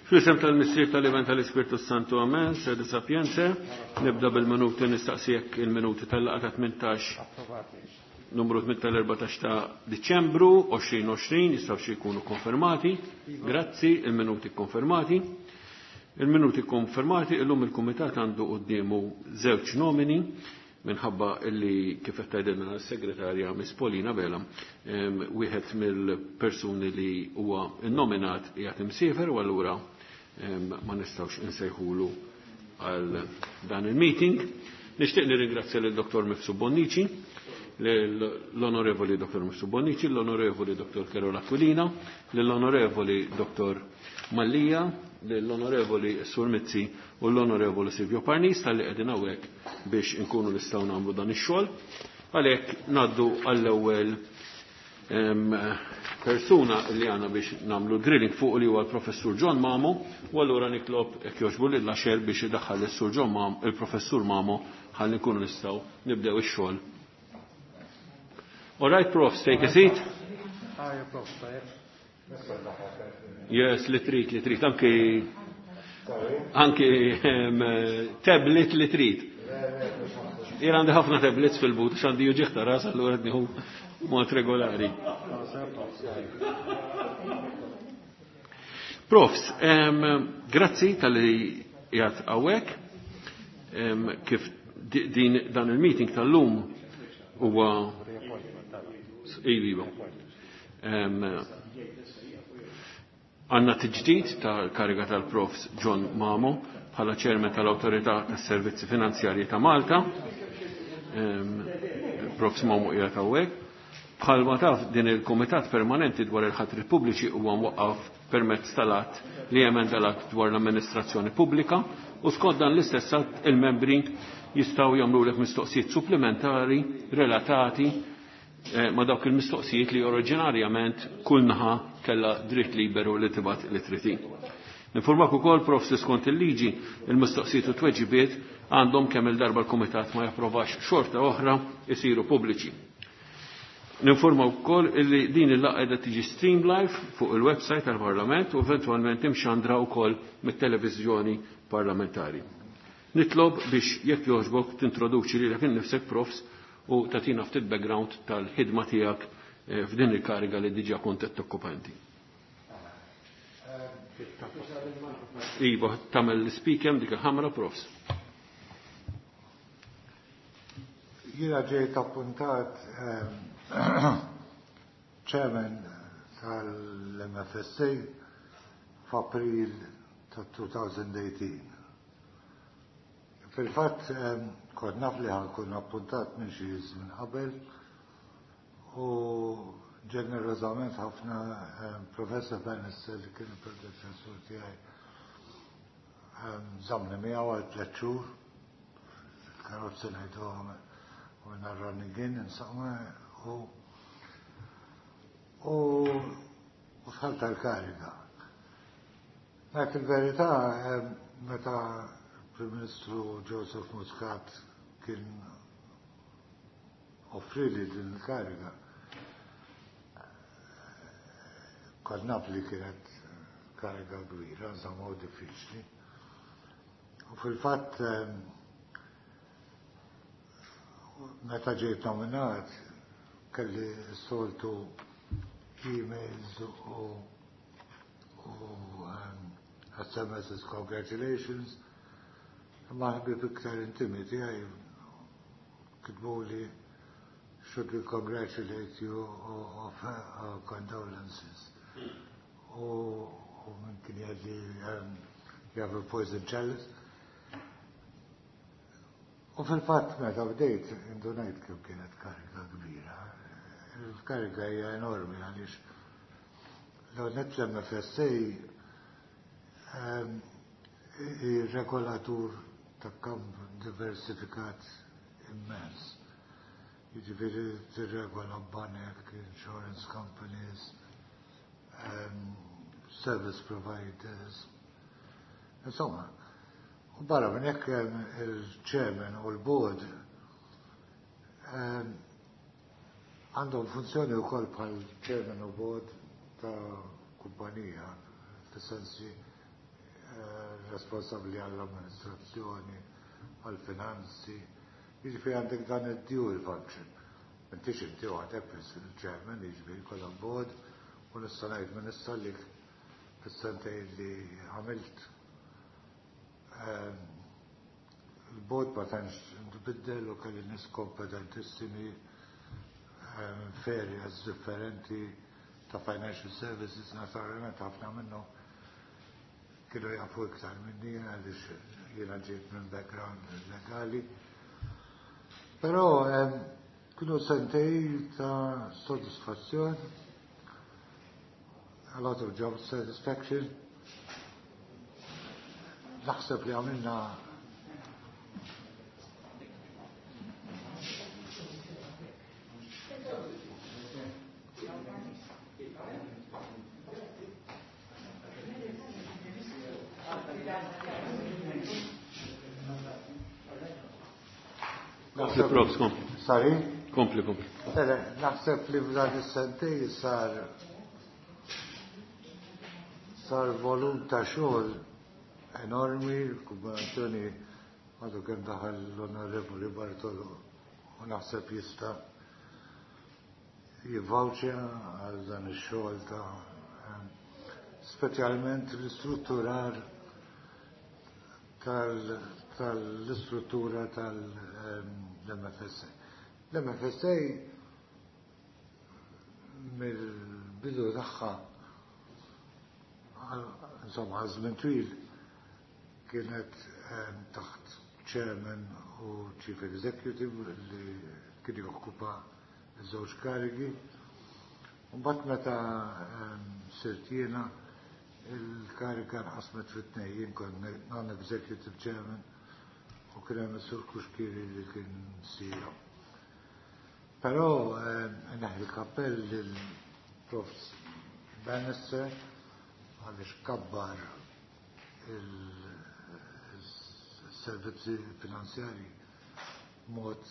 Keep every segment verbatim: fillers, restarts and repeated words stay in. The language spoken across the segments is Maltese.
Fl-isem tal-Missier tal-Iben tal-Ispirtu Santu Amen, sede sapienze, nibda bil-minuti nistaqsijek il-minuti tal-laqgħa ta' tmintax numru tmintax ta' Diċembru għoxrin għoxrin jistgħu xi jkunu konfermati. Grazzi, il-minuti konfermati. Il-minuti konfermati, illum il-Kumitat għandu quddiemu żewġ nomini minħabba illi kif qed tgħidilna s-segretarja Miss Paulina Vela, wieħed mill-persuni li huwa nnominat qiegħed imsiefer u allura ma nistgħux insejħulu għal dan il-meeting. Nixtieq nirringrazzja lil Dottor Mifsud Bonnici, l-Onorevoli Dottor Mifsud Bonnici, l-Onorevoli Dottor Carola Aquilina, l-Onorevoli Dottor Mallia, l-Onorevoli Sur Mizzi u l-Onorevoli Silvio Parnis tal-li qegħdin hawnhekk biex inkunu nistgħu nagħmlu dan ix-xogħol. Għalhekk ngħaddu għall-ewwel persuna li għandna biex nagħmlu drilling fuq li huwa l-Professur John Mamo, u allura nitlob jekk jogħġbu lil Laxer biex idaħħal is-Sur John Mamo, il-Professur Mamo, ħalli nkunu nistgħu nibdew ix-xogħol. All right, Prof, take a seat. Hi, Prof. Yes, li trid, li trid, anki anki tablet li trid. Jien għandi ħafna tablets fil-but, għax għandi uġigħ ta' ras, allura qed nieħu mod regolari. Profs, grazzi tal-li qiegħed hawnhekk. Kif din dan il-meeting tal-lum huwa iva. Għanna tiġdid tal-kariga tal-Profs John Mamo bħala ċermen tal-Awtorità tas-Servizzi Finanzjarji ta' Malta. Profs Mamo qiegħed hawnhekk. Bħalma taf din il-Kumitat Permanenti dwar il-ħatri pubbliċi huwa mwaqqaf permezz tal-att li jemenda l-att dwar l-amministrazzjoni pubblika u skont dan l-istess att il-membri jistgħu jagħmlulek mistoqsijiet supplementari relatati ma dawk il-mistoqsijiet li oriġinarjament kull naħa kellha dritt liberu li tibgħat li trid. Informak ukoll Prof skont il-liġi il-mistoqsijiet u tweġibiet għandhom kemm il-darba l-Kumitat ma japprovax xorta oħra isiru pubbliċi. Ninforma wkoll illi din il-laqgħa qiegħda tiġi stream live fuq il-website tal-Parlament u eventwalment imxandra wkoll mit-televiżjoni parlamentari. Nitlob biex jekk jogħġbok tintroduċi lilek innifsek Profs u tatina ftit background tal-ħidma tiegħek f'din il-kariga li diġà kont qed tokkupanti. Iva, tagħmel l-speaker dik il-ħamra Profs. Jiena ġejt appuntat chairman tal-M F S A f'April ta' elfejn u tmintax. Fil-fatt kont naf li ħa nkun appuntat minn xi żmien qabel u ġenerosament ħafna Professor Bannister, li kien il-predeċessur tiegħi, żammni miegħu għal tliet xhur karozzi ngħidu u narrunning in, insomma, u u u dħalt tal-kariga. Dak il-verità, meta Prim Ministru Joseph Muscat kien offrili din il-kariga, kont naf li kienet kariga kbira, insomma, u diffiċli. U fil-fatt, meta ġejt nominat, kelli soltu emails u u um, S M Ss, congratulations, ma ħbib iktar intimi tiegħi kitbu li "Should we congratulate you or offer our condolences?" U u minn kien jgħidli um, "You have a poison chalice." U fil-fatt meta bdejt indunajt kemm kienet kariga kbira. Il-kariga hija enormi għaliex l-għonet l-M F S A regolatur ta' kamp diversifikat immens. Jiġifieri tirregola banek, insurance companies, um, service providers. Insomma, u barra minn hekk il-chairman u l-board għandhom funzjoni wkoll bħal chairman u board ta' kumpanija, fis-sensi responsabbli għall-amministrazzjoni, għall-finanzi, jiġifieri għandek dan id-dual function. M'intix inti għandek biss il-chairman, jiġifieri kollha board, u nista' ngħid minn issa li fis-sentejn li għamilt il-board ma tantx nbiddel u kelli nies kompetentissimi f'areas differenti ta' financial services. Naturalment ħafna minnhom kienu jafu iktar minni għaliex jiena ġejt minn background legali. Però kienu sentej ta' soddisfazzjon, a lot of job satisfaction. Naħseb li għamilna Kompli, Profs, kompli. Sorry? Kompli, kompli. Naħseb li f'dan is-sentej sar sar volum ta' xogħol enormi, l-kombinazzjoni għadu kemm daħal l-Onorevoli Bartolo u naħseb jista' jivvawċja għal dan ix-xogħol ta' speċjalment l-istrutturar tal-istruttura tal-M F S A. L-M F S A mill-bidu tagħha, insomma, għal żmien twil kienet taħt chairman u chief executive li kien jokkupa żewġ karigi. Mbagħad meta sirt jiena, il-karika nqasmet fit-tnejn, jien kont non-executive chairman u kien hemm is-Sur Cuschieri li kien C E O. Però neħi l-kappell lil Profs Bannister għaliex kabbar il-servizzi finanzjari mod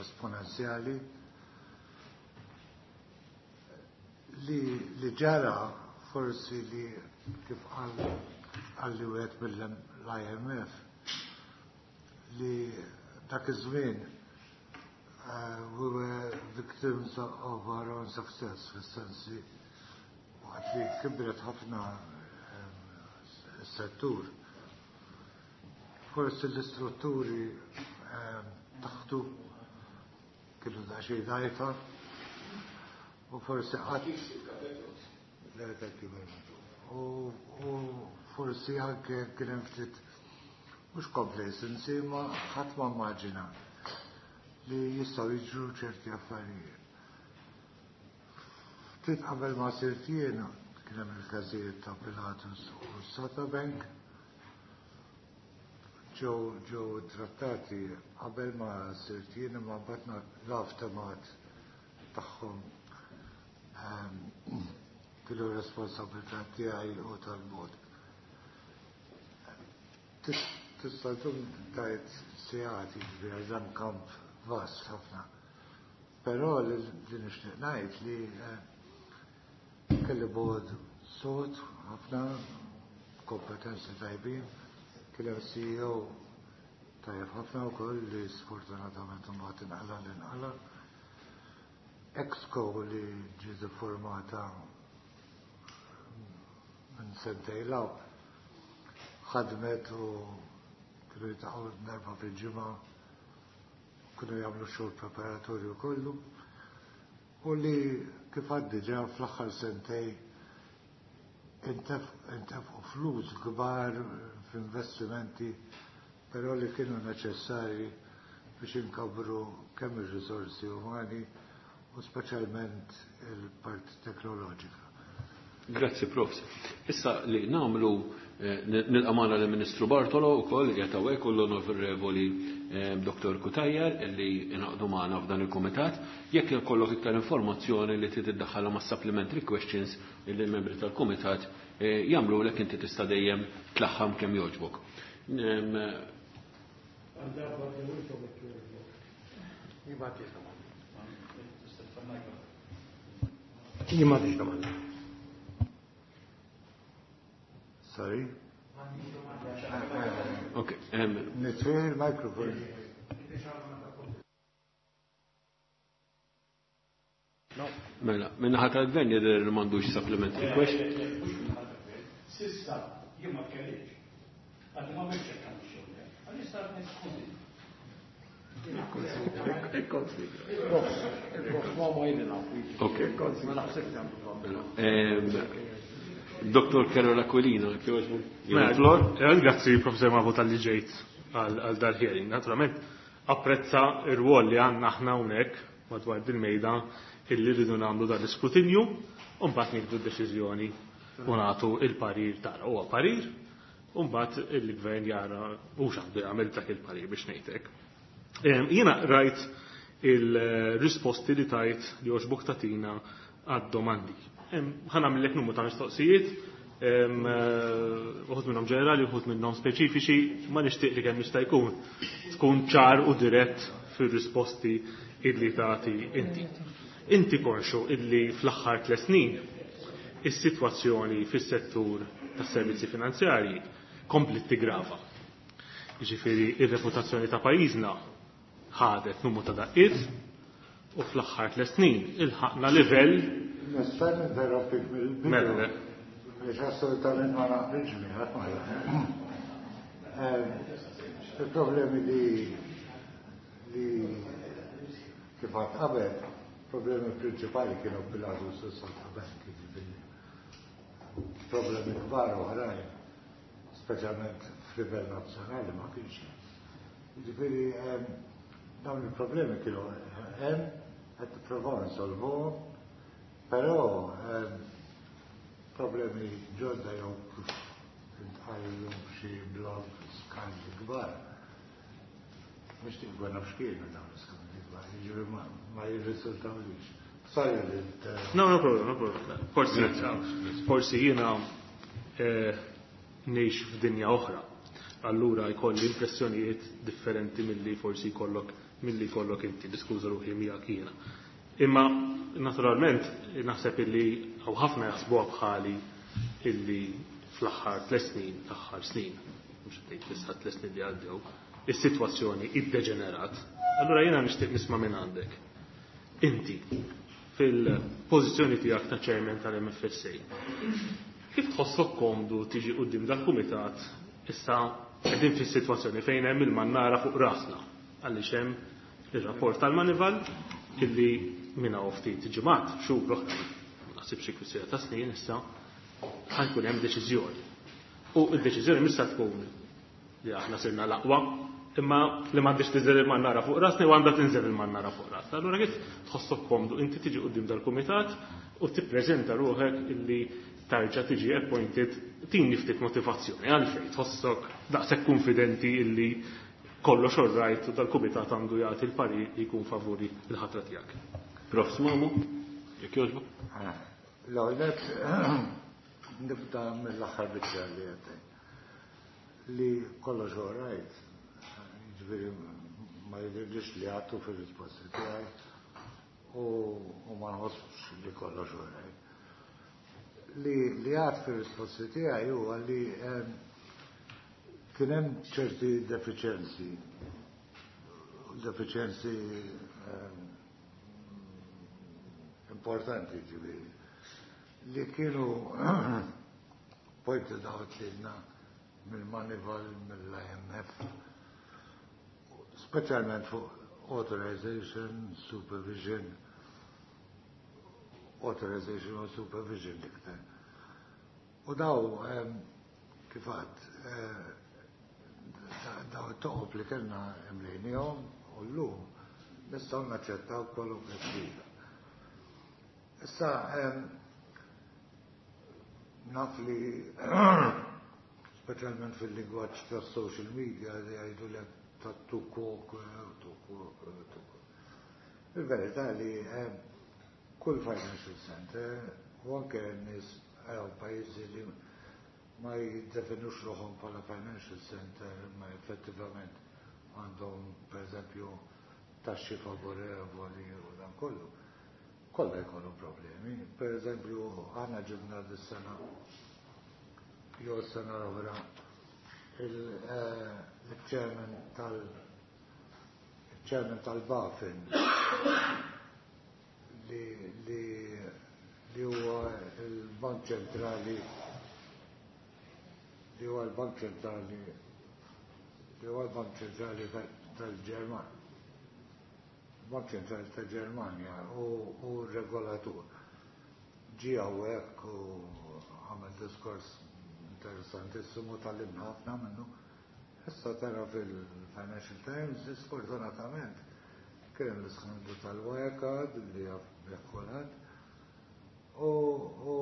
esponenzjali li, li ġara forsi li kif għalli wieħed mill-I M F li dak iż-żmien uh, we were victims of our own success, fis-sensi waqt li kibret ħafna s-settur. Forsi l-istrutturi taħtu kienu daqsxejn dgħajfa u forsi qatt u forsi anke kien hemm ftit mhux complacency ma ħadd ma immaġina li jistgħu jiġru ċerti affarijiet. Ftit qabel ma sirt jiena kien hemm il-każijiet ta' Pilatus u Satabank ġew ġew trattati qabel ma sirt jien imma mbagħad l-aftermath tagħhom kienu responsabilità tiegħi u tal-bord. Tista' tkun tajt sigħat jiġifieri dan kamp vast ħafna. Però li nixtieq ngħid li kelli bord sod ħafna kompetenzi tajbin, kien hemm C E O tajjeb ħafna wkoll li sfortunatament imbagħad inqala' li nqala'. Exco li ġiet iffurmata minn sentejn law ħadmet u kienu jiltaqgħu darba fil-ġimgħa, kienu jagħmlu xogħol preparatorju kollu u li kif għad diġà fl-aħħar sentej intefqu flus kbar f'investimenti però li kienu neċessarji biex inkabru kemm ir-riżorsi umani u speċjalment il-parti teknoloġika. Grazzi, Profs. Issa li nagħmlu nilqa' magħna lill-Ministru Bartolo wkoll qiegħed hawnhekk u l-Onorevoli Doktor Cutajar li ingħaqdu magħna f'dan il-kumitat. Jekk ikollok iktar informazzjoni li trid iddaħħalha ma' supplementary questions li l-membri tal-kumitat jagħmlulek inti tista' dejjem tlaħħam kemm jogħġbok. Jien m'għandix domanda. Sorry? Okay. Um, Nitfih il-mikrofon. Mela, minna ħadd tal-gvern jidher li m'għandux supplementary question. Sissa, jien ma tkellimx. Għad ma biex hekk għandi xogħol. Għaliex sar niskużi. Okay. Doktor Karol Aquilina, Mela, grazzi Professor Mavo tal-li ġejt għal dal-hearing. Naturalment, apprezza ir-rwol li għandna aħna hawnhekk madwar dil-mejda illi rridu nagħmlu dan l-iskrutinju u mbagħad nieħdu d-deċiżjoni u nagħtu il-parir tagħna. Huwa parir u mbagħad il-gvern jara u x'għandu jagħmel dak il-parir biex ngħidlek. Jiena rajt il-risposti li tajt li għoġbok tatina għad-domandi. Ħa nagħmellek numru ta' mistoqsijiet, uħud minnhom ġenerali, uħud minnhom speċifiċi, ma nixtieq li kemm jista' jkun tkun ċar u dirett fir-risposti illi tagħti inti. Inti konxu illi fl-aħħar tliet snin is-sitwazzjoni fis-settur tas-servizzi finanzjarji komplet tigrava. Jiġifieri ir-reputazzjoni ta' pajjiżna ħadet numru ta' daqqiet u fl-aħħar tliet snin ilħaqna livell. Nista' ninterrompik mill-bidu. Mela. Biex assolutament ma naqbilx miegħek ma. Il-problemi li li kif għad qabel, problemi prinċipali kienu Pilatus u Satabank, jiġifieri problemi kbar oħrajn, speċjalment f'livell nazzjonali ma kienx hemm. Jiġifieri dawn il-problemi kienu hemm, qed nippruvaw insolvuhom, però problemi ġodda jew kif intqal illum f'xi blog skandli kbar. Nixtieq nkun naf x'kienu dawn l-iskandli kbar, jiġifieri ma jirriżultawlix. Sorry li No, no problem, no problem. Forsi, forsi jiena ngħix f'dinja oħra. Allura jkolli impressjonijiet differenti milli forsi jkollok milli jkollok inti, diskuża ruħi miegħek jiena. Imma naturalment naħseb illi hawn ħafna jaħsbuha bħali illi fl-aħħar tliet snin, l-aħħar snin, mhux qed ngħid issa tliet snin li għaddew, is-sitwazzjoni iddeġenerat. Allura jiena nixtieq nisma' minn għandek. Inti fil-pożizzjoni tiegħek ta' chairman tal-M F S A, kif tħossok komdu tiġi quddiem dal-kumitat issa qegħdin fis-sitwazzjoni fejn hemm il-mannara fuq rasna għaliex hemm Ir-rapport tal-Moneyval illi minn hawn ftit ġimgħat, xhur oħra, naħseb xi kwistjoni ta' snin issa, ħa jkun hemm deċiżjoni. U d-deċiżjoni mhux se tkun li aħna sirna l-aqwa, imma li m'għandix tinżel il-mannara fuq rasna u għandha tinżel il-mannara fuq rasna. Allura kif tħossok komdu inti tiġi quddiem dal-kumitat u tippreżenta ruħek illi tarġa' tiġi appointed, tini ftit motivazzjoni għalfejn tħossok daqshekk konfidenti illi kollox all right u dal-kumitat għandu jagħti l-parir li jkun favuri l-ħatra tiegħek. Profs Mamo, jekk jogħġbok. L-ewwel nibda mill-aħħar biċċa li għedt li kollox all right, jiġifieri ma jidhirlix li għedtu fir-risposti tiegħi u ma nħossx li kollox all right. Li li għedt fir-risposti tiegħi huwa li kien hemm ċerti deficienzi, deficienzi importanti ġifieri, li kienu pointed out lilna mill-Moneyval, mill-I M F, speċjalment fuq authorization, supervision, authorization u supervision iktar. U daw, kif għedt, daw it-toqob li kellna imlejnihom u llum nistgħu naċċettaw kwalunkwe sfida. Issa, naf li speċjalment fil-lingwaġġ ta' social media li jgħidu li ta' tukok, tukok, tukok. Il-verità li kull financial center u anke nies pajjiżi li ma jiddefinux ruħhom bħala financial center, ma effettivament għandhom, per eżempju, taxxi favorevoli u dan kollu. Kollha jkollu problemi. Per eżempju, aħna ġibna dis-sena jew s-sena l-oħra il-chairman tal il-chairman tal-BaFin li li li huwa il-Bank Ċentrali li huwa l-Bank Ċentrali li huwa l-Bank Ċentrali tal-Ġermanja. Bank Ċentrali tal-Ġermanja u, u regolatur. Ġie hawnhekk u għamel diskors interessantissimu, tgħallimna ħafna minnu. Issa tara fil-Financial Times, sfortunatament, kien l-iskandlu tal-Wirecard li jaf kulħadd. U u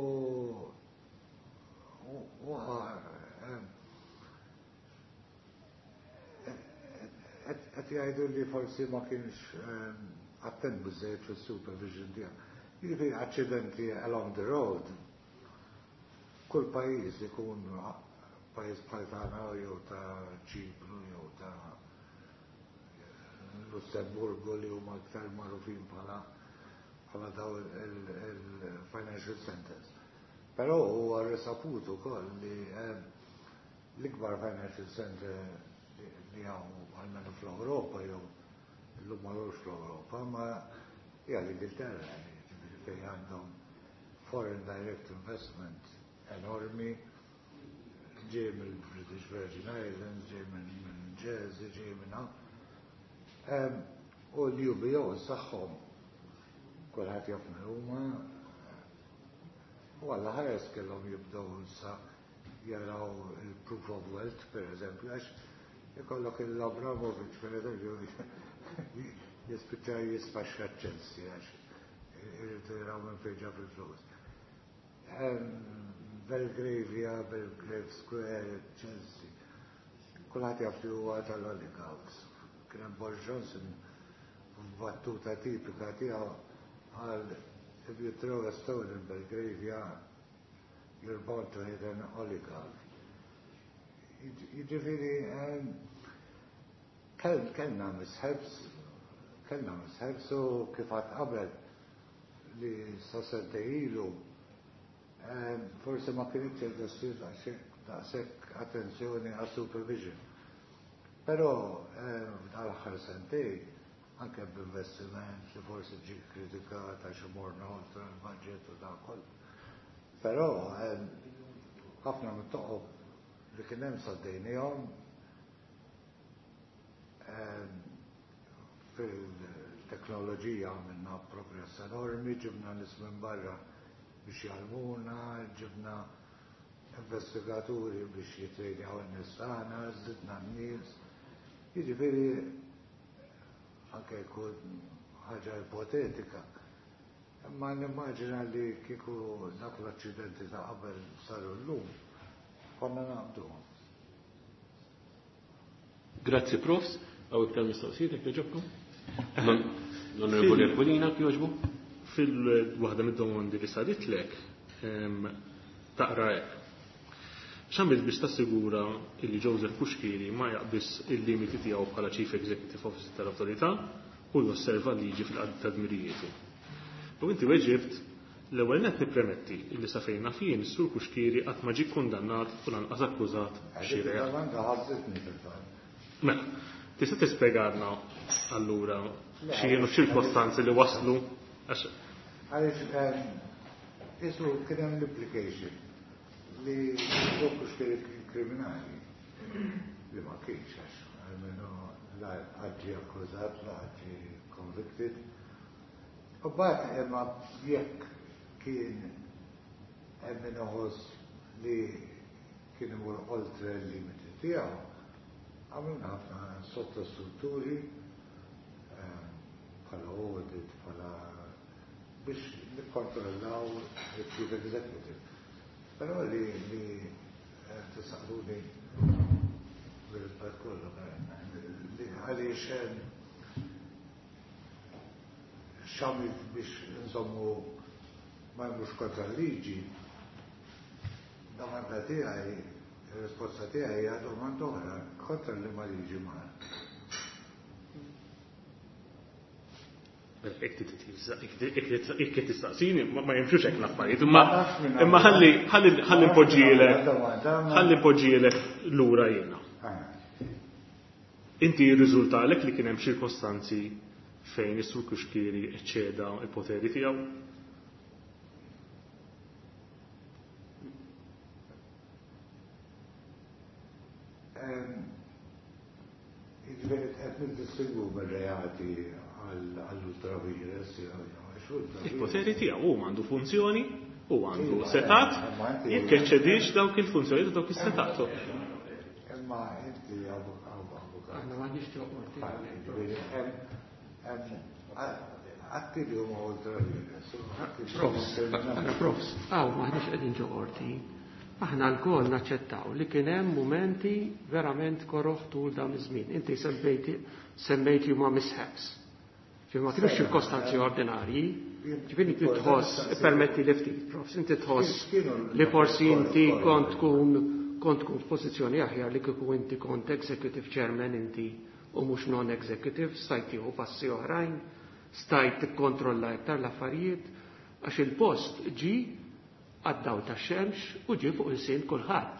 u qed jgħidu li forsi ma kienx attent biżejjed fis-supervision tiegħu. Jiġifieri aċċidenti along the road, kull pajjiż, ikun pajjiż bħal tagħna jew ta' Ċipru jew ta' Lussemburgu, li huma aktar magħrufin bħala bħala daw il-financial centers. Però huwa risaput ukoll li l-ikbar financial center li hawn għalmenu fl-Ewropa, jew illum m'għadux fl-Ewropa, ma hija l-Ingilterra, ġifieri fejn għandhom foreign direct investment enormi ġej mill-British Virgin Islands, ġej minn Jersey, ġej minn hawn. U l-U B O saħħom kulħadd jaf min huma u għalla ħares kellhom jibdew issa jaraw il-proof of wealth, per eżempju, għax ikollok il-Abramovic, per eżempju, jispiċċa jisfaxxa Chelsea għax irridu jaraw minn fejn ġab il-flus. Belgravia, Belgrave Square, Chelsea. Kulħadd jaf li huwa tal-oligarchs. Kien hemm Boris Johnson, battuta tipika tiegħu, qal, "If you throw a stone in Belgravia, you're bound to hit an oligarch." Jiġifieri kellna mishaps, kellna mishaps u kif għedt qabel li sa sentejn ilu forse ma kienx qiegħda daqshekk attenzjoni għas supervision. Però f'dal-aħħar sentejn, anke b'investiment li forsi ġi kritikat għax imorna oltre l-budget u dan kollu. Però ħafna mit-toqob li kien hemm saddejnihom. Fil-teknoloġija għamilna progress enormi, ġibna nies minn barra biex jgħallmuna, ġibna investigaturi biex jitrejnjaw in-nies tagħna, żidna n-nies. Jiġifieri anke jkun ħaġa ipotetika. Imma nimmaġina li kieku dak l-aċċidenti ta' qabel saru llum, konna naqbduhom. Grazzi, Profs. Hawn iktar mistoqsijiet jekk jogħġobkom? L-Onorevoli Aquilina, jogħġbu? Fil-waħda mid-domandi li saritlek, taqra hekk. X'għamilt biex tassigura illi Joseph Cuschieri ma jaqbiż il-limiti tiegħu bħala Chief Executive Officer tal-Awtorità u josserva l-liġi fil-qadi ta' dmirijietu. U inti weġibt l-ewwel nett nippremetti illi sa fejn naf jien is-Sur Cuschieri qatt ma ġie kkundannat u lanqas akkużat b'xi reat. Domanda ħabbitni fil-fatt. Mela, tista' tispjegalna allura x'kienu ċirkostanzi li waslu għax Għaliex isu kien hemm l-implication li Joseph Cuschieri kien kriminali li ma kienx għax almenu la ġie akkużat, la ġie convicted. U mbagħad imma jekk kien hemm min iħoss li kien imur oltre l-limiti tiegħu, għamilna ħafna sottostrutturi bħala audit, bħala biex nikkontrollaw il-Chief Executive. Però li li tistaqsuni bil-rispett kollu, li għaliex x'għamilt biex nżommu ma jmurx kontra l-liġi, domanda tiegħi, il-risposta tiegħi hija domanda oħra, kontra li ma liġi mar. Jekk tistaqsini, ma jimxux hekk l-affarijiet, imma imma ħalli ħalli ħalli npoġġielek ħalli npoġġielek lura jiena. Inti jirriżultalek li kien hemm ċirkostanzi fejn is-Sur Cuschieri eċċeda l-poteri tiegħu? Jiġifieri qed niddistingwu mir-reati għall-ultravires, Il-poteri tiegħu hu għandu funzjoni u għandu setat, jekk eċċedix dawk il-funzjoni u dawk is-setat. Imma inti avukat. Aħna m'għandniex qorti. Atti li huma ultravires. Profs, profs, hawn m'aħniex qegħdin ġo qorti. Aħna lkoll naċċettaw li kien hemm mumenti verament koroħ tul dawn iż-żmien. Inti semmejti semmejti huma mishaps. Ġifieri ma kienux ċirkostanzi ordinarji. Ġifieri inti tħoss, permetti li ftit, profs, inti tħoss li forsi inti kont tkun kont tkun f'pożizzjoni aħjar li kieku inti kont executive chairman inti u mhux non-executive, stajt tieħu passi oħrajn, stajt tikkontrolla iktar l-affarijiet, għax il-post ġi għad-dawl tax-xemx u ġie fuq il-sin kulħadd.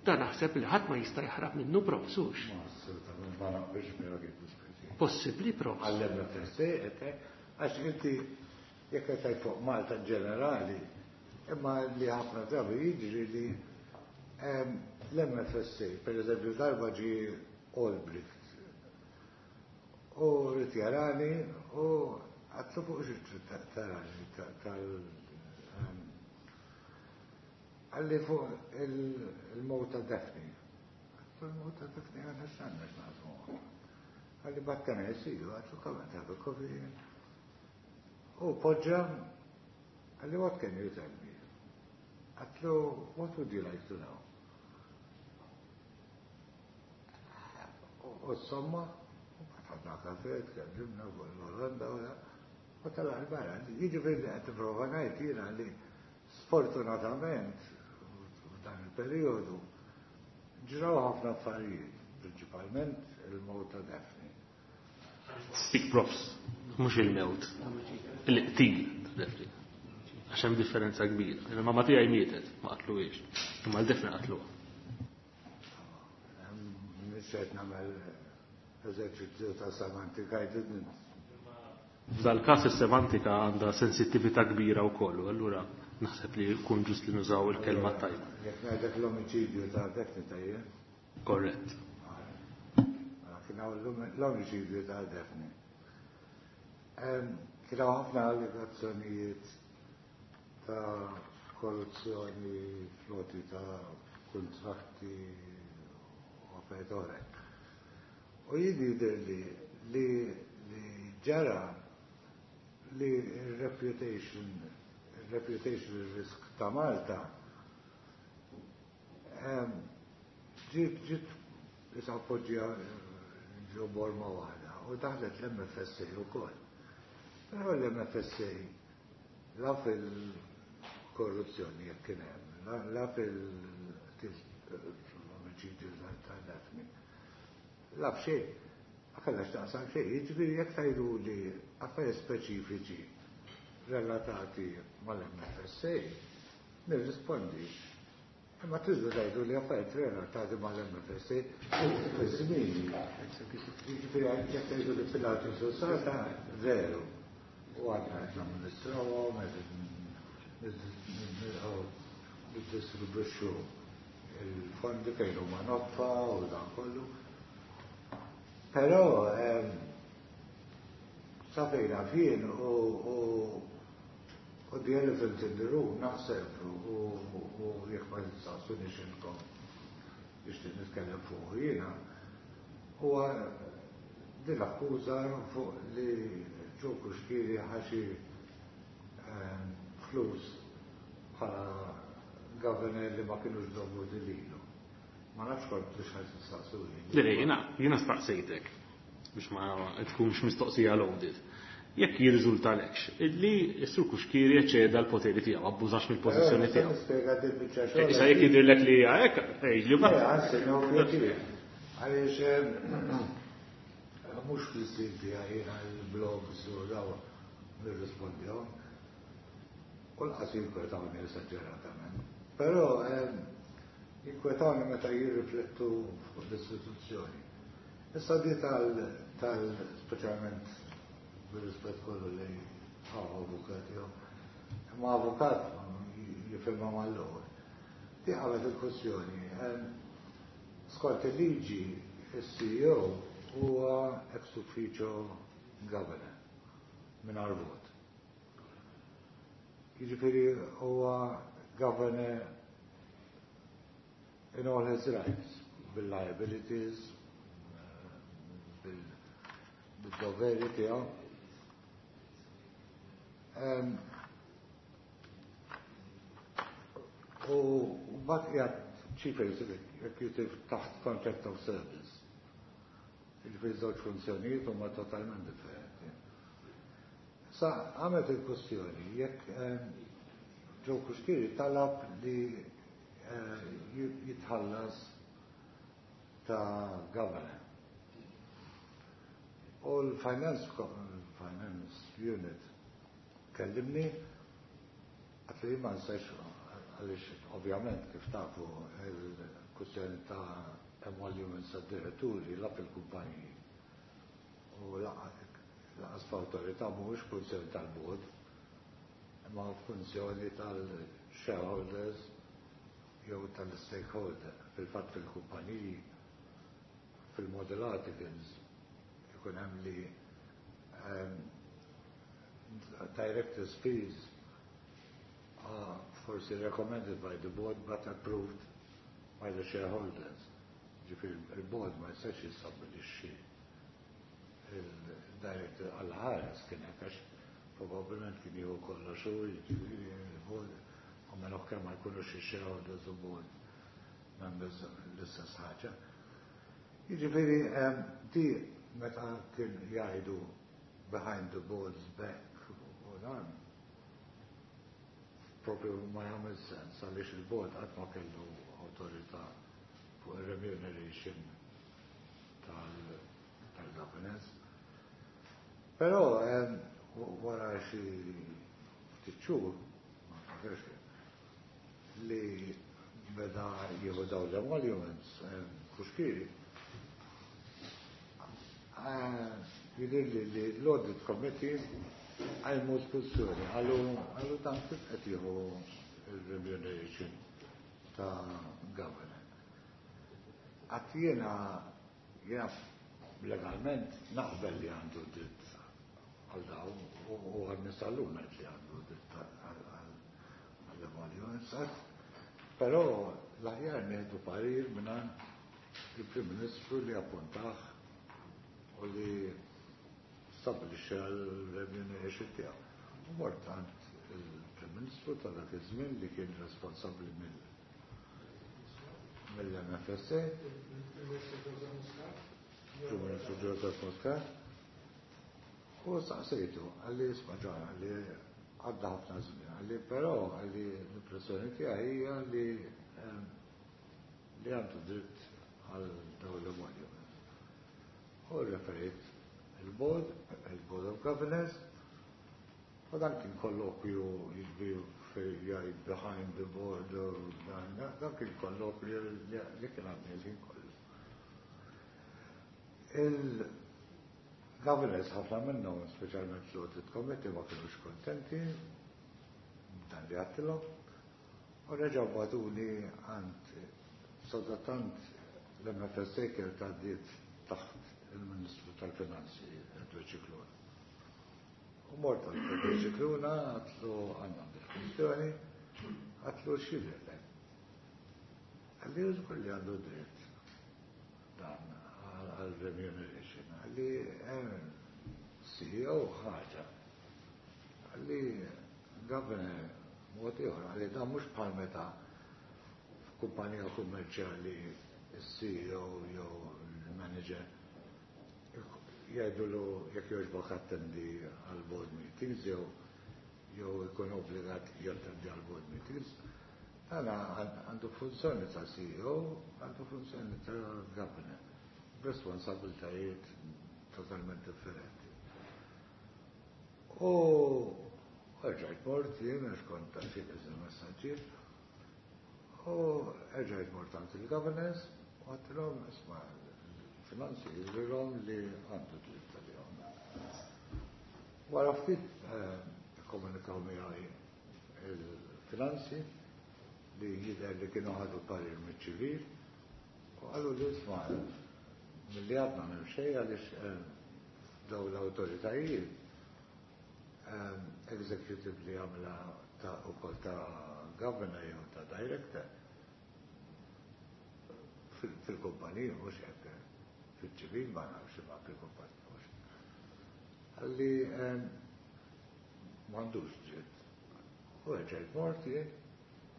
Dan naħseb li ħadd ma jista' jaħrab minnu, profs, hux. Ma assolutament ma naqbilx miegħek id-diskussjoni. Possibbli, profs. Għall-M F S A, għax inti jekk qed tgħid fuq Malta ġenerali, imma li ħafna drabi jiġri li l-M F S A, per eżempju, darba ġi Olbricht u ried jarani u għedtlu fuq xi tarani tal qalli fuq il-mewt ta' Daphne. Għedtlu il-mewt ta' Daphne għandna x'għandna x'naqsmu. Qalli but can I see you? Għedtlu come and have a coffee. U poġġa, qalli what can you tell me? Għedtlu what would you like to know? U somma, ħadna kafe, tkellimna fuq l-Olanda u telaq 'il barra. Jiġifieri qed nipprova ngħid jiena li sfortunatament f'dan il-perjodu ġraw ħafna affarijiet, prinċipalment il-mewt ta' Daphne. Speak profs, mhux il-mewt, il-qtil ta' Daphne. Għax hemm differenza kbira. Il-mama tiegħi mietet, ma qatluhiex, imma l-Daphne qatluha. Mhux qed nagħmel eżerċizzju ta' semantika, I didn't. F'dal każ is-semantika għandha sensittività kbira wkoll, u allura naħseb li jkun ġust li nużaw il-kelma tajba. Jekk ngħidlek l-omiċidju ta' Daphne tajjeb? Korrett. Kien hawn l-omiċidju ta' Daphne. Kien hawn ħafna allegazzjonijiet ta' korruzzjoni, floti ta' kontratti u affarijiet oħra. U jien jidher li li ġara li reputation reputation risk ta' Malta ġiet ġiet issa appoġġja ġo borma waħda u daħlet l-M F S A wkoll. Però l-M F S A la fil-korruzzjoni jekk kien hemm, la fil-omiċidju ta' Daphne, la f'xejn, ma kellha x'taqsam xejn, jiġifieri jekk tgħidu li affarijiet speċifiċi relatati mal-M F S A, nirrispondi. Imma tridu tgħidu li affarijiet relatati mal-M F S A fi żmien. Jiġifieri jekk tgħidu li Pilatus u Sata, veru. U għadna qed namministrawhom, qed niddistribwixxu il-fondi fejn huma nodfa u dan kollu. Però sa fejn jien u u the elephant in the room naħseb u jekk ma tistaqsunix intkom nixtieq nitkellem fuq jiena huwa din l-akkuża fuq li Joe Cuschieri ħa xi flus bħala governor li ma kienux dovuti lilu. Ma nafx kont biex ħa tistaqsuni. Le, jiena, jiena staqsejtek biex ma tkunx mistoqsija loaded. Jekk jirriżultalekx li s-Sur Cuschieri eċċeda l-poteri tiegħu, abbużax mill-pożizzjoni tiegħu. Nispjega din biċċa xogħol. Issa jekk jidhirlek li hija hekk, li Le, anzi, no pjaċir. Għaliex mhux fl-istil tiegħi jiena l-blogs u daw nirrispondihom. U lanqas jinkwetawni esaġeratament. Però jinkwetawni meta jirriflettu fuq l-istituzzjoni. Issa di tal, tal speċjalment bil-rispett kollu li għaw avukat jew. Imma avukat jifhimha mal-ewwel. Di għamet il-kwestjoni. Skont il-liġi, il-C E O huwa ex officio governor mingħajr vot. Jiġifieri huwa governor in all his rights, bil-liabilities, bil-doveri tiegħu. Um, u mbagħad qiegħed chief executive taħt contract of service. Jiġifieri żewġ funzjonijiet huma totalment differenti. Sa għamet il-kwestjoni jekk Joe Cuschieri talab li eh, jitħallas ta' governor. U l-finance finance unit kellimni, għedt li ma nistax, għaliex ovvjament kif tafu il-kwestjoni ta' emoluments ta' diretturi la fil-kumpaniji u lanqas f'awtorità mhuwiex funzjoni tal-board imma funzjoni tal-shareholders jew tal-stakeholder. Fil-fatt fil-kumpaniji fil-model articles ikun hemm li um, directors' fees are forsi recommended by the board but approved by the shareholders. Ġifieri il-board ma jistax jistabbilixxi il-director għal ħares kien hekk għax probabbilment kien jieħu kollox u jiġifieri il-board u mela kemm ma jkunux ix-shareholders u board members l-istess ħaġa. Jiġifieri di meta kien jgħidu behind the board's back u dan propju ma jagħmel sens għaliex il-board qatt ma kellu awtorità fuq il-remuneration tal-governance. Però wara xi ftit xhur, ma nfakrx li beda jieħu daw l-emoluments Cuschieri, jidher li li l-audit committee għajmu diskussjoni, għallu għallu dan kif qed jieħu il-remuneration ta' governor. Għedt jiena jiena legalment naqbel li għandu dritt għal dawn u għan-nies tal-lum ngħid li għandu dritt għall-emoluments. Però l-aħjar nieħdu parir mingħand il-Prim Ministru li appuntah u li stabbilixxa l-remuneration tiegħu. U mort għand il-Prim Ministru ta' dak iż-żmien li kien responsabbli mill-M F S A. Prim Ministru Joseph Muscat. U saqsejtu, qalli, "Isma' John," qalli, "għadda ħafna żmien," qalli, "però," qalli, "l-impressjoni tiegħi hija li li għandu dritt għal dawn l-emoluments." U referit il-board, il-Board of Governors, u dan kien kollokju, jiġifieri fejn jgħid behind the board, dan kien kollokju li kien għaddej il-ħin kollu. Il-governors, ħafna minnhom, speċjalment l-audit committee, ma kienux kontenti dan li għedtilhom, u reġgħu bagħtuni għand. Sadattant l-M F S A kienet għaddiet taħt il-Ministru tal-Finanzi, Edward Scicluna. U mort għand Edward Scicluna, għedtlu, "Għandna kwistjoni," għedtlu, "x'jidhirlek?" Qalli, "Żgur li għandu dritt dan għal remuneration." Qalli, C E O ħaġa. Qalli, governor mod ieħor, qalli, dan mhux bħal meta f'kumpanija kummerċjali il-C E O jew il-manager jgħidulu, "Jekk jogħġbok attendi għal board meetings," jew jew ikun obbligat jattendi għal board meetings. Dan għandu funzjoni ta' C E O, għandu funzjoni ta' governor, responsabiltajiet totalment differenti. U rġajt mort jien, għax kont ta' xi messaġġier, u rġajt mort għand il-governors u għedtilhom, "Isma', finanzi jidhrilhom li għandu dritt għalihom." Wara ftit komunikaw miegħi il-finanzi li jidher li kienu ħadu parir miċ-ċivil u qalu li, "Isma', milli għadna m'hemm xejn għaliex daw l-awtoritajiet executive li għamla ta' ukoll ta' governor jew ta' director fil-kumpanija, mhux hekk, fil-ċivil ma nafx, ma fil-kumpanija mhux." Qalli, "M'għandux dritt." U rġajt mort jien,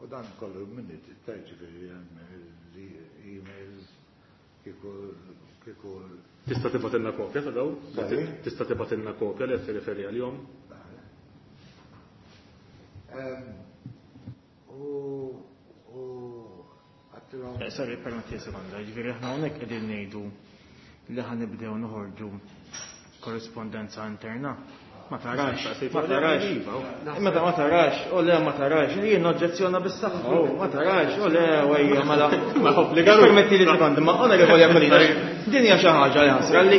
u dan kollu minni ġifieri l-emails kieku kieku Tista' tibgħatilna kopja ta' daw? Tista' tibgħatilna kopja li qed tirreferi għalihom? U u għedtilhom Sorry, permetti sekonda, ġifieri aħna hawnhekk qegħdin ngħidu li ħa nibdew noħorġu korrispondenza interna. Ma tarax, ma tarax. Meta ma tarax, u le, ma tarax, jien oġġezzjona bis-saħħa, ma tarax, u le, wejja, mela. Ma obbligaru. Permetti li sekonda, ma onorevoli Aquilina, din hija xi ħaġa li ħasra li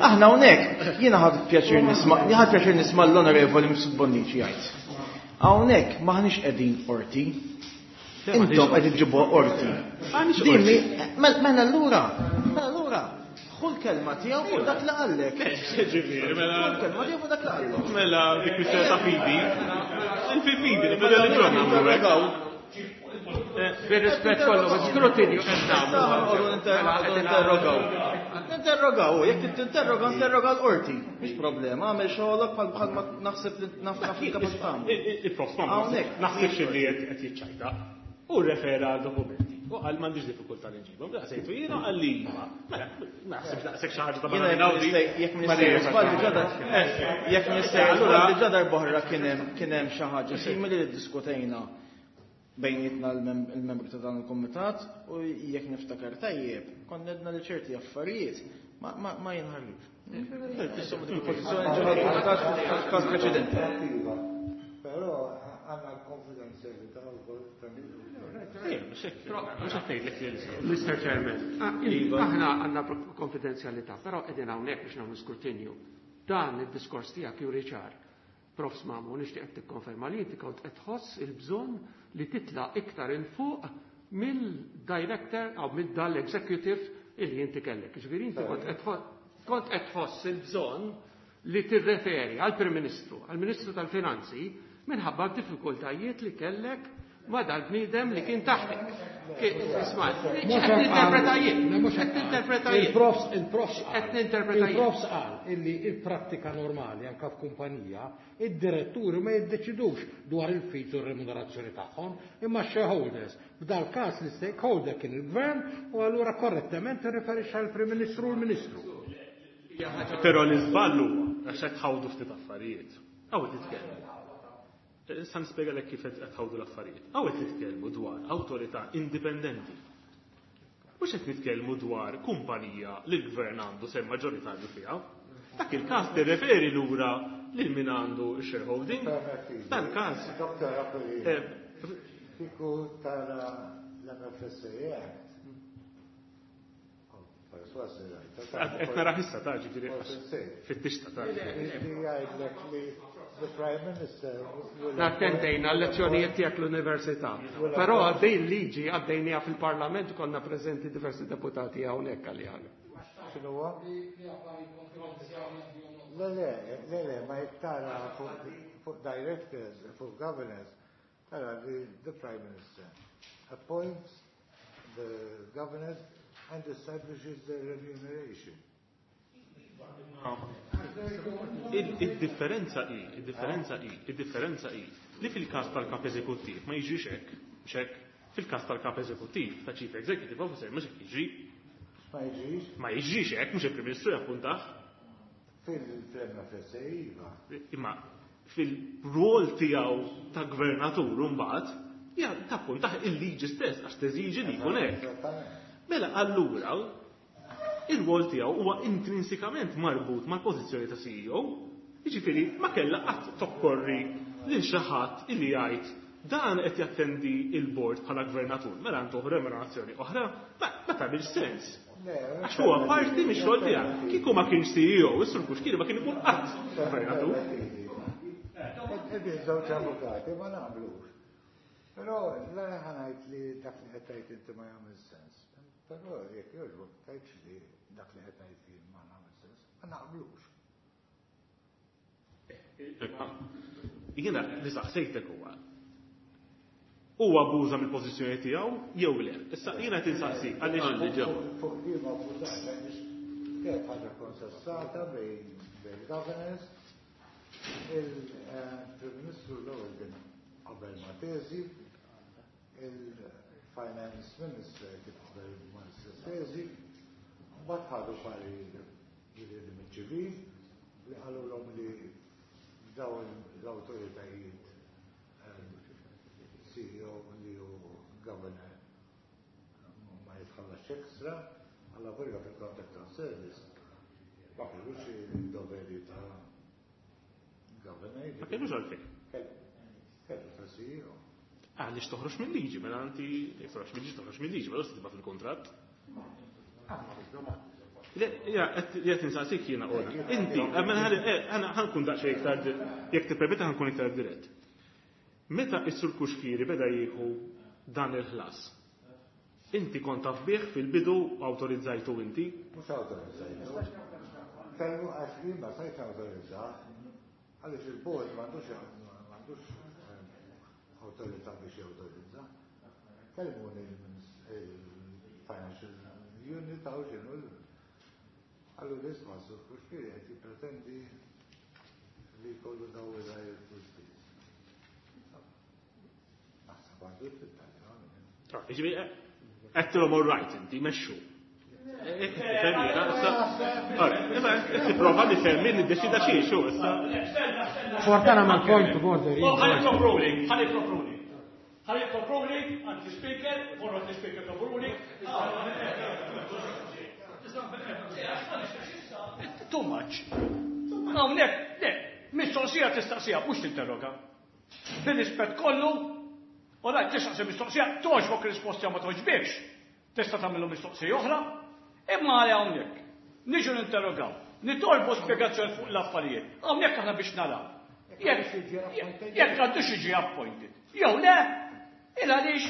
aħna hawnhekk jiena ħadt pjaċir nisma' ħadt pjaċir nisma' l-onorevoli Mifsud Bonnici jgħid. Hawnhekk maħniex qegħdin qorti. Intom qed iġibuha qorti. Dimmi, mela allura, mela allura, ħu l-kelma tiegħu fuq dak li qallek. Ġifieri, mela. Ħu l-kelma tiegħu fuq dak li qallek. Mela, dik kwistjoni ta' fidi. Il-fidi, il-reliġjon nagħmlu hekk. Bir-rispett kollu, skrutinju qed nagħmlu. Interrogaw. Interrogaw, jekk tinterroga, interroga l-qorti. Mhix problema, għamel xogħolok bħal bħal ma naħseb li naf naf il-kapaċità tagħmel. Il-prof ma naħsibx li qed jiċċajta. U refera għal dokumenti. U qal, "M'għandix diffikultà li nġibhom." Sejtu jiena, qal li iva. Mela, naħseb daqshekk xi ħaġa ta' Jekk m'iniex żball jekk m'iniex żball diġà darb'oħra kien hemm kien hemm xi ħaġa simili li ddiskutejna bejnietna l-membri ta' dan il-komitat u jekk niftakar tajjeb, konna għedna li ċerti affarijiet ma jinħarġux. Insomma, dik il-pożizzjoni ġewwa l-komitat f'każ preċedenti. Però għandna l-konfidenzjalità wkoll. Mister Chairman, aħna għandna konfidenzjalità, però qegħdin hawnhekk biex nagħmlu skrutinju. Dan id-diskors tiegħek juri ċar. Profs Mamu, nixtieq qed tikkonferma li inti kont qed tħoss il-bżonn li titla' iktar il fuq mill-director aw mill-dal-executive illi inti kellek. Ġifieri inti kont qed kont qed tħoss il-bżonn li tirreferi għall-Prim Ministru, għall-Ministru tal-Finanzi, minħabba diffikultajiet li kellek ma dal-bniedem li kien taħtek. Isma', qed ninterpreta jien, qed ninterpreta jien. Il-profs, il-profs Qed ninterpreta jien. Il-profs qal illi il-prattika normali anke f'kumpanija, id-diretturi ma jiddeċidux dwar il-fees u r-remunerazzjoni tagħhom, imma shareholders. F'dal każ l-stakeholder kien il-gvern u allura korrettament irriferixxa għall-Prim Ministru u l-Ministru. Però l-iżball huwa għax qed tħawdu ftit affarijiet. Hawn titkellmu. Issa nispjegalek kif qed tħawdu l-affarijiet. Hawn qed nitkellmu dwar awtorità indipendenti. Mhux qed nitkellmu dwar kumpanija li l-gvern għandu sehem maġġoritarju fiha. Dak il-każ tirreferi lura lil min għandu shareholding. Dan każ. Doktor Aquilina, eh, kieku tara l-M F S A Act. Perswas li rajta. Qed nara issa ta' ġifieri fit-tixta ta' Li jgħidlek li the Prime Minister will Attendejna l-lezzjonijiet tiegħek l-università. Però għaddej liġi għaddejnija fil-Parlament, konna preżenti diversi deputati hawnhekk għalija. X'inhuwa? Le, le, le, le, ma jekk tara fuq fuq directors, fuq governors, tara li the Prime Minister appoints the governors and establishes their remuneration. Il-differenza hi, il-differenza hi, il-differenza hi li fil-każ tal-kap eżekuttiv ma jiġix hekk, mhux hekk. Fil-każ tal-kap eżekuttiv ta' Chief Executive Officer mhux hekk jiġri. Ma jiġix? Ma jiġrix hekk, mhux il-Prim Ministru jappuntah. Fil-M F S A iva. Imma fil-rol tiegħu ta' gvernatur mbagħad, ja tappuntah il-liġi stess għax teżiġi li jkun hekk. Esattament. Mela allura il-rol tiegħu huwa intrinsikament marbut mal-pożizzjoni ta' C E O. Jiġifieri ma kellha qatt tokkorri lil xi ħadd illi jgħid dan qed jattendi il-board bħala gvernatur, mela għandu remunerazzjoni oħra, ma ma tagħmilx sens. Le, Għax huwa parti mix-xogħol tiegħek. Kieku ma kienx C E O, is-Sur Cuschieri ma kien ikun qatt gvernatur. Qegħdin żewġ avukati, ma naqblux. Però la ħa ngħid li dak li qed tgħid inti ma jagħmel sens. Però jekk jogħġbok tgħidx li dak li qed ngħid jien ma nagħmel sens, ma naqblux. Jiena li saqsejtek huwa huwa abbuża mill-pożizzjoni tiegħu jew le. Issa jiena qed insaqsi għaliex Għandi ġew. Fuq li ma abbużat għaliex kienet ħaġa konsessata bejn bejn governors. Il-Prim Ministru l-ewwel kien qabel ma' teżi, il-Finance Minister kien qabel ma' teżi, mbagħad ħadu parir mill-ċivil li qalulhom li dawn l-awtoritajiet C E O li hu governor ma jitħallas extra, għalla volja fil-contract of service ma kellux il-doveri ta' governor. Ma kellux għalfejn. Kellu ta' C E O. Għaliex toħroġ mill-liġi, mela inti toħroġ mill-liġi, toħroġ mill-liġi, mela tibqa' fil-kontratt. Le, ja, qed insaqsik jiena ora. Inti, mela ħa nkun daqsxejn iktar, jekk tippermetta ħa nkun iktar dirett. Meta is-Sur Cuschieri beda jieħu dan il-ħlas, inti kont taf bih fil-bidu, awtorizzajtu inti? Mhux awtorizzajtu. Kellu għax jien ma stajtx awtorizza, għaliex il-board m'għandux m'għandux eh, awtorità biex jawtorizza. Kellmuni il-Financial Unit għaw ġenu għallu l-isma Sur Cuschieri qed jippretendi li jkollu daw il-director's fees. Naħseb għandu t-talja. Jiġifieri, għedtilhom all right inti, mexxu. Tipprova li femmi li deċida xie, xu, issa. Fortana mal point of order. Oh, ħalli ruling, ħalli ruling. Ħalli ruling, anti-speaker, forward speaker of ruling. Too much. Hawnhekk, le, mistoqsija tistaqsija, mhux tinterroga. Bil-rispett kollu, u rajt tistaqsi mistoqsija, togħġbok risposta, ma togħġbikx. Tista' tagħmlu mistoqsija oħra, imma għal hawnhekk. Niġu ninterrogaw, nitolbu spjegazzjoni fuq l-affarijiet. Hawnhekk aħna biex naraw. Jekk jekk għandux jiġi appointed. Jew le, il għaliex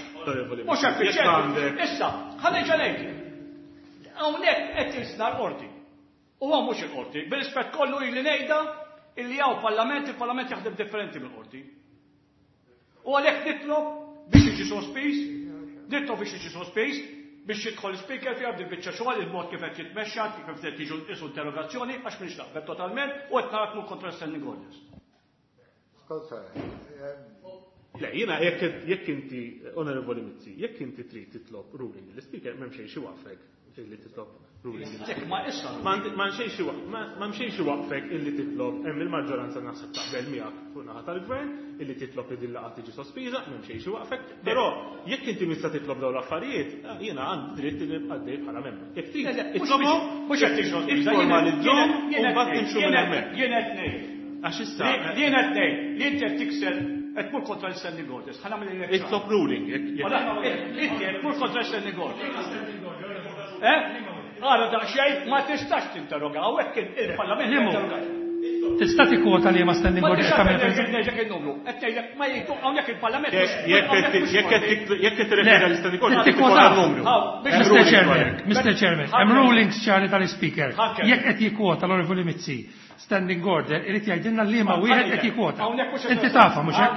mhux effiċjenti. Issa, ħa nerġa' ngħidlek. Hawnhekk qed jisna l-qorti. U hawn mhux il-qorti, bil-rispett kollu ili ngħidha illi hawn parlament, il-parlament jaħdem differenti mill-qorti. U għalhekk nitlob biex jiġi sospiż, nitlob biex jiġi sospiż, biex jidħol speaker fiha b'dil biċċa xogħol il-mod kif qed jitmexxa, kif qed jiġu isu interrogazzjoni, għax m'iniex naqbel totalment u qed narak mur kontra standing orders. Le, jiena jekk inti, Onorevoli Mizzi, jekk inti trid titlob ruling l-speaker m'hemm xejn xi waqfek illi titlob ruling. Ma issa. Ma xejn xi waqfek illi titlob hemm il-maġġoranza naħseb taqbel miegħek fuq naħa tal-gvern illi titlob li din laqgħa tiġi sospiża, m'hemm xejn xi waqfek, però jekk inti mista titlob dawn l-affarijiet, jiena għandi dritt li nibqa' għaddej bħala membru. Jekk trid itlobhom, mhux qed tiġi sospiża, jifformalizzhom u mbagħad nimxu minn hemmhekk. Jien qed ngħid. Għax issa. Jien qed ngħid li inti qed tikser qed tmur kontra l-standing orders. Ħa nagħmel il Itlob ruling. Inti qed tmur kontra l-standing orders. Eh? Għara daqsxejn ma tistax tinterroga hawnhekk il-Parlament jinterrogax. Tista' tikkwota li ma standing orders tagħmel. Ngħidlek in-numru. Qed ngħidlek ma jgħidu hawnhekk il-Parlament. Jekk qed tirreferi għall-standing orders tikkwota n-numru. Mister Chairman, Mister Chairman, hemm rulings ċari tal-Speaker. Jekk qed jikkwota l-Onorevoli Mizzi standing order, irid jgħidilna li ma wieħed qed jikkwota. Inti tafha mhux hekk?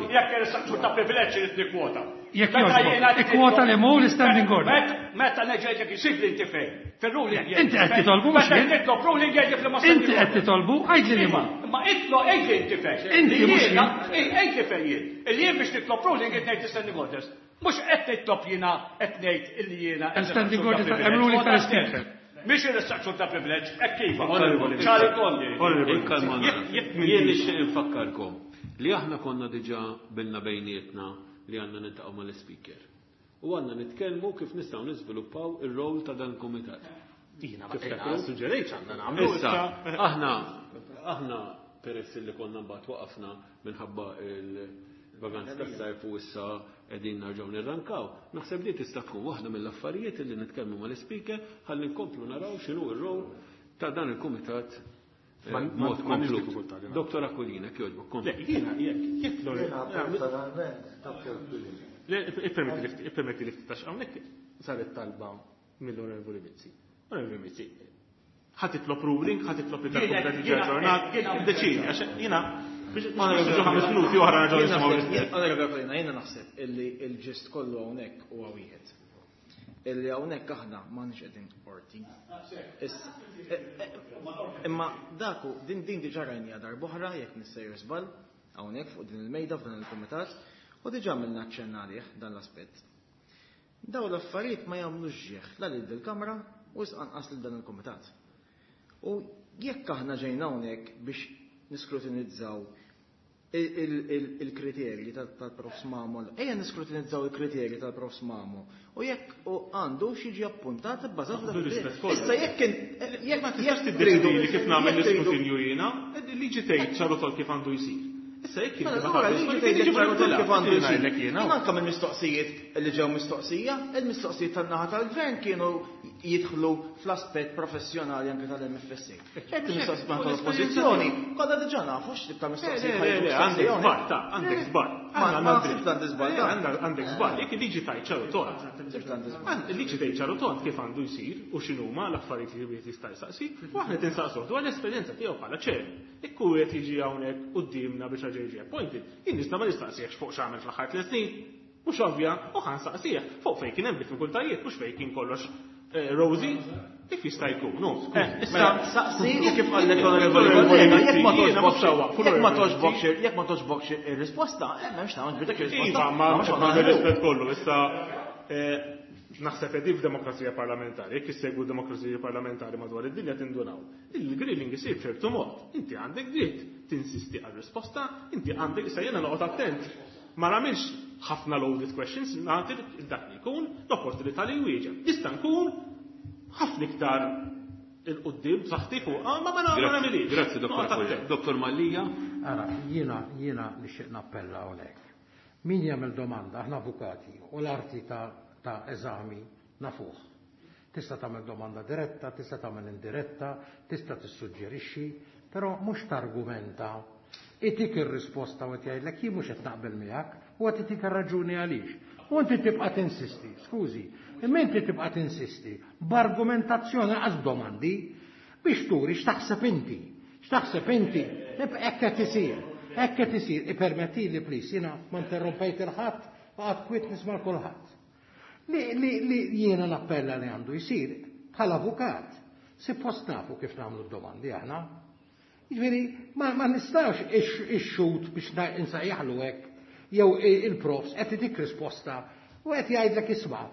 Jekk irressaqsu ta' privileġġ irid nikkwota. Jekk jogħġbok, ikkwota li mhu l-standing order. Meta neġgħidlek isib li inti fejn. Fir-ruling. Inti qed titolbu mhux jien. Nitlob ruling jgħidlek li ma Inti qed titolbu, għidli li ma. Ma itlo għidli inti fejn. Inti mhux jien. Għidli fejn jien. Illi jien biex nitlob ruling qed ngħid standing orders. Mhux qed nitlob jiena qed ngħid illi jiena. Standing orders hemm ruling tal-Speaker. Mhix ir-restriction ta' privileġġ, hekk kif. Ċari tondi. Jien nixtieq infakkarkom li aħna konna diġà bilna bejnietna li għandna niltaqgħu mal-speaker. U għandna nitkellmu kif nistgħu niżviluppaw ir-rol ta' dan il-kumitat. Jiena ma suġġerejtx għandna nagħmlu. Issa, aħna aħna peress li konna mbagħad waqafna minħabba il-vaganzi tas-sajf u issa qegħdin nerġgħu nirrankaw. Naħseb li tista' tkun waħda mill-affarijiet li nitkellmu mal-ispeaker ħalli nkomplu naraw x'inhu r-rol ta' dan il-kumitat mod komplut. Dottor Aquilina, jogħġbok, komplu. Jiena jekk jekk personalment Dottor Aquilina. Ippermetti li ftit għax hawnhekk saret talba mill-Onorevoli Mizzi. Onorevoli Mizzi, ħa titlob ruling, ħa titlob li tal-kumitat jiġi aġġornat, iddeċidi għax jiena biex ħames minuti oħra nerġgħu nisimgħu l-istess. Onorevoli Aquilina, jiena naħseb illi l-ġist kollu hawnhekk huwa wieħed. Illi hawnhekk aħna m'għandniex qegħdin qorti. Imma daku din din diġà rajniha darb'oħra jekk nissejjer żball hawnhekk fuq din il-mejda f'dan il-kumitat u diġà għamilna aċċenn għalih dan l-aspett. Dawn l-affarijiet ma jagħmlux ġieħ la lil dil-Kamra u anqas lil dan il-kumitat. U jekk aħna ġejna hawnhekk biex niskrutinizzaw il-kriterji tal-Profs Mamo, ejja niskrutinizzaw il-kriterji tal-Profs Mamo u jekk għandu xi appuntat bbażat fuq dak. Issa jekk jekk ma tistax tiddeċidi li kif nagħmel l-iskrutinju jiena, liġi tgħid ċaru tol kif għandu jsir. Issa jekk inti ma tgħidx ċaru tol kif għandu jsir. Anke mill-mistoqsijiet li ġew mistoqsija, il-mistoqsijiet tan-naħa tal-gvern kienu jidħlu fl-aspett professjonali anke tal-M F S A. Ċerti mistoqsijiet tal-oppożizzjoni, kollha diġà nafu x'tip ta' mistoqsijiet. Għandek żball, ta' għandek żball. Għandek żball, għandek żball. Jekk il-liġi tgħid ċaru tont. Il-liġi tgħid ċaru tont kif għandu jsir u x'inhuma l-affarijiet li wieħed jista' jsaqsi, u aħna tinsaqsuh dwar l-esperjenza tiegħu bħala ċer. Jekk hu qed jiġi hawnhekk quddiemna biex ħaġa jiġi appointed, jien nista' ma nistaqsihx fuq x'għamel fl-aħħar tliet snin. Mhux ovvja, u ħa nsaqsih fuq fejn kien hemm diffikultajiet, mhux fejn kien kollox Rosie, kif jista' jkun? Issa saqsi u kif qallek l-onorevoli kollega, jekk ma toġbokx, jekk ma toġbokx, jekk ma toġbokx ir-risposta, m'hemmx tagħmel dik ir-risposta. Iva, ma rispett kollu, issa naħseb qegħdin f'demokrazija parlamentari, jekk issegwu demokrazija parlamentari madwar id-dinja tindunaw. Il-grilling isir b'ċertu mod. Inti għandek dritt tinsisti għal-risposta, inti għandek issa jiena noqgħod attent. Ma nagħmilx ħafna loaded questions, nagħti dak li jkun l-opportunità li jwieġeb. Nista' nkun ħafna iktar il-qudiem b'saħħti fuq, ma ma nagħmilix. Grazzi, Dottor Dottor Mallia. Ara, jiena jiena nixtieq nappella hawnhekk. Min jagħmel domanda, aħna avukati, u l-arti ta' ta' eżami nafuh. Tista' tagħmel domanda diretta, tista' tagħmel indiretta, tista' tissuġġerixxi, però mhux targumenta. Itik ir-risposta u qed jgħidlek jien mhux qed naqbel miegħek u qed itik ir-raġuni għaliex. U inti tibqa' tinsisti, skużi, imma inti tibqa' tinsisti b'argumentazzjoni qas domandi, Biex turi x'taħseb inti, x'taħseb inti, hekk qed isir, hekk qed isir, ippermettili please, jiena ma interrompejt il-ħadd, baqgħet kwiet nisma' kulħadd. Li, li, li jiena nappella li għandu jsir bħala avukat, suppost nafu kif nagħmlu d-domandi aħna. Jiġifieri ma, ma nistax ix-xhud biex insejjaħlu hekk jew il-profs qed itik risposta u qed jgħidlek isma'.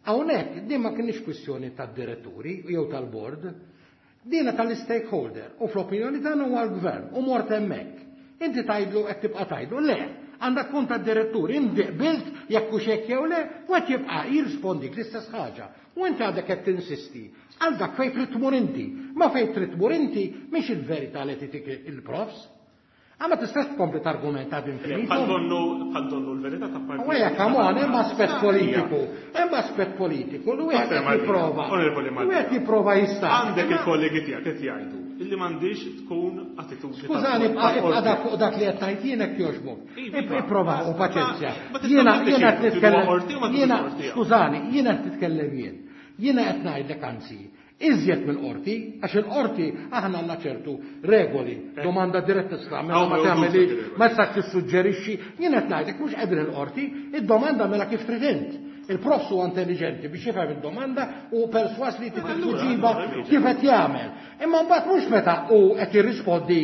Hawnhekk din ma kienx kwistjoni tad-diretturi jew tal-bord, dina tal-stakeholder u fl-opinjoni tagħna huwa l-gvern u mort hemmhekk. Inti tgħidlu qed tibqa' tgħidlu le, għandek tkun tad-diretturi, inti qbilt jekk hux hekk jew le, u qed jibqa' jirrispondik l-istess ħaġa. U inti għadek qed tinsisti għal dak fejn trid tmur inti. Ma fejn trid tmur inti mhix il-verità li titik il-profs. Ma tistax tkompli targumenta ad infinitum. Bħal donnu bħal donnu l-verità ta' parti. U hekk come on, hemm aspett politiku. Hemm aspett politiku li wieħed qed jipprova. Wieħed jipprova jista'. Għandek il-kollegi tiegħek qed jgħidu illi m'għandix tkun attitudni. Skużani, ibqa' dak fuq dak li qed tgħid jien hekk jogħġbok. Ipprova u paċenzja. Jiena jiena qed nitkellem. Jiena skużani, jiena qed nitkellem jien. Jiena qed ngħidlek anzi, iżjed mill-qorti, għax il-qorti aħna għandna ċertu regoli, domanda diretta tagħmel ma tagħmelix, ma tistax tissuġġerixxi, jien qed ngħidlek mhux qegħdin il-qorti, id-domanda mela kif trid int. Il-profs huwa intelligenti biex jifhem id-domanda u perswas li tittuġiba kif qed jagħmel. Imma mbagħad mhux meta hu qed jirrispondi,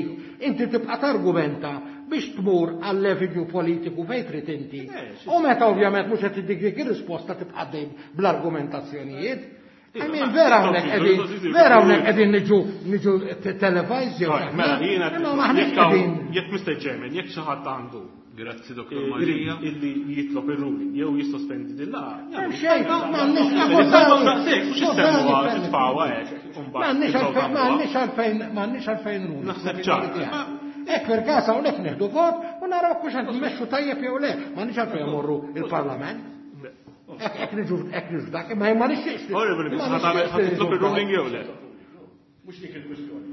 inti tibqa' targumenta biex tmur għall-avenue politiku fejn trid inti. U meta ovvjament mhux qed tiddik dik ir-risposta tibqa' dejjem bl-argumentazzjonijiet. I mean, vera hawnhekk qegħdin, vera hawnhekk qegħdin niġu niġu televised jew mela jiena maħniex qegħdin. Jekk Mister Chairman, jekk xi ħadd għandu Grazzi Dottor Mallia. Illi jitlob ir-ruling jew jissospendi din l-għaqda. Hemm xejn, m'għandniex M'għandniex m'għandniex għalfejn m'għandniex għalfejn ruling. Naħseb ċar. Hekk per każ hawnhekk nieħdu vot u naraw kux qed nmexxu tajjeb jew le, m'għandniex għalfejn imorru il-Parlament. Hekk niġu hekk niġu dak, imma ma nixtieqx. Onorevoli, ħa titlob ir-ruling jew le? Mhux dik il-kwistjoni.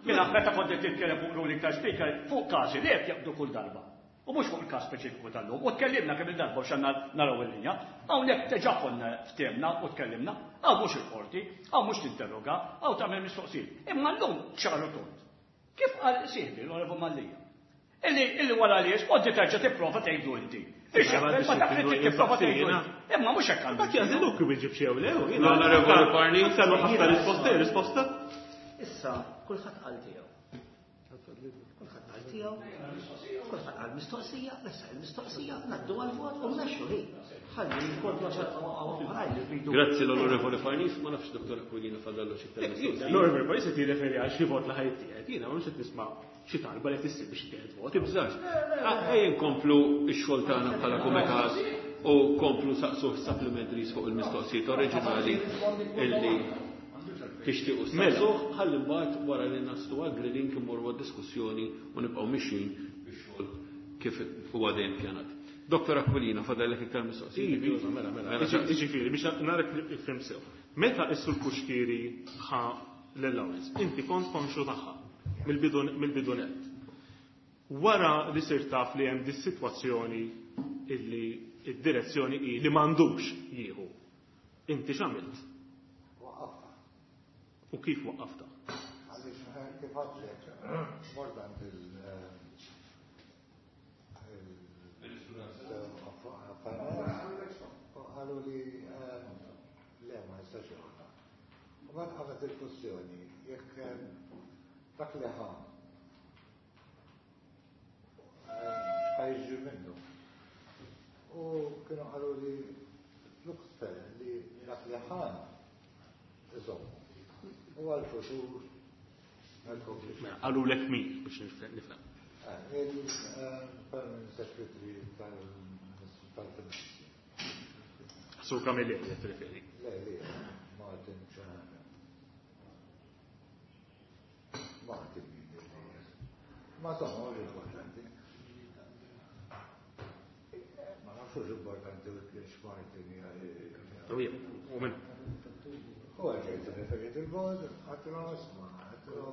Mela meta kont qed titkellem fuq ruling ta' speaker fuq każi li qed jaqbdu kull darba. U mhux fuq il-każ speċifiku tal-lum. U tkellimna kemm il-darba biex għandna naraw il-linja. Hawnhekk diġà konna ftemna u tkellimna, hawn mhux il-qorti, hawn mhux tinterroga, hawn tagħmel mistoqsijiet. Imma llum ċaru tont. Kif qal sieħbi l-Onorevoli Mallia? Illi illi wara li rispondi terġa' tipprova tgħidu inti. Biex jaqbel ma dak li tipprova tgħidu inti. Imma mhux hekk għandu. Dak jażiluk kif iġib xi jew le. L-Onorevoli Parni. Kellu ħafna risposta, risposta. Issa kulħadd qal tiegħu. Kulħadd qal tiegħu. Kulħadd qal mistoqsija, issa il-mistoqsija ngħaddu għall-vot u mmexxu li. Ħalli jkollna xi oħrajn li rridu. Grazzi l-Onorevoli Parnis, ma nafx Dottor Aquilina fadallu xi iktar mistoqsija. L-Onorevoli Parnis qed jirreferi għal xi vot li ħajt tiegħek. Jiena mhux qed nisma' xi talba li tissir biex tieħed vot. Tibżax. Ejja nkomplu x-xogħol tagħna bħala kumitat u komplu saqsuh supplementaries fuq il-mistoqsijiet oriġinali illi tixtiequ saqsuh, ħalli mbagħad wara li naslu għal grilling immorru għad-diskussjoni u nibqgħu mixjin bix-xogħol kif huwa dejjem pjanat. Dottor Aquilina, fadallek iktar mistoqsijiet? Iva, mela, mela. Jiġifieri, biex narek nifhem sew. Meta s-Sur Cuschieri ħa l-allowance, inti kont konxu tagħha mill-bidu nett. Wara li sirt taf li hemm dis-sitwazzjoni illi id-direzzjoni hi li m'għandux jieħu. Inti x'għamilt? Waqqafta. U kif waqqafta? Għaliex kif għadlek, mort għand il- qalu li le ma jistax joħodha. U mbagħad qamet il-kwestjoni jekk dak li ħa x'ħajġi minnu. U kienu qalu li looks fair li dak li ħa iżommu. U għal-futur Mela, qalu lek min biex nifhem. Il-Permanent Secretary tal-Finanzi. Sur Camilleri qed tirreferi. Le, le, Martin ċana. Martin min. Ma somma, mhux importanti. Ma nafux importanti u kienx Martin. U minn. U għalġejt referit il-bod, għatlu isma, għatlu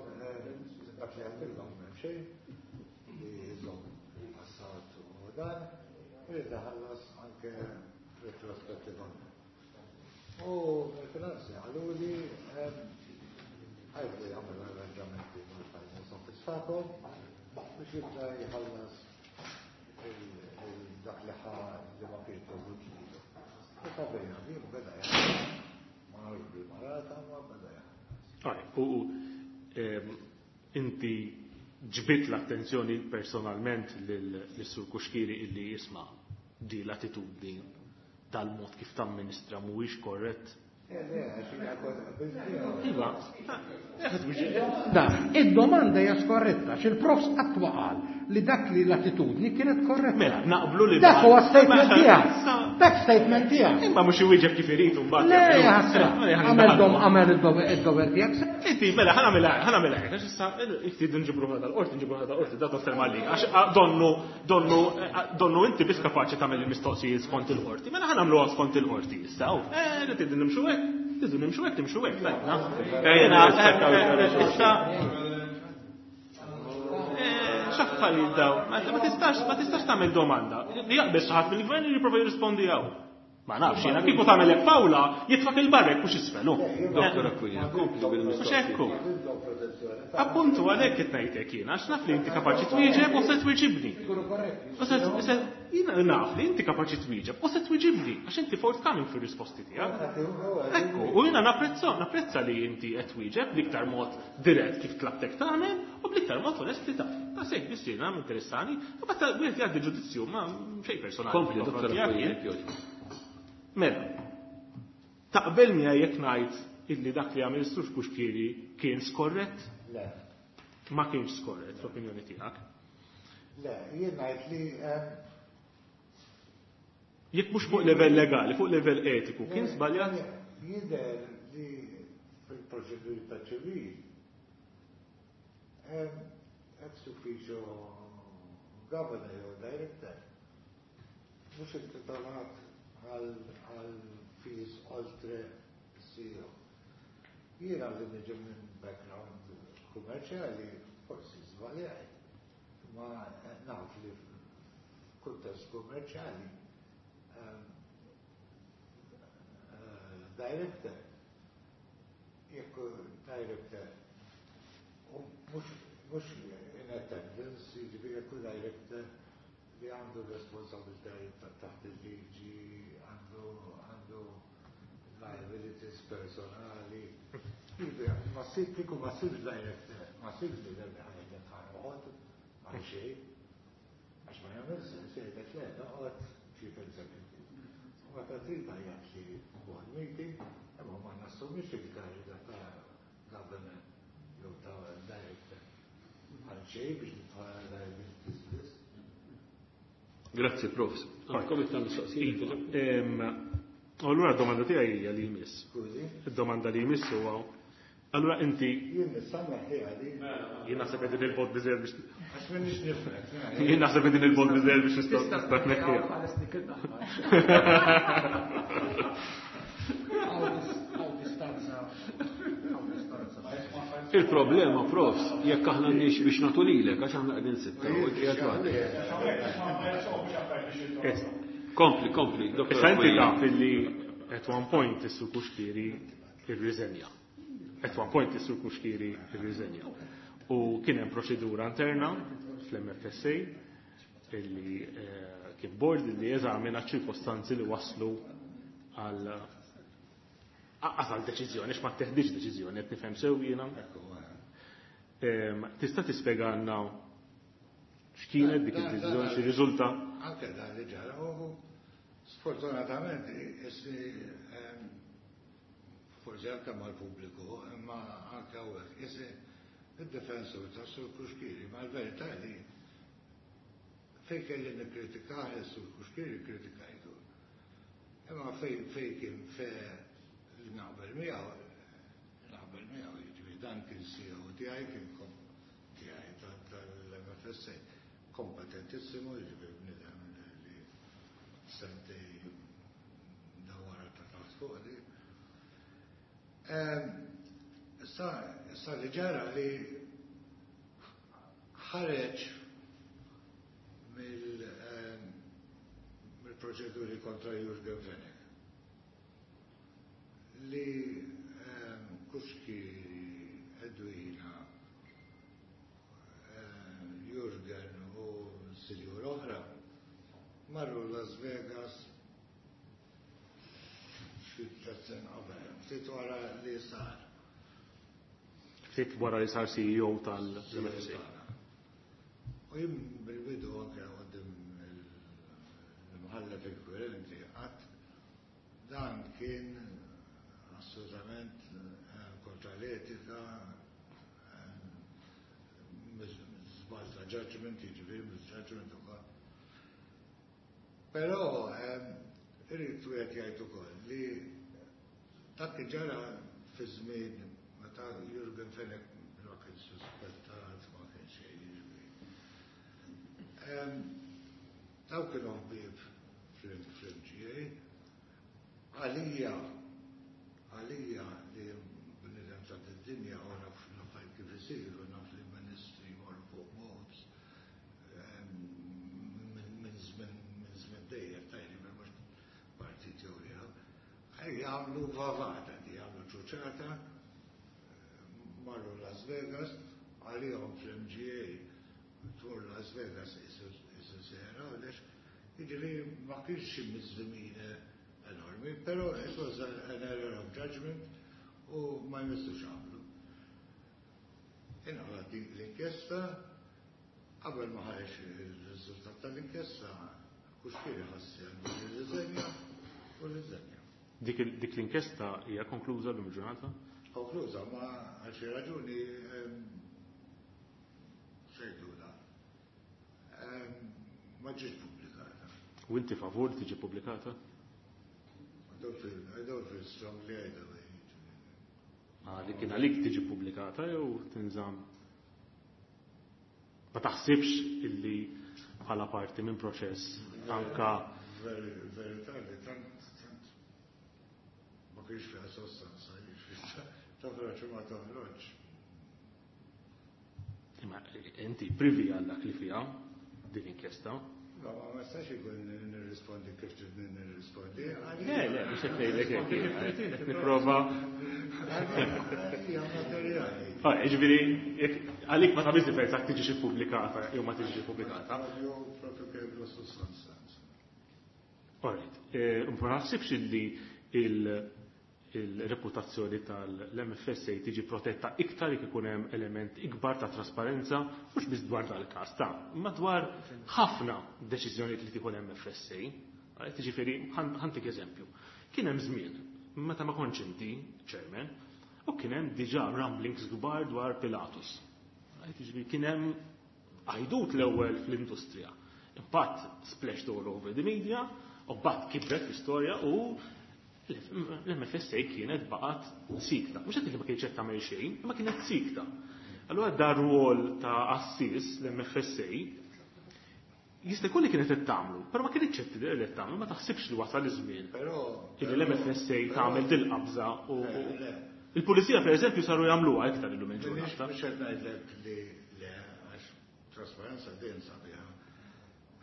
dak li għatlu xejn li jżomm il-passat u dan, irid iħallas anke retrospettivament. U il-finanzi għalu li Għajt li għamil arranġamenti mal-Finance Office tagħkom biex jibda jħallas dak li ħa li ma kienx dovut lilu. U ta' bejna din beda jħallas. Ma nafx bil-marata, ma beda jħallas. U inti ġbit l-attenzjoni personalment lis-Sur Cuschieri illi jisma' di l-attitudni tal-mod kif tamministra mhuwiex korrett. Iva, Da, id-domanda hija skorretta, x'il-profs qatt ma qal li dak li l-attitudni kienet korretta. Mela, naqblu li Dak huwa statement tiegħek. Dak statement tiegħek. Imma mhux iwieġeb kif irid mbagħad. Le, ħasra. Għamel dom għamel id-dover tiegħek. Inti, mela, ħa nagħmilha, ħa nagħmilha hekk, għax issa inti nġibru ħada l-qorti, nġibru ħada l-qorti, da toffer malli. Għax donnu, donnu, donnu inti biss kapaċi tagħmel il-mistoqsijiet skont il-qorti. Mela ħa nagħmluha skont il-qorti issa. Eh, rrid nimxu hekk. Tidu nimxu hekk, nimxu hekk, tajna. Issa x'affarijiet daw? Ma tistax, ma tistax tagħmel domanda. Li jaqbel xi ħadd mill-gvern li jipprova jirrispondi hawn. Ma nafx jiena kieku tagħmel hekk Pawla jitfak il-barrek mhux isfelu. Dottor Aquilina, kompli bil-mistoqsija. Mhux hekk. Appuntu għalhekk qed ngħidlek jiena għax naf li inti kapaċi twieġeb u se twieġibni. U se jiena naf li inti kapaċi twieġeb u se twieġibni għax inti forthcoming fir-risposti tiegħek. Ekku, u jiena napprezza napprezza li inti qed twieġeb bl-iktar mod dirett kif tlabtek tagħmel u bl-iktar mod onest li taf. Ta' sejk biss jiena interessani, u basta wieħed jgħaddi ġudizzju ma xejn personali. Kompli, Dottor Aquilina, jogħġbok. Mela, taqbel miegħi jekk ngħid illi dak li għamel Sur Cuschieri kien skorrett? Le. Ma kienx skorrett fl-opinjoni tiegħek. Le, jien ngħid li Jekk mhux fuq livell legali, fuq livell etiku, kien żbaljat? Jidher li fil-proċeduri ta' ċivil ex officio governor jew director mhux intitolat għal fees oltre C E O. Jiena li niġi minn background kummerċjali forsi żbaljajt, ma naf li f'kuntest kummerċjali director, jekk director, u mhux in attendance, jiġifieri jekk director li għandu responsabilitajiet taħt il-liġi, għandu għandu liabilities personali. Jiġifieri, ma ssib kieku ma ssibx director, ma ssibx li li ħajlek ħanoqgħod għal xejn, għax ma jagħmel sens jgħidlek le noqgħod chief executive. U meta trid tgħajjat li board meeting, imma ma nassumix il-kariga ta' governor jew ta' director għal xejn biex nidħol liabilities biss. Grazzi, Profs. Għandkom iktar mistoqsijiet? Allura d-domanda tiegħi hija li jmiss. Skużi? Id-domanda li jmiss huwa allura inti Jien nista' neħħiha di. Jien naħseb qegħdin il-bot biżejjed biex Għax m'inhiex nifrek. Jien naħseb qegħdin il-bot biżejjed biex nista' nista' tneħħiha. Il-problema, Profs, jekk aħna nix biex nagħtu lilek, għax aħna qegħdin sitta, u inti qed waħdek. Kompli, kompli, Doktor Issa inti Aquilina. taf illi at one point is-Sur Cuschieri irriżenja. At one point is-Sur Cuschieri irriżenja. U kien hemm proċedura interna fl-M F S A illi, eh, kien board illi eżamina ċirkostanzi li waslu għal għal għal deċiżjoni, għax ma teħdiġ deċiżjoni, qed nifhem sew jiena. Ehm, tista' tispjegana x'kienet dik id-deċiżjoni, x'irriżulta? Anke dan li ġara, u sfortunatament isni, ehm, forsi anke mal-pubbliku, imma anke hawnhekk, isni id-difensur ta' Sur Cuschieri, ma l-verità li fejn kelli nikkritikah is-Sur Cuschieri kritikajtu. Imma fejn, fejn kien fe li naqbel miegħu, naqbel miegħu, jiġifieri dan kien C E O tiegħi, kien kom tiegħi tal-M F S A, kompetentissimu, jiġifieri bniedem li sentej dawara ta' taħt fuq di. Ehm, issa, issa li ġara li ħareġ mill, ehm, mill-proċeduri kontra Jurgen Fenech li, ehm, Cuschieri Edwina, Jurgen u sinjur oħra marru Las Vegas xi tliet snin qabel, ftit wara li sar. Ftit wara li sar C E O tal-M F S A. U jien bil-bidu anke quddiem l-imħallef inkwirenti qatt dan kien assolutament kontra l-etika, żball ta' judgment, jiġifieri misjudgment ukoll. Però irrid wieħed jgħid ukoll li dak li ġara fi żmien meta Jurgen Fenech ma kien suspettat, ma kien xejn, jiġifieri. Daw kienu ħbieb fl-M G A. Għalija, għalija li bnidem ta' d-dinja u naf l-affarijiet kif isiru, naf li ministri jmorru fuq boards, minn żmien minn dejjem tajli minn mhux partit jew ieħor. Ej, jagħmlu vavata, di jagħmlu ċuċata, marru Las Vegas, għalihom fl-M G A tmur Las Vegas isu sera, għaliex jiġifieri ma kienx xi miżmine enormi, però it was an error of judgment u ma jmissux għamlu. Inqalgħet l-inkjesta, qabel ma ħareġ il-riżultat tal-inkjesta, Cuschieri ħassi għandu l-riżenja u l-riżenja. Dik il-, dik l-inkjesta hija konkluża llum il-ġurnata? Konkluża, ma għal xi raġuni, ehm, xejduna, ehm, ma ġietx pubblikata. U inti favur tiġi pubblikata? I don't feel, I don't feel strongly either way. Ah, li kien għalik tiġi pubblikata jew tinżamm? Ma taħsibx illi bħala parti minn proċess anka Verità li tant, tant ma kienx fiha sostanza, jiġifieri toħroġ u ma toħroġ. Imma inti privi għal dak li fiha din inkjesta? No, ma ma nistax ikun nirrispondi kif trid nirrispondi. Le, le, mhux qed ngħidlek hekk, qed nipprova. Hija materjali. Ah, jiġifieri, jekk għalik ma tagħmilx differenza jekk tiġix ippubblikata jew ma tiġix ippubblikata. Jew propju kif l-sustanza. All right. Eh, ma naħsibx illi il-, il-reputazzjoni tal-M F S A tiġi protetta iktar jekk ikun hemm element ikbar ta' trasparenza, mhux biss dwar dal-każ ta' imma dwar ħafna deċiżjonijiet li tieħu l-M F S A. Għalhekk jiġifieri, ħan-, ħantik eżempju. Kien hemm żmien meta ma kontx inti chairman u kien hemm diġà rumblings kbar dwar Pilatus. Għalhekk jiġifieri kien hemm għajdut l-ewwel fl-industrija. Imbagħad splashed all over the media, u mbagħad kibret l-istorja u l-M F S A kienet baqgħet sikta. Mhux qed li ma kienx qed tagħmel xejn, imma kienet sikta. Allura dar rwol ta' assis l-M F S A jista' jkun li kienet qed tagħmlu, però ma kienx qed tidher li qed tagħmlu, ma taħsibx li wasal iż-żmien. Però, Illi l-M F S A però, tagħmel dil-qabża u, Le, u le. il-pulizija pereżempju saru jagħmluha iktar illum il-ġurnata. Mhux qed ngħidlek li le, għax trasparenza dejjem sabiħa.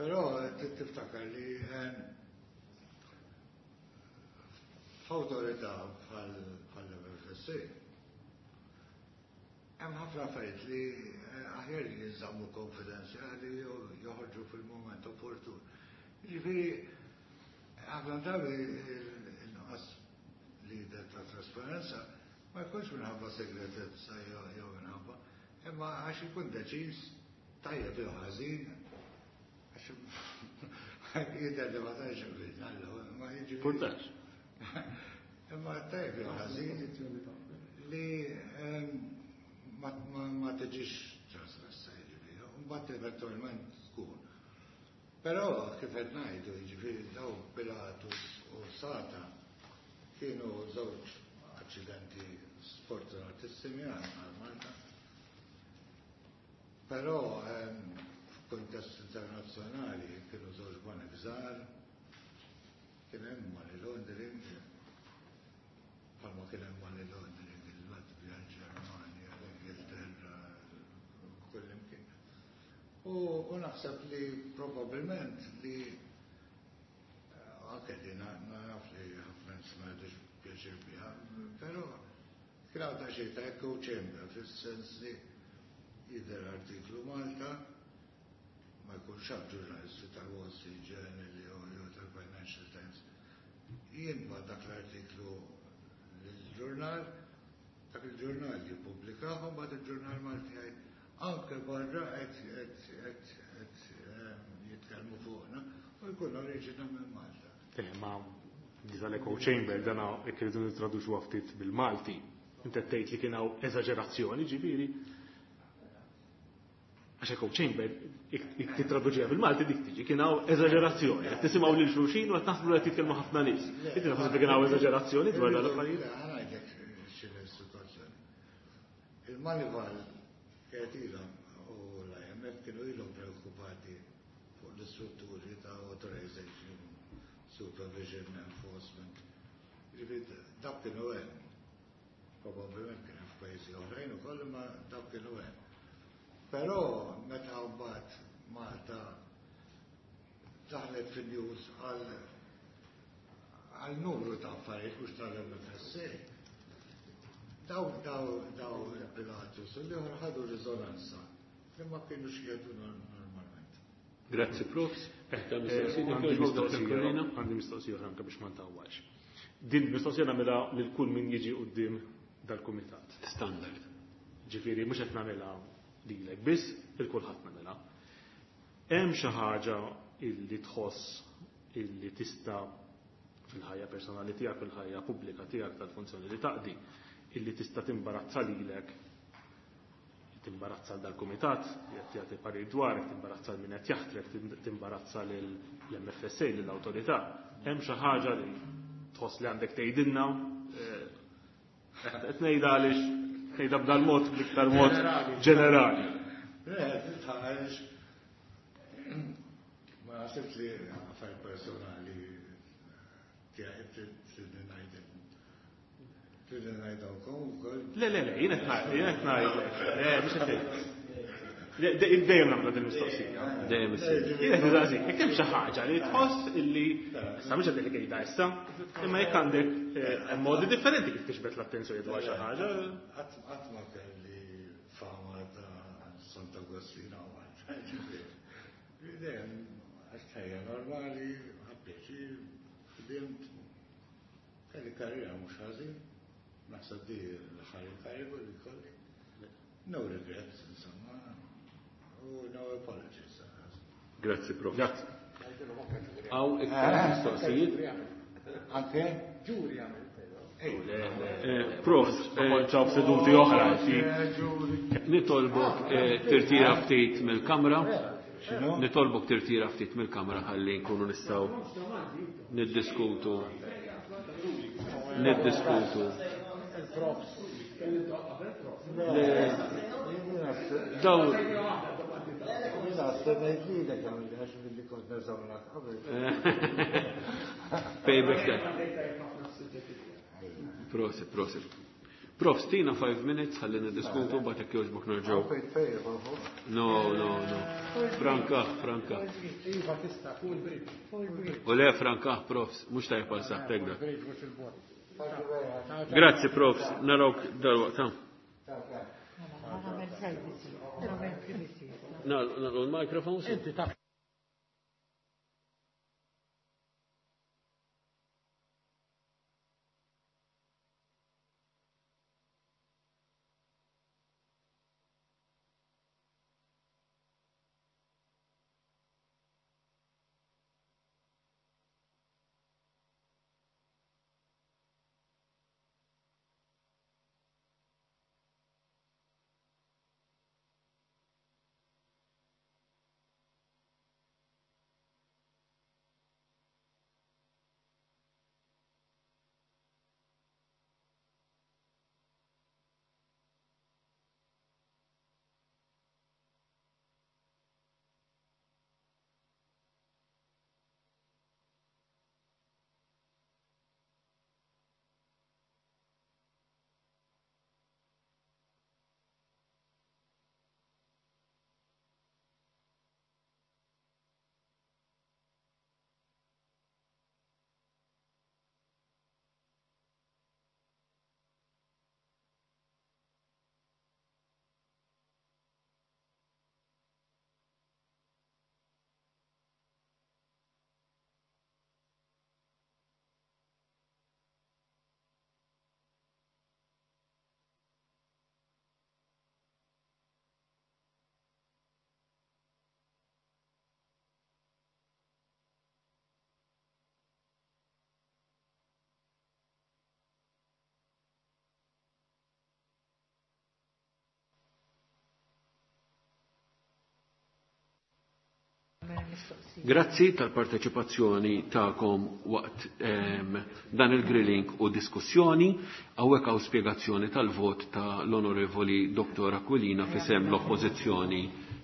Però trid tiftakar li, ehm, f'awtorità bħal, bħal-M F S A hemm ħafna affarijiet li, eh, aħjar li jinżammu konfidenzjali jew joħorġu fil-mument opportun. Jiġifieri ħafna drabi il-nuqqas li jidher ta' trasparenza ma jkunx minħabba segretezza jew, jew minħabba, imma għax ikun deċiż tajjeb jew ħażin, għax jidher li ma tantx bidna, ma jiġifieri. Purtax. Imma tajjeb jew ħażin li, ehm, ma, ma, ma tiġix trasmessa, jiġifieri, u mbagħad eventwalment tkun. Però kif qed ngħidu, jiġifieri daw Pilatus u Sata kienu żewġ aċċidenti sfortunatissimi għal Malta. Però, ehm, f'kuntest internazzjonali kienu żewġ banek żgħar, kien hemm money laundering, bħalma kien hemm money laundering il-Latvja, il-Ġermanja, l-Ingilterra, kullimkien. U, u naħseb li probabbilment li, eh, anke li na-, naf li ħafna nies ma jgħidux pjaċir biha, però Kien hawn daqsxejn ta' echo chamber fis-sens li jidher artiklu Malta ma jkunx hawn ġurnalisti tal-Wall Street Journal jew tal-Financial Times. Jien dak l-artiklu l-ġurnal, dak il-ġurnal jippubblikah u mbagħad il-ġurnal Malti jgħid anke barra qed jitkellmu fuqna u jkun oriġina minn Malta. Eh, ma di tal-echo chamber dana jekk irridu nittraduċuha ftit bil-Malti. Inti tgħid li kien hawn eżaġerazzjoni, ġifieri. Għax echo chamber jekk tittraduċiha bil-Malti dik tiġi kien hawn eżaġerazzjoni. Qed tisimgħu lil xulxin u qed naħsbu li qed jitkellmu ħafna nies. Inti taħseb li kien hawn eżaġerazzjoni dwar dan l-affarijiet? Ħa ngħidlek x'inhi s-sitwazzjoni. Il-Moneyval kienet ilhom u l-I M F kienu ilhom preokkupati fuq l-istrutturi ta' authorization, supervision, enforcement. Ġifieri dak kienu hemm. Probabbilment kien hemm f'pajjiżi oħrajn ukoll, imma dak kienu hemm. Però meta mbagħad Malta daħlet fin-news għal għal numru ta' affarijiet mhux tal-M F S A. Daw daw daw il-Pilatus u l-ieħor ħadu riżonanza li ma kienux jgħidu normalment. Grazzi, Profs. Għandi mistoqsija, għandi mistoqsija oħra anke biex ma ntawwalx. Din mistoqsija nagħmilha lil kull min jiġi quddiem dal-kumitat. Standard. Ġifieri mhux qed nagħmilha lilek biss, il kulħadd nagħmilha. Hemm xi ħaġa illi tħoss illi tista' fil-ħajja personali tiegħek, fil-ħajja pubblika tiegħek tal-funzjoni li taqdi, illi tista' timbarazza lilek, timbarazza dal-kumitat, jekk jagħti parir dwar, timbarazza min qed jaħtrek, timbarazza lill-M F S A, lill-awtorità. Hemm xi ħaġa li tħoss li għandek tgħidilna, eh, qed ngħidha għaliex ngħidha b'dal-mod bl-iktar mod ġenerali. Le, titħareġ ma naħsibx li affarijiet personali tiegħi trid ngħid trid ngħidilkom ukoll. Le, le, le, jien qed ngħid, jien qed ngħidlek. Le, mhux qed ngħid. Dejjem nagħmlu din il-mistoqsija. Dejjem issir. Jien qed nistaqsik, jekk hemm xi ħaġa li tħoss illi issa mhux qed li tgħidha issa, imma jekk għandek eh, modi differenti kif tixbet l-attenzjoni dwar xi ħaġa. Qatt ma kelli fama ta' Santa Agostina u dejjem għax ħajja normali, ħadd ħdimt, kelli karriera mhux ħażin, naħseb di l-aħħar karigu li kolli. No regrets, insomma, u no apologies. Grazzi, Prof. Grazzi. Hawn iktar mistoqsijiet? Anke? Ġuri għamil. Eh, Prof, eh, Ċaw seduti oħra, nitolbok eh, tirtira ftit mill-kamra. X'inhu? Nitolbok tirtira ftit mill-kamra ħalli nkunu nistgħu niddiskutu. Niddiskutu. Le, dawn Jiena stennejt lilek għamil għax billi kont neżamlak qabel. Payback time. Prosit, prosit. Prof, tina five minutes ħalli niddiskutu mbagħad jekk jogħġbok nerġgħu. Fejn fejn, fuq. No, no, no. Franka, franka. Iva tista' fuq il-bridge. U le franka, profs, mhux tajjeb għal saħħtek dak. Il-bridge mhux il-bot. Grazzi, profs, narawk dalwaqt. Ha. Nagħmel privacy, nagħmel privacy. Nagħlqu l-microphones. Inti taf Grazzi tal-parteċipazzjoni tagħkom waqt ehm, dan il-grilling u diskussjoni. Hawnhekk hawn spjegazzjoni tal-vot ta' l-Onorevoli Dottor Aquilina f'isem l-Oppożizzjoni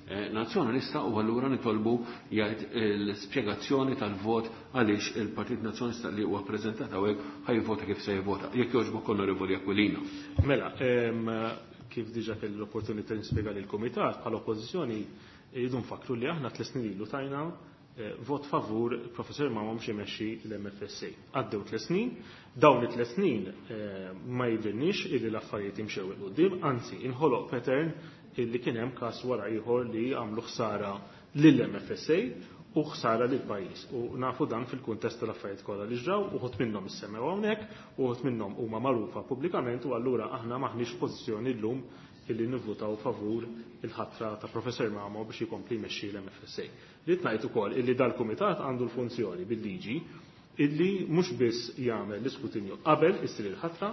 eh, Nazzjonalista u allura nitolbu jgħid l-spjegazzjoni tal-vot għaliex il-Partit Nazzjonalista li huwa ppreżentat hawnhekk ħajvota kif se jivvota. Jekk jogħġbok Onorevoli Aquilina. Mela, ehm, kif diġà kelli l-opportunità nispjega lill-Kumitat bħala Oppożizzjoni jridu nfakru li aħna tliet snin ilu tajna vot favur Professor Mamo biex imexxi l-M F S A. Għaddew tliet snin, dawn it-tliet snin ma jidhirniex illi l-affarijiet imxew il quddiem, anzi inħoloq pattern illi kien hemm każ wara ieħor li għamlu ħsara lill-M F S A u ħsara lil pajjiż. U nafu dan fil-kuntest tal-affarijiet kollha li ġraw, uħud minnhom issemmew hawnhekk, uħud minnhom huma magħrufa pubblikament u allura aħna maħniex f'pożizzjoni llum illi nivvutaw favur il-ħatra ta' Professor Mamo biex jkompli jmexxi l-M F S A. Rrid ngħid ukoll illi dal-kumitat għandu l-funzjoni bil-liġi illi mhux biss jagħmel l-iskrutinju qabel issir il-ħatra,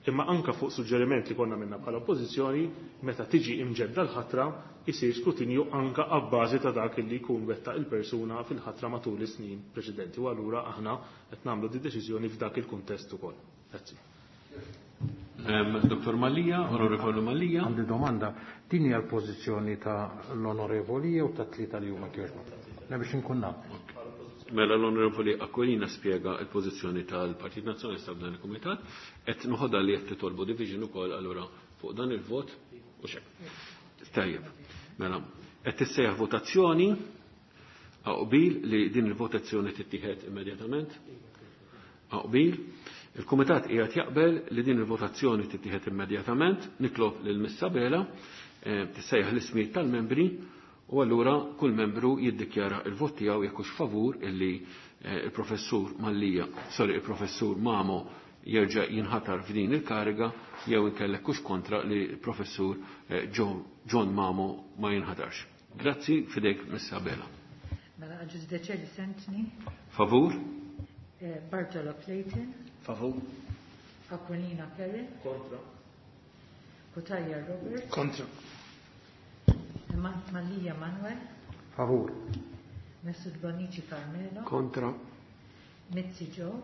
imma anka fuq suġġeriment li konna minna bħala oppożizzjoni meta tiġi imġedda l-ħatra isir skrutinju anka abbażi ta' dak illi jkun wettaq il-persuna fil-ħatra matul is-snin preċedenti u allura aħna qed nagħmlu di deċiżjoni f'dak il-kuntest ukoll. Grazzi. Dottor Mallia, Onorevoli Mallia. Għandi domanda, din hija l-pożizzjoni ta' l-Onorevoli jew ta' tlieta li huma kjoġba? Le biex inkun naf. Mela l-Onorevoli Aquilina spjega l-pożizzjoni tal-Partit Nazzjonalista f'dan il-Kumitat, qed noħodha li qed titolbu division ukoll allura fuq dan il-vot u xejn. Tajjeb. Mela, qed tissejjaħ votazzjoni qbil li din il-votazzjoni tittieħed immedjatament. Qbil. Il-Kumitat qiegħed jaqbel li din il-votazzjoni tittieħed immedjatament, nitlob lil Miss Abela tissejjaħ l-ismijiet tal-membri u allura kull membru jiddikjara il-vot tiegħu jekk hux favur illi il-Professur Mallia, sorry, il-Professur Mamo jerġa' jinħatar f'din il-kariga jew inkellek hux kontra li l-Professur John Mamo ma jinħatarx. Grazzi, fidejk Miss Abela. Mela Agius Decelis Anthony. Favur. Bartolo Clayton. Favur. Aquilina Perry. Kontra. Cutajar Robert. Kontra. Mallia Manuel. Favur. Mifsud Bonnici Carmelo. Kontra. Mizzi Joe.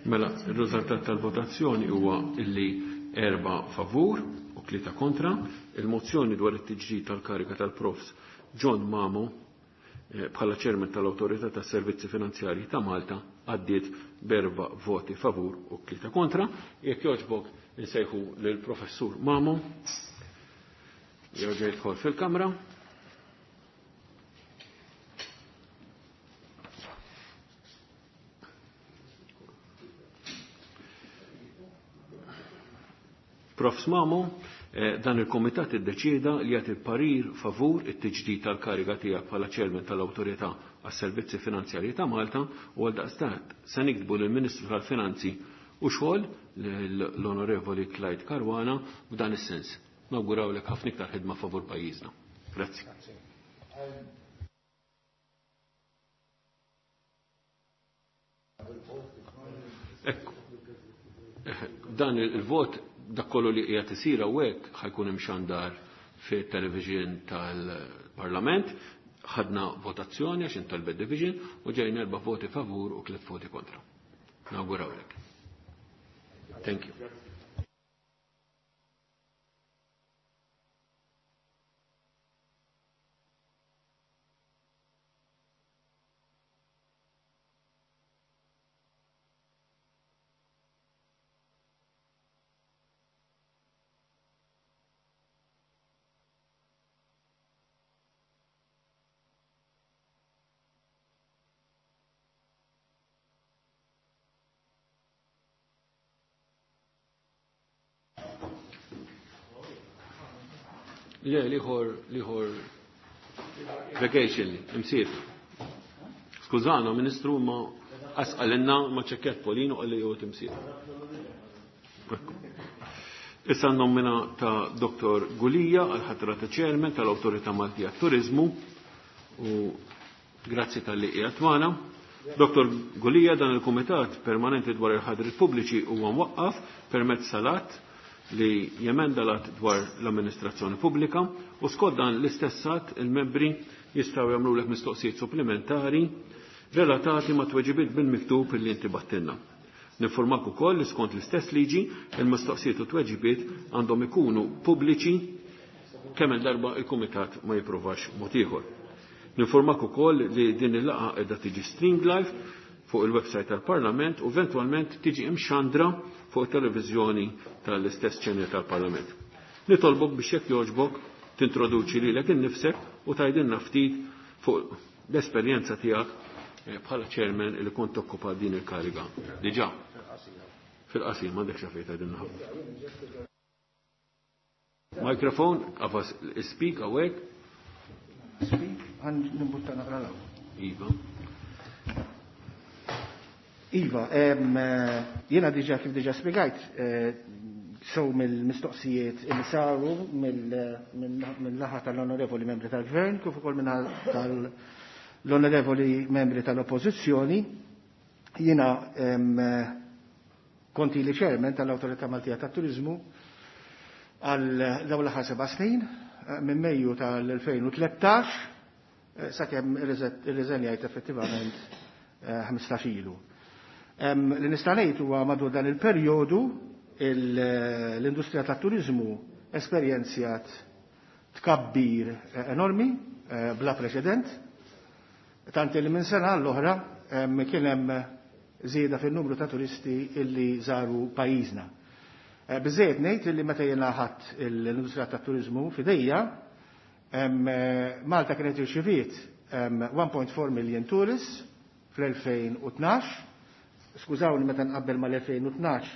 Mela, il-riżultat tal-votazzjoni huwa illi erba' favur u tlieta kontra. Il-mozzjoni dwar it-tiġdid tal-kariga tal-Profs John Mamo bħala ċermen tal-Awtorità tas-Servizzi Finanzjarji ta' Malta għaddiet berba voti favur u tlieta kontra. Jekk jogħġbok insejħu lill-Professur Mamo jerġa' jidħol fil-Kamra. Profs Mamo, dan il-Komitat iddeċieda li jagħti parir favur it-tiġdid tal-kariga tiegħek bħala ċermen tal-Awtorità għas-Servizzi Finanzjarji ta' Malta u għaldaqstant se niktbu lill-Ministru tal-Finanzi u xogħol l-Onorevoli Clyde Caruana f'dan is-sens. Nawgurawlek ħafna iktar ħidma favur pajjiżna. Grazzi. Ekku. Dan il-vot dak kollu li qiegħed isir hawnhekk ħajkun imxandar fit-television tal-Parlament, ħadna votazzjoni għax intalbet division u ġejna erba' voti favur u tliet voti kontra. Nawgurawlek. Thank you. Le, liħor, liħor vacation, imsif. Skużana, ministru, ma asqalinna ma ċekket Polino għalli jew timsif. Issa nomina ta' Doktor Gulia għal-ħatra ta' ċermen tal-Awtorità Maltija Turizmu u grazzi tal-li qiegħed magħna. Doktor Gulia, dan il-Kumitat Permanenti dwar il-Ħadriet Pubbliċi huwa mwaqqaf permezz salat li jemenda l-att dwar l-amministrazzjoni pubblika u skont dan l-istess att il-membri jistgħu jagħmlulek mistoqsijiet supplementari relatati ma' tweġibiet bil-miktub li inti battilna. Ninformak ukoll li skont l-istess liġi il-mistoqsijiet u tweġibiet għandhom ikunu pubbliċi kemm il-darba il-kumitat ma jippruvax mod ieħor. Ninformak ukoll li din il-laqgħa qiegħda tiġi streamed live fuq il-website tal-Parlament u eventwalment tiġi imxandra fuq it-televiżjoni tal-istess channel tal-Parlament. Nitolbok biex jekk jogħġbok tintroduċi lilek innifsek u tgħidilna ftit fuq l-esperjenza tiegħek bħala chairman li kont tokkupa din il-kariga. Diġà. Fil-qasir m'għandekx xafejt tgħidilna ħafna. Mikrofon, qafas speak hawnhekk. Speak, għan nimbutta naqra l Iva. Iva, jiena diġà kif diġà spjegajt, sew mill-mistoqsijiet li saru mill-naħa tal-onorevoli membri tal-Gvern, kif ukoll minnaħa tal-onorevoli membri tal-Oppożizzjoni, jiena konti li chairman tal-Awtorità Maltija tat-Turiżmu għal dawn l-aħħar seba' snin, minn Mejju tal-elfejn u tlettax sakemm irriżenjajt effettivament ħmistax ilu. Li nista' ngħid huwa madwar dan il-perjodu l-industrija tat-turiżmu esperjenzjat tkabbir enormi, bla preċedent, tant li minn sena għall-oħra kien hemm żieda fin-numru ta' turisti illi żaru pajjiżna. Biżejjed ngħid illi meta jiena ħadt l-industrija tat-turiżmu f'idejja, Malta kienet irċiviet one point four million tourists fl-elfejn u tnax. Skużawni meta nqabbel mal-elfejn u tnax,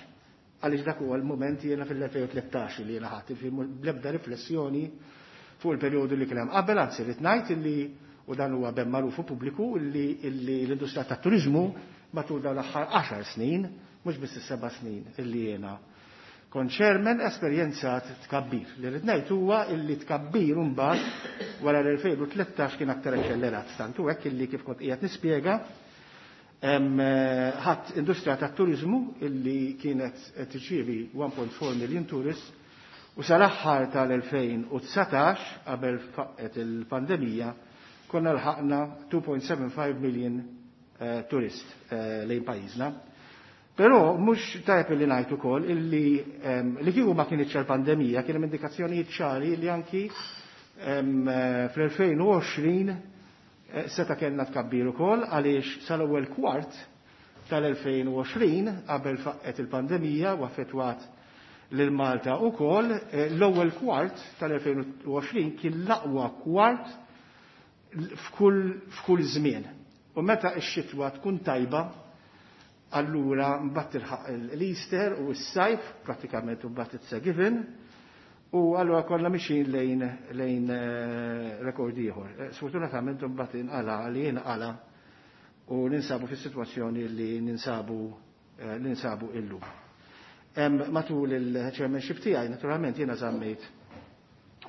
għaliex dak huwa l-mument jiena fil-elfejn u tlettax li jiena ħadd, bl-ebda riflessjoni fuq il-perjodu li kien hemm qabel, anzi rrid ngħid illi, u dan huwa ben magħruf u pubbliku, illi, illi l-industrija tat-turiżmu matul dawn l-aħħar għaxar snin, mhux biss is-seba' snin illi jiena kont chairman, esperjenzat tkabbir. Li rrid ngħid huwa illi tkabbir mbagħad wara l-elfejn u tlettax kien aktar eċċellerat, tant hu hekk illi kif kont qiegħed nispjega, ħadd industrija tat-turiżmu illi kienet tirċievi one point four million tourists u sal-aħħar tal-elfejn u dsatax qabel faqqet il-pandemija konna lħaqna two point seven five million eh, turist, eh, lejn pajjiżna. Però mhux tajjeb li ngħid ukoll illi, ehm, li kieku ma kienitx il-pandemija kien hemm indikazzjonijiet ċari li anki, ehm, fl-elfejn u għoxrin seta' kellna tkabbir ukoll għaliex sal-ewwel kwart tal-elfejn u għoxrin qabel faqqet il-pandemija u affettwat lil Malta ukoll, eh, l-ewwel kwart tal-elfejn u għoxrin kien l-aqwa kwart f'kull, f'kull żmien. U meta x-xitwa tkun tajba, allura mbagħad tilħaq l-Easter u s-sajf, pratikament u mbagħad it's a given, u allura konna mixin lejn, lejn, eh, rekord ieħor. Eh, sfortunatament mbagħad inqala li inqala u ninsabu fis-sitwazzjoni li ninsabu, eh, ninsabu illum. Em, matul il-chairmanship tiegħi naturalment jiena żammejt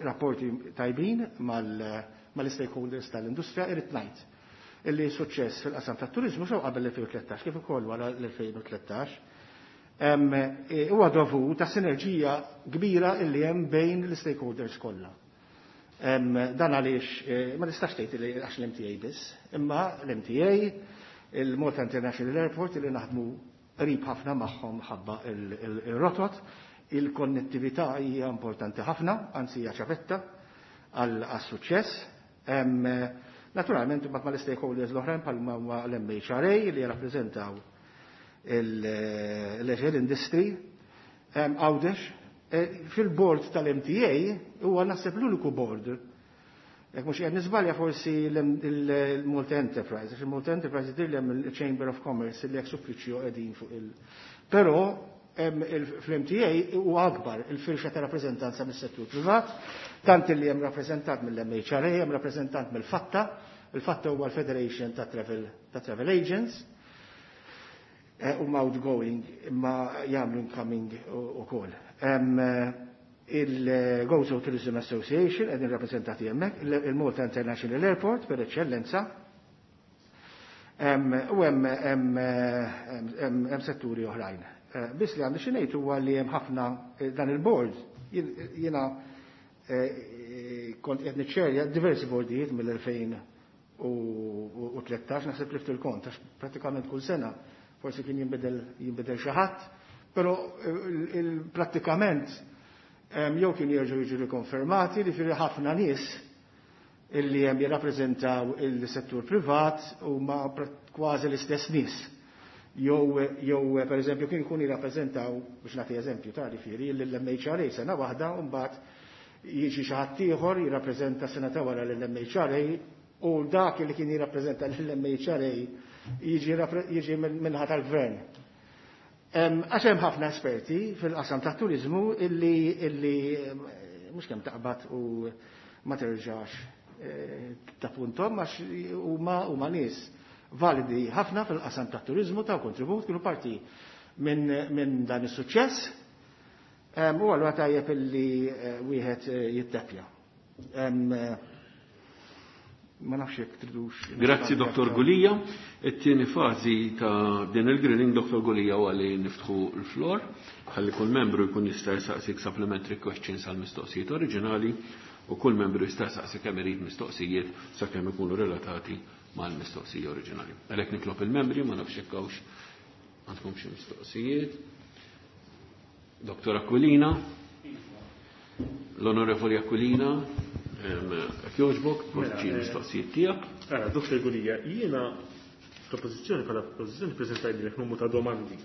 rapporti tajbin mal-, mal-stakeholders tal-industrija, irid ngħid illi suċċess fil-qasam tat-turiżmu sew qabel l-elfejn u tlettax kif ukoll wara l-elfejn u tlettax. Em, e, huwa dovut ta' sinerġija kbira illi hemm bejn l-stakeholders kollha. Em, dan għaliex, e, ma nistax tgħid li għax l-M T A biss, imma l-M T A, il-Malta International Airport illi naħdmu qrib ħafna magħhom ħabba il-, il-, il-rotot, il-konnettività hija importanti ħafna, anzi hija ċavetta għal-, għas-suċċess. Em, naturalment imbagħad mal-stakeholders l-oħrajn bħalma huma l-M H R A li jirrappreżentaw il-leisure industry, em, Għawdex. E, fil-board tal-M T A huwa naħseb l-uniku board. Jekk mhux qed niżbalja forsi l-Malta Enterprise, għax il-Malta Enterprise jidher li hemm il-Chamber of Commerce li ex uffiċċju qegħdin fuq il-. Però hemm il-, fl-M T A huwa akbar il-firxa ta' rappreżentanza mis-settur privat, tant li hemm rappreżentant mill-M H R A, hemm rappreżentant mill-FATTA, il-FATTA huwa l-Federation ta' Travel, ta' Travel Agents, eh, huma outgoing imma jagħmlu incoming ukoll. Hemm, eh, il-Gozo Tourism Association qegħdin rappreżentati hemmhekk, il-, il-Malta International Airport per eċċellenza, hemm, u hemm, hemm, hemm, hemm setturi oħrajn. Eh, biss li għandi xi ngħid huwa li hemm ħafna, eh, dan il-board, jien-, jiena, eh, kont qed niċċerja diversi bordijiet mill-elfejn u tlettax, naħseb lift il-kont, għax pratikament kull sena forsi kien jinbidel jinbidel xi ħadd, però prattikament jew kien jerġgħu jiġu rikonfermati li firri ħafna nies illi hemm jirrappreżentaw il-settur privat huma kważi l-istess nies. Jew jew pereżempju kien ikun jirrappreżentaw, biex nagħti eżempju ta' ġifieri, lill-M H R A sena waħda u mbagħad jiġi xi ħadd ieħor jirrappreżenta sena ta' wara lill-M H R A u dak li kien jirrappreżenta lill-M H R A jiġi jiġi minħa tal-gvern. Għax hemm ħafna esperti fil-qasam tat-turiżmu illi illi mhux kemm taqbad u ma terġax ta' puntom għax huma huma nies validi ħafna fil-qasam tat-turiżmu ta' kontribut kienu parti minn min dan is-suċċess. U allura tajjeb illi wieħed jittepja. Ma nafx jekk tridux. Grazzi Dottor Gulia. It-tieni fażi ta' din il-grilling Dottor Gulia huwa li niftħu l-flor ħalli kull membru jkun jista' jsaqsik supplementary questions għal mistoqsijiet oriġinali u kull membru jista' jsaqsi kemm irid mistoqsijiet sakemm ikunu relatati mal-mistoqsija oriġinali. Għalhekk nitlob il-membri, ma nafx jekk hawnx għandkom xi mistoqsijiet. Dottor Aquilina, l-Onorevoli Aquilina, jekk jogħġbok, poġġi l-mistoqsijiet tiegħek. Dottor Gulia, jiena fl-oppożizzjoni bħala oppożizzjoni preżentajt numru ta' domandi.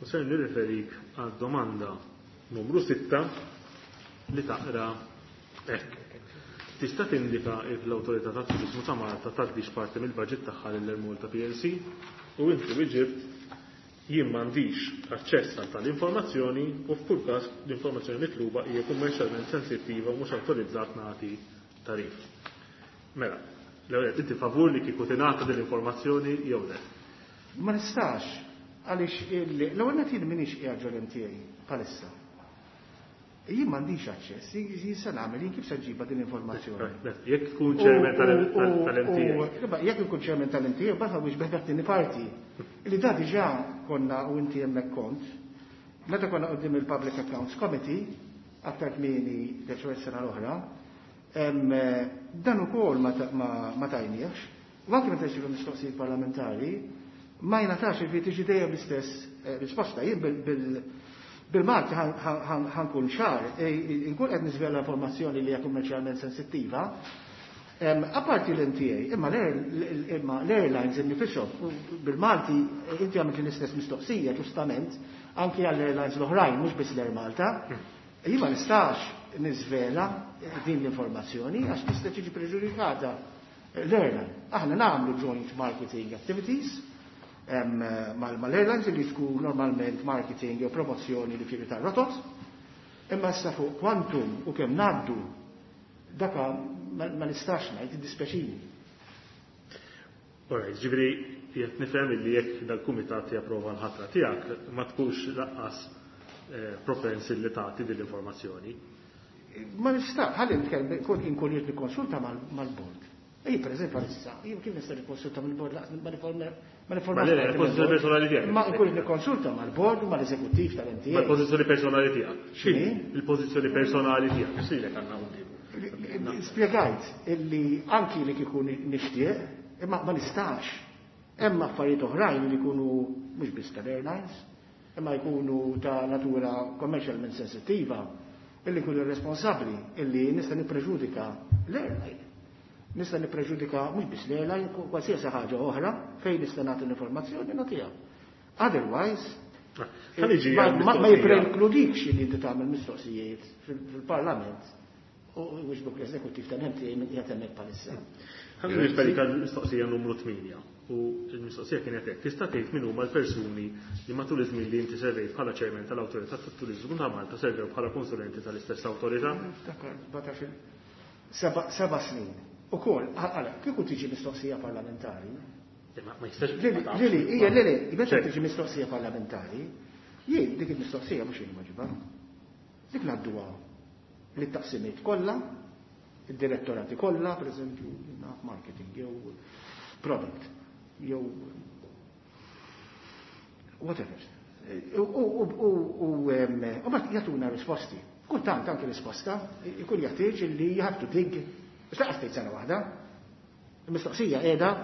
U ser nirreferik għad domanda numru sitta li taqra hekk. Tista' tindika if l-Awtorità tat-Turiżmu ta' Malta tgħaddix parti mill-baġit tagħha lil Air Malta P L C u inti wieġibt jien m'għandix aċċess għal tal-informazzjoni u f'kull każ l-informazzjoni mitluba hija kummerċjalment sensittiva u mhux awtorizzat nagħti tarif. Mela, l-ewwel inti favur li kieku tingħata din l-informazzjoni jew le? Ma nistax, għaliex l-ewwel nett jien m'iniex qiegħed ġol M T A bħalissa. Jien m'għandix aċċess, jien se nagħmel, jien kif se nġibha din l-informazzjoni? Jekk tkun chairman tal-M T A. Jekk ikun chairman tal-M T A, baħa biex beħdak tieni parti. Li da diġà konna u inti hemmhekk kont, meta konna quddiem il-Public Accounts Committee, aktar kmieni deċ sena l-oħra, dan ukoll ma tajniex, u anke meta jsiru mistoqsijiet parlamentari, ma jingħatax il tiġi dejjem l-istess risposta. Jien bil Bil-Malti ħankun ċar, inkun qed niżvela informazzjoni li hija kummerċjalment sensittiva. Apparti l-M T A, imma l-airlines innifishom, bil-Malti inti għamilt l-istess mistoqsija ġustament anki għall-airlines l-oħrajn, mhux biss l-Air Malta. Jien ma nistax niżvela din l-informazzjoni għax tista' tiġi preġudikata l-airline. Aħna nagħmlu joint marketing activities mal-airlines li tkun normalment marketing jew promozzjoni li fieri tar-rotot, imma issa fuq kwantum u kemm ngħaddu daka ma nistax ngħid, iddispjaċini. Alright, ġifieri qed nifhem li jekk dal-kumitat japprova l-ħatra tiegħek ma tkunx laqqas propensi li tagħti din l-informazzjoni. Ma nistax, ħalli nitkellem, inkun irid nikkonsulta mal-bord. Ej, per eżempju, għalissa, jien kif nista' nikkonsulta mill-bord laqas ma niforma ma niforma Ma le, il-pożizzjoni personali tiegħek. Ma nkun nikkonsulta mal-bord u mal-eżekuttiv tal-M T A. Ma l-pożizzjoni personali tiegħek. X'inhi? Il-pożizzjoni personali tiegħek. X'ilek għandna quddiem? Spjegajt illi anki li kieku nixtieq, imma ma nistax. Hemm affarijiet oħrajn li jkunu mhux biss tal-airlines, imma jkunu ta' natura commercialment sensittiva, illi jkunu responsabbli, illi nista' nippreġudika l-airline. Nista' nippreġudika mhux biss l-airline, qualsiasi ħaġa oħra fejn nista' nagħti l-informazzjoni nagħtiha. Otherwise, Ħa niġi ma, għal ma, ma mistoqsija. jipprekludikx li inti tagħmel mistoqsijiet fil-Parlament u wiġbuk l-eżekuttiv tal-M T A minn qiegħed hemmhekk bħalissa. Ħa nirriferi għall-mistoqsija numru tmienja u l-mistoqsija kienet hekk. Tista' tgħid min huma l-persuni li matul iż-żmien li inti servejt bħala chairman tal-Awtorità tat-Turiżmu ta' Malta servew bħala konsulenti tal-istess awtorità? Niftakar, batax il- seba', seba' snin. Ukoll, għala, kieku tiġi mistoqsija parlamentari. Ma, ma jistax Lili, ma tafx. lili, hija, lili, meta Ċert. tiġi mistoqsija parlamentari, jien dik il-mistoqsija mhux jien maġiba. Dik ngħadduha lit-taqsimiet kollha, id-direttorati kollha, pereżempju, naf marketing jew product jew whatever. U, u, u, u, u, em, u mbagħad jagħtuna risposti. Kultant anke risposta ikun jeħtieġ li you have to dig, biex laqas tgħid sena waħda. Il-mistoqsija qiegħda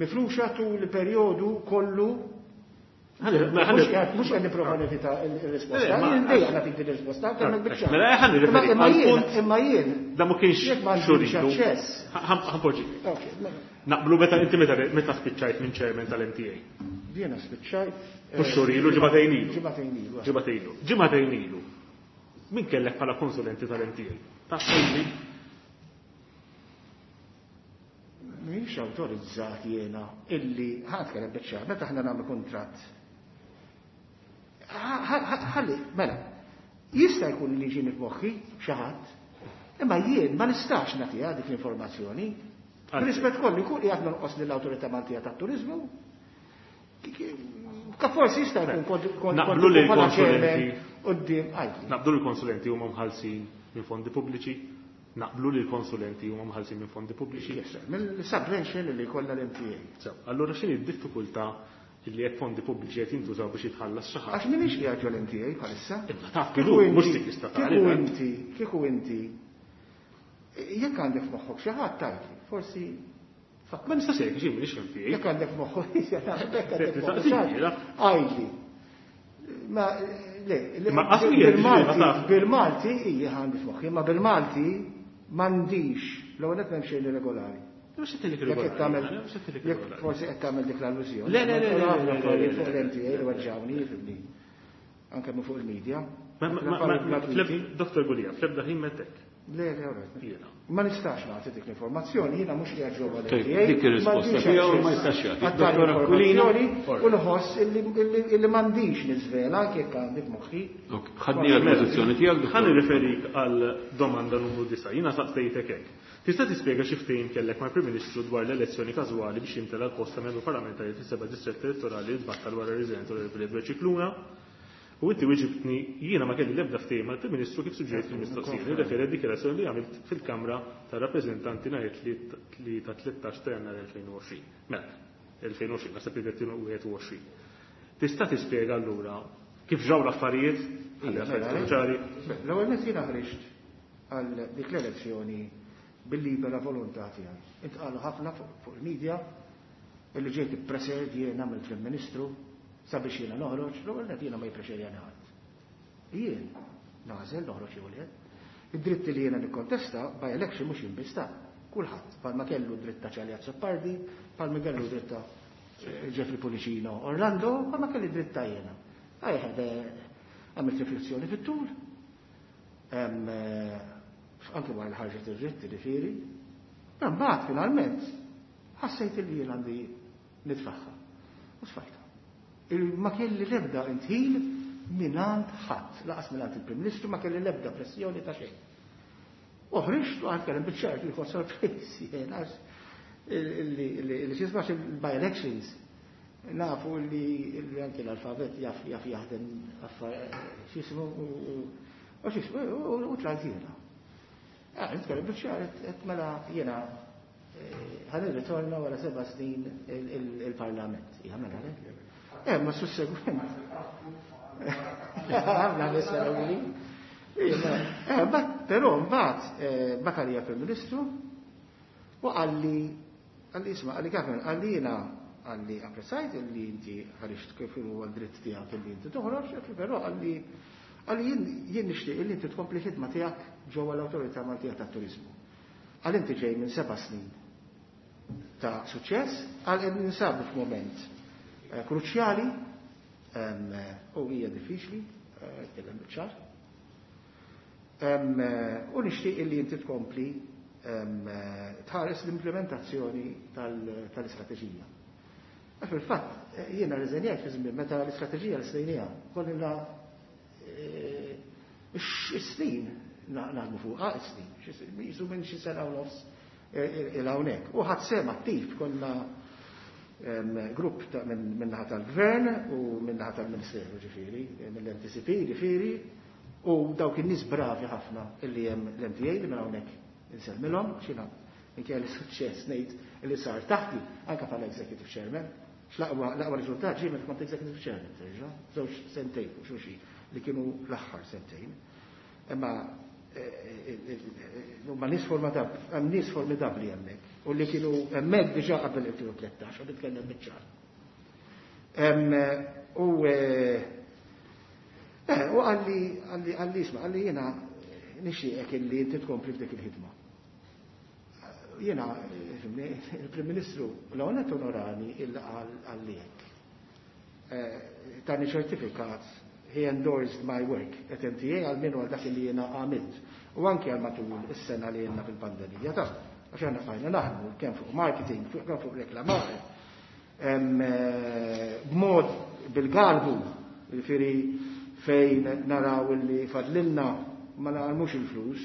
mifruxa tul perjodu kollu. Mhux qed nipprova nevita il-risposta, jien dejjem nagħtik din ir-risposta, kemm biċċa. Mela ħa nirreferi għall-punt. Imma jien. Da ma kienx xuridu. Ħa npoġġi. Naqblu meta inti meta spiċċajt minn chairman tal-M T A. Jiena spiċċajt. Mhux xhur ilu, ġimagħtejn ilu. Ġimagħtejn ilu. Ġimagħtejn ilu. Ġimagħtejn ilu. Min kellek bħala konsulenti tal-M T A? Taf tgħidli? Mhix awtorizzat jiena illi ħa nitkellem biċ-ċar, meta aħna nagħmlu kuntratt. Ħalli, mela, jista' jkun li ġieni f'moħħi xi ħadd, imma jien ma nistax nagħtiha dik l-informazzjoni. Rispett kollu jkun qiegħed nonqos lill-Awtorità Maltija tat-Turiżmu. Ka forsi jista' jkun kont kont Naqblu li l-konsulenti quddiem għajdi. Naqblu li l-konsulenti huma mħallsin minn fondi pubbliċi. Naqblu li l-konsulenti huma mħallsin minn fondi pubbliċi. Yes, sir. Mill-subvention li jkollha l-M T A. So, allura x'inhi d-diffikultà illi jekk fondi pubbliċi qed jintużaw biex jitħallas xi ħadd? Għax m'iniex qiegħed ġol M T A bħalissa. Imma taf kif hu, mhux dik istatali. Kieku inti, kieku inti, jekk għandek f'moħħok xi ħadd tgħidli, forsi Ma nistax jekk xi m'iniex M T A. Jekk għandek f'moħħok, jekk għandek f'moħħok xi ħadd, għidli. Ma le, Ma qasmi bil-Malti, bil-Malti hija għandi f'moħħi, ma bil-Malti m'għandix, l-ewwel qed m'hemm xejn irregolari. Mhux qed Jekk qed tagħmel, jekk forsi qed tagħmel dik l-allużjoni. Le, le, le, le, le, le, le, le. Fuq l-M T A li weġġawni, jifhimni. Anke minn fuq il-medja. Dottor Gulia, fl-ebda ħin mettek. Le, le, alright. Jiena. Ma nistax nagħti dik l-informazzjoni, jiena mhux qiegħed ġewwa Tajib, l-M T A. dik ir-risposta tiegħu ma jistax jagħti. Dottor Aquilina. U nħoss illi illi m'għandix niżvela anke jekk għandi f'moħħi. Ok, ħadni għal-pożizzjoni tiegħek. Ħa nirreferik għal domanda numru disgħa. Jiena saqsejtek hekk. Tista' tispjega xi ftehim kellek mal-Prim Ministru dwar l-elezzjoni każwali biex jimtela l-post ta' membru parlamentari fis-seba' distrett elettorali li tbattal wara r-riżenja tal-Onorevoli Edward Scicluna? U inti weġibtni: jiena ma kelli l-ebda ftehim mal-Prim Ministru kif suġġerejt fil-mistoqsija. Nirreferi għad-dikjarazzjoni li għamilt fil-Kamra tar-Rappreżentanti nhar li ta' tlettax ta' Jannar elfejn u għoxrin. Mela, elfejn u għoxrin, naħseb li elfejn u wieħed u għoxrin. Tista' tispjega allura kif ġraw l-affarijiet? Ħalli affarijiet ċari. L-ewwel nett jiena ħriġt għal dik l-elezzjoni bil-libera volontà tiegħi. Intqalu ħafna fuq il-medja illi ġejt ippressured jiena mill-Prim Ministru sabiex jiena noħroġ, l-ewwel nett jiena ma jipprexxerjani ħadd. Jien nagħżel noħroġ jew le. Id-dritti li jiena nikkontesta by election mhux jinbista. Kulħadd palma kellu dritt ta' Charlie Azzopardi, palma kellu dritt ta' Jeffrey Pullicino Orlando, palma kelli dritt ta' jiena. I had għamilt riflessjoni fit-tul. Anke wara li ħarġet ir-dritt ġifieri. Mbagħad finalment ħassejt li jien għandi nitfaħħa. U tfajtha. Ma kelli l-ebda indħil mingħand ħadd, lanqas mingħand il-Prim Ministru, ma kelli l-ebda pressjoni ta' xejn. U ħriġt u għad biċ-ċert li kont sorpriż jien għax li xismax il-by-elections nafu li anke l-alfabet jaf jaf jaħdem xismu u xismu u tlajt jiena. Nitkellem biċ-ċar, mela jiena ħa nirritorna wara seba' snin il-Parlament. Ja, mela, le? Eh, ma sussegwent. Għamna l-essera. Eh, però mbagħad Bakarija Prim Ministru u qalli qalli isma' qalli kif qalli jiena qalli apprezzajt li inti ħariġt kif huwa d-dritt tiegħek li inti toħroġ, però qalli qalli jien jien nixtieq li inti tkompli ħidma tiegħek ġewwa l-Awtorità Maltija tat-Turiżmu. Qal inti ġej minn seba' snin ta' suċċess, qal qed ninsabu f'mument kruċjali u hija diffiċli, tkellem biċ-ċar. U nixtieq li inti tkompli tħares l-implementazzjoni tal-istrateġija. Fil-fatt, jiena rriżenjajt fi żmien meta l-istrateġija l-sejnija, kollina snin naħdmu fuqha, snin, jisu minn xi sena u nofs il-hawnhekk. U ħadt sehem attiv, konna grupp min-naħa tal-gvern u min-naħa tal-Ministeru ġifieri, mill-M T C P ġifieri, u dawk in-nies bravi ħafna illi hemm l-M T A li minn hawnhekk insellmilhom, xina minkejja li suċċess ngħid li sar taħti anke bħala executive chairman. L-aqwa riżultat ġie meta kont executive chairman, terġa', żewġ sentejn u xulxin. li kienu l-aħħar sentejn. Imma huma nies hemm nies formidabbli hemmhekk u li kienu hemmhekk diġà qabel elfejn u tlettax, u nitkellem biċ-ċar. U u qalli qalli isma' qalli jiena nixtieqek illi inti tkompli f'dik il-ħidma. Jiena il-Prim Ministru l-għonet onorani illi qalli hekk. Tani ċertifikat, he endorsed my work at M T A għal minu għal dak li jiena għamilt. U anke għal matul is-sena li jenna fil-pandemija ta' għax aħna bqajna naħdmu kemm fuq marketing, kemm fuq reklamar. B'mod bil-galbu, jiġifieri fejn naraw illi fadlilna ma naqalmux il-flus,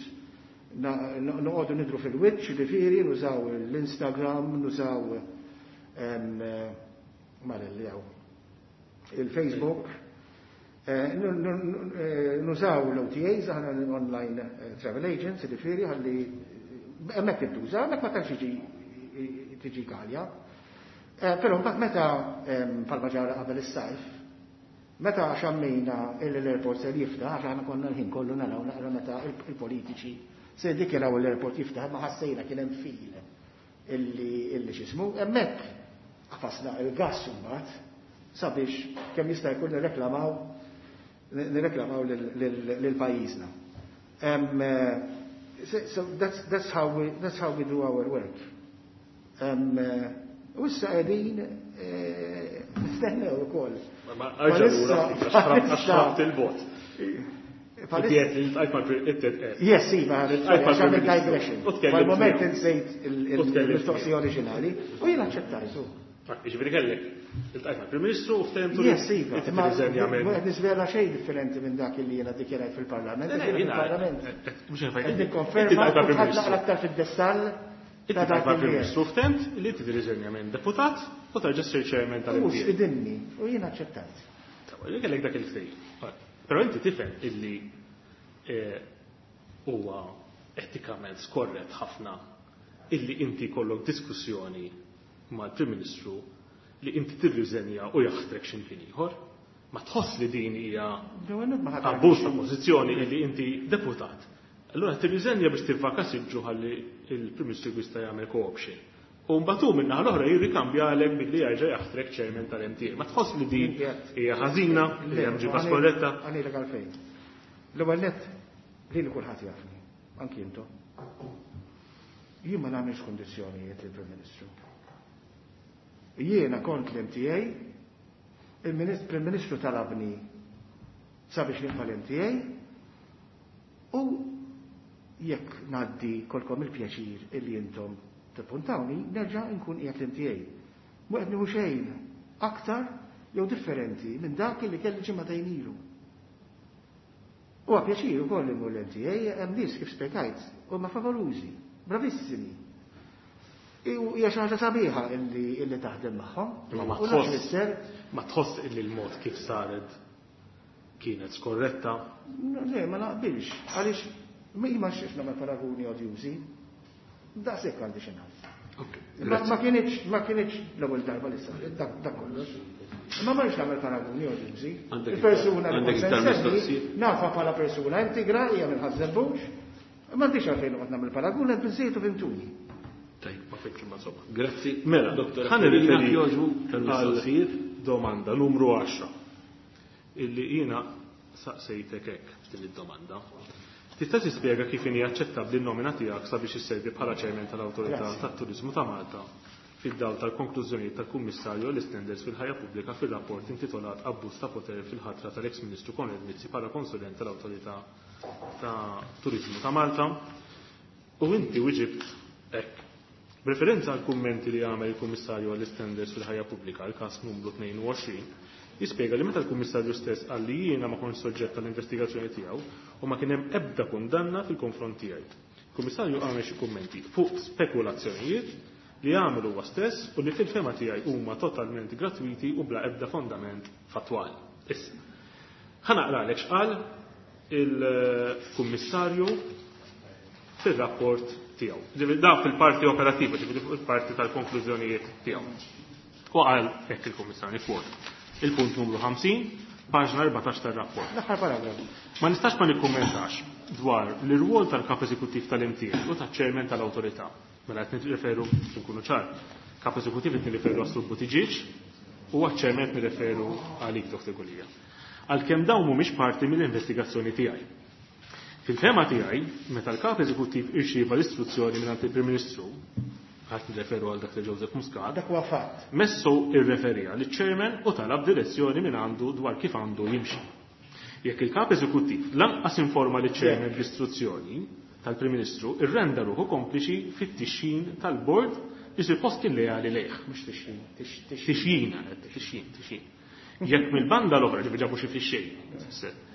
noqogħdu nidru fil-wiċċ, jiġifieri nużaw l-Instagram, nużaw malelli hawn il-Facebook, nużaw l-O T As, aħna online travel agents, jiġifieri ħalli hemmhekk intuża, hemmhekk ma tantx tiġi għalja. Però mbagħad meta bħalma ġara qabel is-sajf, meta xammejna l-airport se jiftaħ, għax aħna konna l-ħin kollu naraw naqra meta il-politiċi se jiddikjaraw l-airport jiftaħ, ma ħassejna kien hemm fil illi x'ismu, hemmhekk qafasna il-gass imbagħad sabiex kemm jista' jkun nirreklamaw nirreklamaw lil pajjiżna. So that's, that's how we, that's how we do our work. U issa qegħdin nistennew ukoll. Ma għax ħabt il-vot. Yes, iva, għax għamilt digression. Fal-moment insejt il-mistoqsija oriġinali u jien aċċettajtu. Jiġifieri kellek iltqajt mal-Prim Ministru u ftehimtu li Yes, iva, ma qed niżvela xejn differenti minn dak li jiena ddikjarajt fil-Parlament. Fil-Parlament. Qed nikkonferma ħadd naqra aktar fid-dettall ta' dak li Ministru ftemt li inti tirriżenja minn deputat u terġa' ssir chairman tal-M T A. U stidinni u jiena aċċettajt. Jien kellek dak il-ftehim. Però inti tifhem illi huwa etikament skorrett ħafna illi inti jkollok diskussjoni mal-Prim Ministru li inti tirriżenja u jaħtrek x'imkien ieħor. Ma tħoss li din hija abbuż ta' pożizzjoni illi inti deputat. Allura tirriżenja biex tivvaka siġġu ħalli il-Prim Ministru jista' jagħmel co-option. U mbagħad hu min-naħa l-oħra jirrikambjalek billi jerġa' jaħtrek chairman tal-M T A. Ma tħoss li din hija ħażina, li hemm ġiba skorretta? Għanilek għalfejn. L-ewwel nett lili kulħadd jafni, anki intom. Jien ma nagħmilx kundizzjonijiet lill-Prim Ministru. Jiena kont l-M T A, il-Prim Ministru talabni sabiex nibqa' l-M T A u jekk ngħaddi kolkom il-pjaċir illi intom tippuntawni, nerġa' nkun qiegħed l-M T A. Mhu qed nieħu xejn aktar jew differenti minn dak li kelli ġimgħatejn ilu. Huwa pjaċir ukoll li mmur l-M T A, hemm nies kif spjegajt, huma favorużi, bravissimi. Hija xi ħaġa sabiħa illi illi taħdem magħhom. Ma tħoss ma tħoss illi l-mod kif saret kienet skorretta? Le, ma naqbilx, għaliex ma xiex nagħmel paraguni odjużi. Daqshekk għandi xi ngħid. Ma kienx ma kienx l-ewwel darba li saret dak kollox. Ma ma rridx nagħmel paraguni odjużi. Il-persuna li kont nafa bħala persuna integra hija minn Ħaż-Żebbuġ. M'għandix għalfejn noqgħod nagħmel paragun, qed biżejjed u fimtuni. Tajb, ma fimx imma insomma. Grazzi. Mela, Doktor ħa nirriferi għal domanda numru għaxra illi jiena saqsejtek hekk f'din id-domanda. Tista' tispjega kif inhi aċċettabbli n-nomina tiegħek sabiex isservi bħala chairman tal-Awtorità tat-Turiżmu ta' Malta fid-dawl tal-konklużjonijiet tal-Kummissarju għall-Istandards fil-Ħajja Pubblika fir-rapport intitolat Abbuż ta' poter fil-ħatra tal-ex Ministru Konrad Mizzi bħala konsulent tal-Awtorità ta' Turiżmu ta' Malta. U inti wieġibt hekk. B'referenza għal kummenti li għamel il-Kummissarju għall-Istandards fil-Ħajja Pubblika għal każ numru tnejn u għoxrin, jispjega li meta l-Kummissarju stess qal li jiena ma kontx soġġett tal-investigazzjoni tiegħu u ma kien hemm ebda kundanna fil-konfront tiegħi. Il-Kummissarju għamel xi kummenti fuq spekulazzjonijiet li għamel huwa stess u li fil-fema tiegħi huma totalment gratuiti u bla ebda fondament fattwali. Issa, ħa naqralek x'qal il-Kummissarju fir-rapport tiegħu. Ġifieri da fil-parti operattiva, ġifieri fuq il-parti tal-konklużjonijiet tiegħu. U qal hekk il-Kummissarju kwot. Il-punt numru ħamsin, Paġna erbatax tar-rapport. L-aħħar paragrafu. Ma nistax ma nikkummentax dwar l-irwol tal-kap eżekuttiv tal-M T A u taċ-chairman tal-awtorità. Mela qed nirreferu, nkunu ċar, kap eżekuttiv qed nirreferu għas-Sur Buttigieg u għaċ-chairman qed nirreferu għalik, Doktor Gulia. Għalkemm dawn mhumiex parti mill-investigazzjoni tiegħi. Fil-fehma tiegħi, meta l-kap eżekuttiv irċieva l-istruzzjoni minn il-Prim Ministru, qed nirreferu għal Doktor Joseph Muscat, Dak huwa fatt. Messu irreferija li chairman u talab direzzjoni minn għandu dwar kif għandu jimxi. Jekk il-kap eżekuttiv lanqas informa li chairman bl-istruzzjoni tal-Prim Ministru, irrenda ruħu kompliċi fit-tixjin tal-bord li suppost kien leali lejh. Mhux tixjin, tixjin, tixjin, tixjin. Jekk mill-banda l-oħra, ġifieri ġabu xi fix-xejn,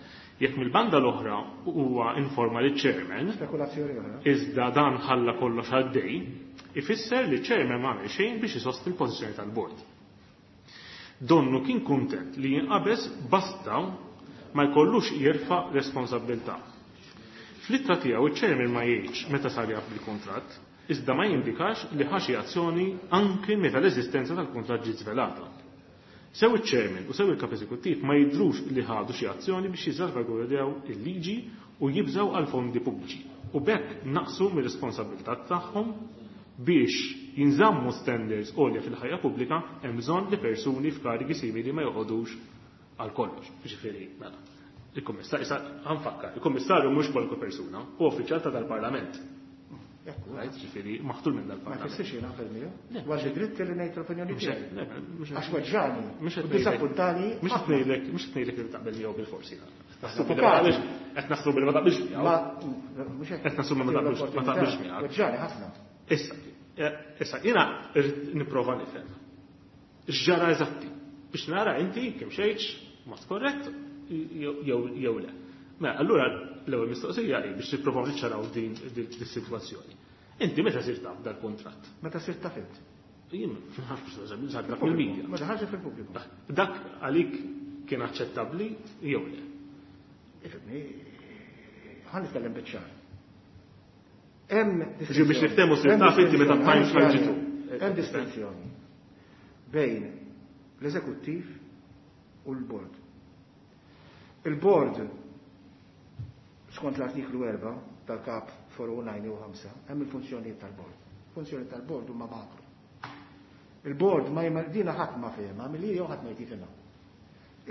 jekk mill-banda l-oħra huwa informa li chairman, Spekulazzjoni oħra. Iżda dan ħalla kollox għaddej, ifisser li chairman ma għamel xejn biex isostni l-pożizzjoni tal-bord. Donnu kien kuntent li jinqabeż basta ma jkollux jerfa' responsabbiltà. Fl-ittra tiegħu iċ-chairman ma jgħidx meta sar jaf bil-kuntratt, iżda ma jindikax li ħa xi azzjoni anke meta l-eżistenza tal-kuntratt ġiet żvelata. Sew iċ-chairman u sew il-kap eżekuttiv ma jidhrux li ħadu xi azzjoni biex jiżsalvagwardjaw il-liġi u jibżgħu għal fondi pubbliċi u b'hekk naqsu mir-responsabbiltà tagħhom. Biex jinżammu standards għolja fil-ħajja pubblika hemm bżonn li persuni f'karigi simili ma joqogħdux għal kollox. Ġifieri, mela, il-kummissarju, issa ħa nfakkar, il-kummissarju mhux kwalunkwe persuna, hu uffiċjal ta' dal-Parlament. Right, ġifieri, maħtur minn Ma dal-Parlament. tfissirx jiena naqbel miegħu. Għax dritt li ngħid l-opinjoni Mhux tiegħi. hekk, le, mhux hekk. Għax weġġani. Mhux qed U ngħidlek- disappuntani. Mhux qed ngħidlek, mhux qed ngħidlek li taqbel miegħu bil-forsi. Avukati. Qed naħsbu billi ma taqbilx miegħu. Ma mhux hekk. Qed nassumi ma taqbilx ma taqbilx miegħek. Weġġani ħafna. Issa, eh, issa jiena rrid nipprova nifhem. X'ġara eżatti biex nara inti kemm xejtx mod korrett jew jew le. Mela, allura l-ewwel mistoqsija hi biex nippruvaw niċċaraw din din is-sitwazzjoni. Inti meta sirt taf dal-kuntratt? Meta sirt taf int. Jien ma nafx, sar taf mill-media. Meta ħaġa fil-pubbliku. Dak għalik kien aċċettabbli jew le? Ifhimni, ħa nitkellem biċ-ċar. Hemm Ġi biex niftehmu, sirt taf inti meta Times ħarġitu. Hemm distinzjoni bejn l-eżekuttiv u l-bord. Il-bord, skont l-artiklu erbgħa tal-kap erbgħa u disgħin u ħamsa, hemm il-funzjonijiet tal-bord. Funzjoni tal-bord huma makro. Il-bord ma jma dina ħadd ma fehma, milli jew ħadd ma jtifhimha.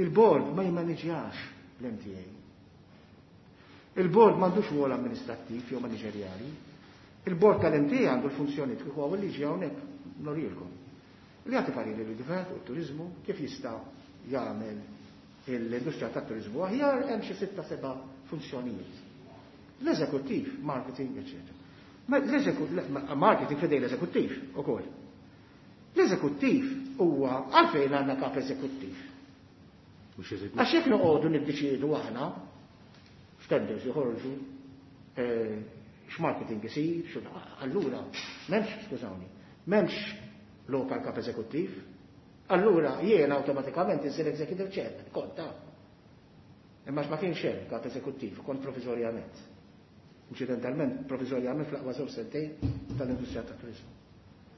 Il-bord ma jmaniġjax l-M T A. Il-bord m'għandux rwol amministrattiv jew maniġerjali. Il-bord tal-M T A għandu l-funzjoni kif huwa liġi hawnhekk norilkom. Li jagħti pariri li gvern u turizmu kif jista' jagħmel l-industrija tat-turizmu aħjar, hemm xi sitta seba' funzjonijiet. L-eżekuttiv, marketing, eċċetera. Ma l-eżekut- marketing fidej l-eżekuttiv ukoll. L-eżekuttiv huwa, għalfejn għandna kap eżekuttiv? Mhux eżekuttiv. Għax jekk noqogħdu niddeċiedu aħna f'tenders joħorġu, eh, x'marketing isir, xu allura m'hemmx, skużawni, m'hemmx lokal kap eżekuttiv. Allura jien awtomatikament insir executive chairman, kont ta' Imma ma kienx hemm kap eżekuttiv, kont provizorjament. Inċidentalment, provizorjament fl-aqwa żewġ sentejn tal-industrija tat-turizmu.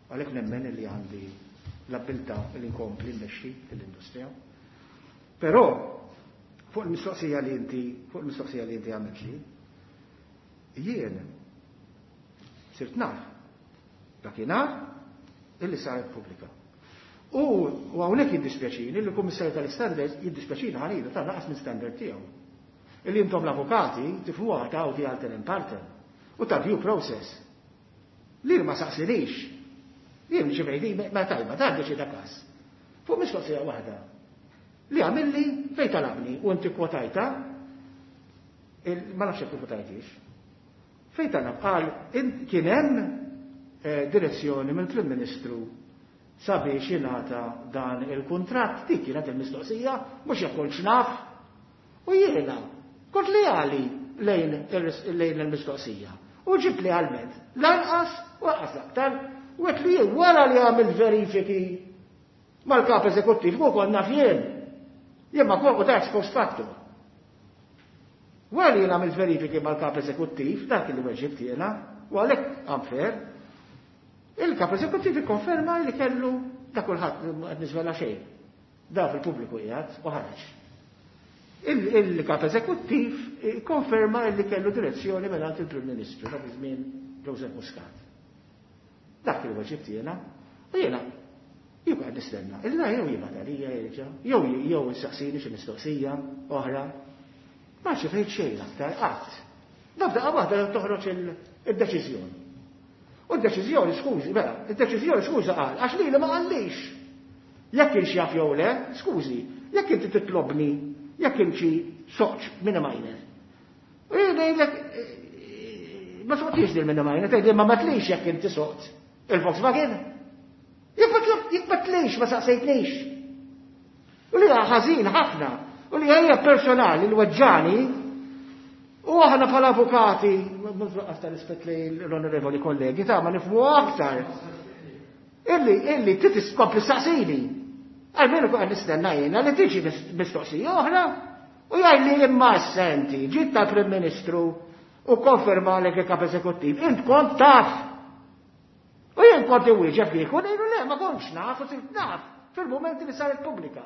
Għalhekk nemmen li għandi l-abbiltà li nkompli mmexxi l-industrija. Però fuq il-mistoqsija li inti, fuq il-mistoqsija li inti għamilt li, jien sirt naf dakinhar illi saret pubblika. U u hawnhekk jiddispjaċini li l-Kummissarju tal-Standards, jiddispjaċini ħa ngħidu, ta' naqas minn standard tiegħu. Illi intom l-avukati tifhmuha ta' audi alteram partem u ta' due process. Li ma saqsinix. Jien ġifieri ma tajba, ta' deċida każ. Fuq mistoqsija waħda li għamilli fej talabni u inti kwotajta, ma nafx jekk kwotajtix. Fej talab qal kien hemm eh, direzzjoni mill-Prim Ministru sabiex jingħata dan il-kuntratt, dik kienet il-mistoqsija, mhux jekk kontx naf. U jiena kont leali lejn lejn il-mistoqsija. U ġibt lealment lanqas u lanqas aktar u għedt li wara li għamil verifiki mal-kap eżekuttiv u kont naf jien. Jien ma kont ta' ex post facto. Wara li jien għamil verifiki mal-kap eżekuttiv, dak li weġibt jiena, u għalhekk unfair, il-kap eżekuttiv ikkonferma li kellu da kulħadd, qed niżvela xejn. Da fil-pubbliku qiegħed u ħareġ. Il-kap eżekuttiv konferma li kellu direzzjoni mingħand il-Prim Ministru dak iż-żmien Joseph Muscat. Dak il weġib jiena, u jiena jew qed nistenna, illa jew jibgħat għalija jerġa', jew jew insaqsini xi mistoqsija oħra. Ma xifejt xejn aktar qatt. Nabda waħda toħroġ id-deċiżjoni. U d-deċiżjoni, skużi, mela, id-deċiżjoni skuża qal, għax lili ma qallix. Jekk kienx jaf jew le, skużi, jekk inti titlobni, jekk inti soqċ minn minor. U jien ngħidlek ma soqtix din minn minor, tgħidli ma matlix jekk inti soqt il-Volkswagen. Jekk ma tlix, ma saqsejtnix. U li ħażin ħafna, u li hija personali l-weġġani, u aħna bħala avukati, mhux ta' rispett li l-onorevoli kollegi, ta' ma nifhmu aktar. Illi, illi titiskompli saqsini. Almenu kuq nistenna jiena li tiġi mistoqsija oħra u jgħidli imma senti, ġiet tal-Prim Ministru u konferma lek il-kap eżekuttiv, int kont taf. U jien kont iwieġeb kieku ngħidu le ma kontx naf u sirt naf fil-mument li saret pubblika.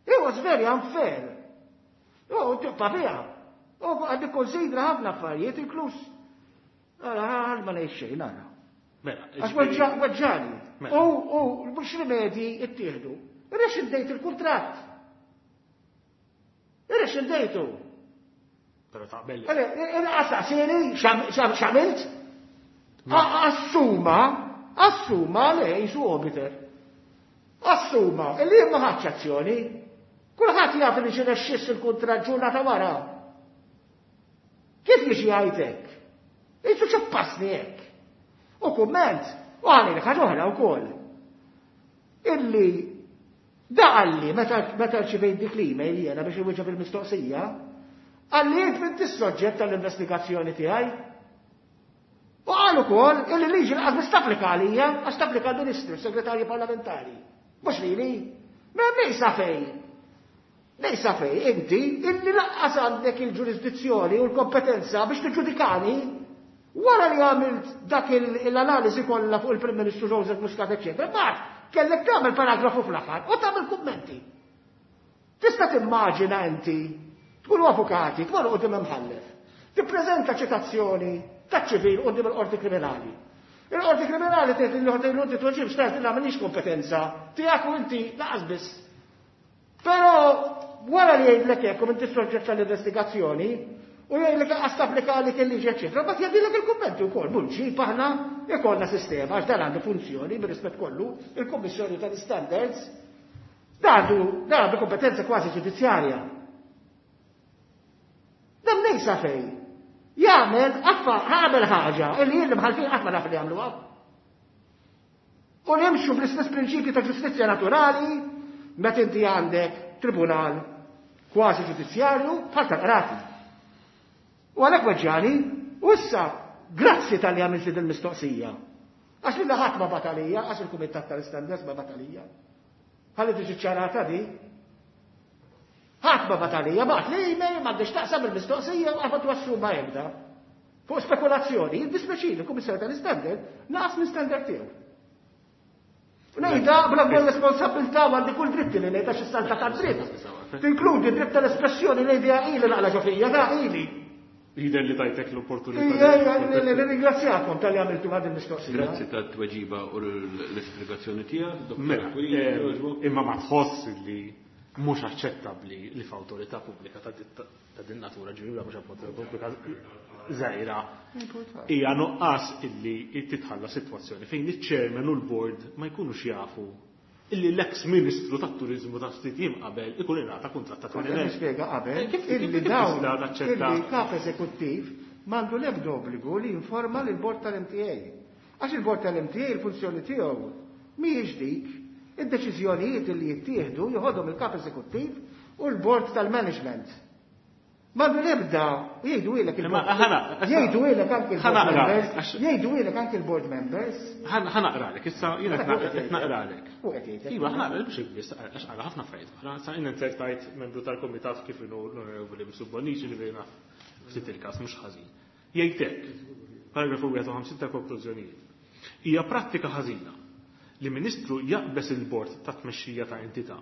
It was very unfair. U tibqa' fiha. U għad nikkonsidra ħafna affarijiet inkluż. Għal ma ngħid xejn nara. Mela, Għax weġġani. U u mhux rimedji ittieħdu. Irrexxindejt il-kuntratt. Irrexxindejtu. Però taqbel. Għastaqsini x'għamilt? Assuma, assuma li jisu obiter. Assuma, illi ma ħadx azzjoni. Kulħadd jaf li ġie rexxiss il-kuntratt ġurnata wara. Kif jiġi għajtek? Jisu ċappasni hekk. U kumment, u għalli li ħaġa oħra wkoll. Illi da qalli meta meta rċivejt dik l-email jiena biex iwieġeb il-mistoqsija, qalli int m'intix soġġett tal-investigazzjoni tiegħi. U qal ukoll illi liġi lanqas biss tapplika għalija għax tapplika għall-Ministru, segretarju parlamentari. Mhux lili. Ma lejsa fej. Lejsa fej, inti illi lanqas għandek il-ġurisdizzjoni u l-kompetenza biex tiġġudikani wara li għamilt dak l-analiżi kollha fuq il-Prim Ministru Joseph Muscat, eċetera, mbagħad kellek tagħmel paragrafu fl-aħħar u tagħmel kummenti. Tista' timmaġina inti tkunu avukati, tmorru quddiem imħallef, tippreżenta ċitazzjoni taċ-ċivil quddiem il-qorti kriminali. Il-qorti kriminali tgħid li l-qorti inti tweġibx tgħid li m'għandix kompetenza tiegħek u inti laqas biss. Però wara li jgħidlek hekk u inti soġġett tal-investigazzjoni, u jgħidlek lanqas tapplika għalik il-liġi eċetera, mbagħad jgħaddilek il-kummenti wkoll. Mhux ġib aħna ikollna sistema għax dan għandu funzjoni bir-rispett kollu, il-Kummissjoni tal-Standards dan għandu dan għandu kompetenza kważi ġudizzjarja. Dan lejsa fej. Jagħmel affa għamel ħaġa illi jien l-imħallfin qatt ma naf li jagħmluha. U nimxu bl-istess prinċipji ta' ġustizzja naturali meta inti għandek tribunal kważi ġudizzjarju bħal tal-qrati. U għalhekk weġġani, u issa grazzi tal-li għamilt din il-mistoqsija. Għax li ħadd ma batalija, għax il-Kumitat tal-Istandards ma batalija. Ħalli tiġi ċarata di. Ħadd ma batalija, bagħat li email m'għandix taqsam il-mistoqsija u qatt wassu ma jibda. Fuq spekulazzjoni, jiddispjaċini il-Kummissarju tal-Istandard naqas minn standard tiegħu. Ngħidha bla kull responsabilità u għandi kull dritti li ngħidha xi salta tad-dritt. Tinkludi dritt tal-espressjoni li idea ili naqla ġo fija, da ili. Jidher li tajtek l-opportunità. Ringrazzjakom tal-li għamiltu għad il-mistoqsija. Grazzi tat-tweġiba u l-ispjegazzjoni tiegħek, Dottor Mela, Aquilina, eh, jogħġbok. imma ma tħoss li mhux aċċettabbli li f'awtorità pubblika ta' dit- ta' din natura, ġifieri mhux awtorità pubblika żgħira, hija nuqqas illi titħalla sitwazzjoni fejn iċ-chairman u l-board ma jkunux jafu illi l-ex ministru tat-turizmu ta' ftit jiem qabel ikun ingħata kuntratt ta' Kont tmien elf. nispjega qabel Eh, kif- kif- illi kif dawn tista' taċċetta? illi kap eżekuttiv m'għandu l-ebda obbligu li jinforma lil bord tal-M T A. Għax il-bord tal-M T A il-funzjoni tiegħu mhijiex dik, id-deċiżjonijiet li jittieħdu joħodhom il-kap eżekuttiv u l-bord tal-management. M'għandu l-ebda jgħidu ilek Imma il-board. ħana, Jgħidu ilek anke il-board ħana naqra, members. għax- Jgħidu ilek anke il-board members. Ħana naqralek, issa jiena Ħana fuq qed naqralek. Fuq qed jgħidlek. Iva, ħana naqralek biex biss għax qara ħafna affarijiet oħra. Sa jien insertajt membru tal-kumitat kif inhu l-Onorevoli Mifsud Bonnici li bejna ftit il-każ mhux ħażin. Jgħid hekk, paragrafu wieħed u ħamsin ta' konklużjonijiet. Hija prattika ħażina li ministru jaqbeż il-bord ta' tmexxija ta' entità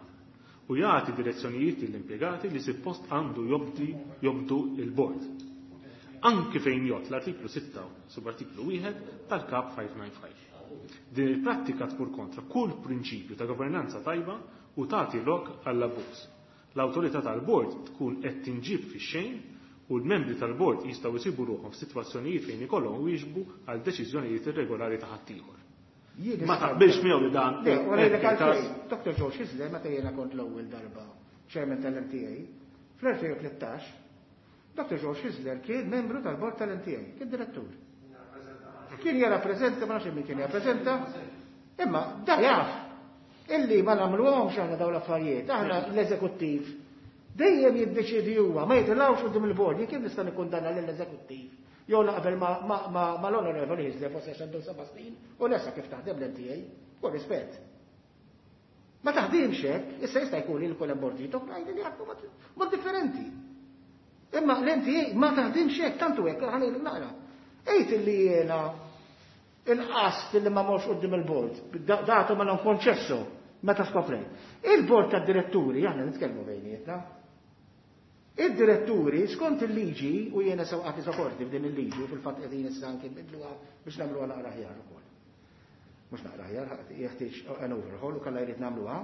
u jagħti direzzjonijiet lill-impjegati li suppost għandu jobdi jobdu il-bord. Anki fejn jgħod l-artiklu sitta subartiklu wieħed tal-Kap five nine five. Din il-prattika tmur kontra kull prinċipju ta' governanza tajba u tagħti lok għall-abbuż. L-awtorità tal-bord tkun qed tinġib fix-xejn u l-membri tal-bord jistgħu jsibu ruħhom f'sitwazzjonijiet fejn ikollhom wieġbu għal deċiżjonijiet irregolari ta' ħaddieħor. Jien Ma taqbilx miegħu li dan Le, u ngħidlek hekk il-każ. għalfejn. Doktor George Hyzler, meta jiena kont l-ewwel darba chairman tal-M T A, fl-elfejn u tlettax, Doktor George Hyzler kien membru tal-bord tal-M T A, kien direttur. Kien jirrappreżenta, ma nafx min kien jirrappreżenta, imma da jaf illi ma nagħmluhomx aħna dawn l-affarijiet, aħna l-eżekuttiv dejjem jiddeċiedi huwa, ma jitilgħux quddiem il-bord, jien kif nista' nikkundanna lill-eżekuttiv? Jew naqbel ma, ma, ma, ma l-Onorevoli Hyzler forsi għax għandu seba' snin u nesa kif taħdem l-M T A, u rispett. Ma taħdimx hekk, issa jista' jkun li l-kol hemm bordijiet oħrajn li jaħdmu mod, mod differenti. Imma l-M T A ma taħdimx hekk, tantu hekk, ħa ngħidlek naqra. Ejt illi jiena il-qast li ma morx quddiem il-bord, da-, datu ma non konċesso meta skoprejt. Il-bord tad-diretturi, aħna nitkellmu bejnietna, id-diretturi skont il-liġi, u jiena sewqati sokorti f'din il-liġi, u fil-fatt qegħdin issa anke nbidluha biex nagħmluha naqra aħjar ukoll. Mhux naqra aħjar, jeħtieġ an overhaul u kellha jrid nagħmluha.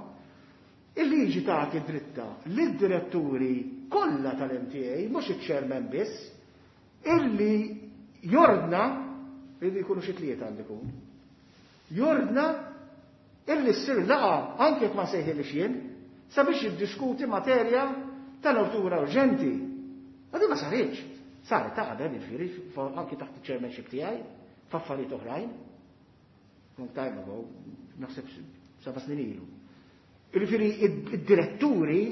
Il-liġi tagħti dritta lid-diretturi kollha tal-M T A, mhux iċ-chairman biss, illi jordna, illi jkunu xi tlieta għandu jkun, jordna illi ssir laqgħa anke jekk ma sejħilix jien, sabiex jiddiskuti materja ta' natura urġenti. Ma din ma saritx. Saret ta' qabel, jiġifieri, fo-, anki taħt il-chairmanship tiegħi, f'affarijiet oħrajn. Long time ago, naħseb seba' snin ilu. Jiġifieri id-, id-diretturi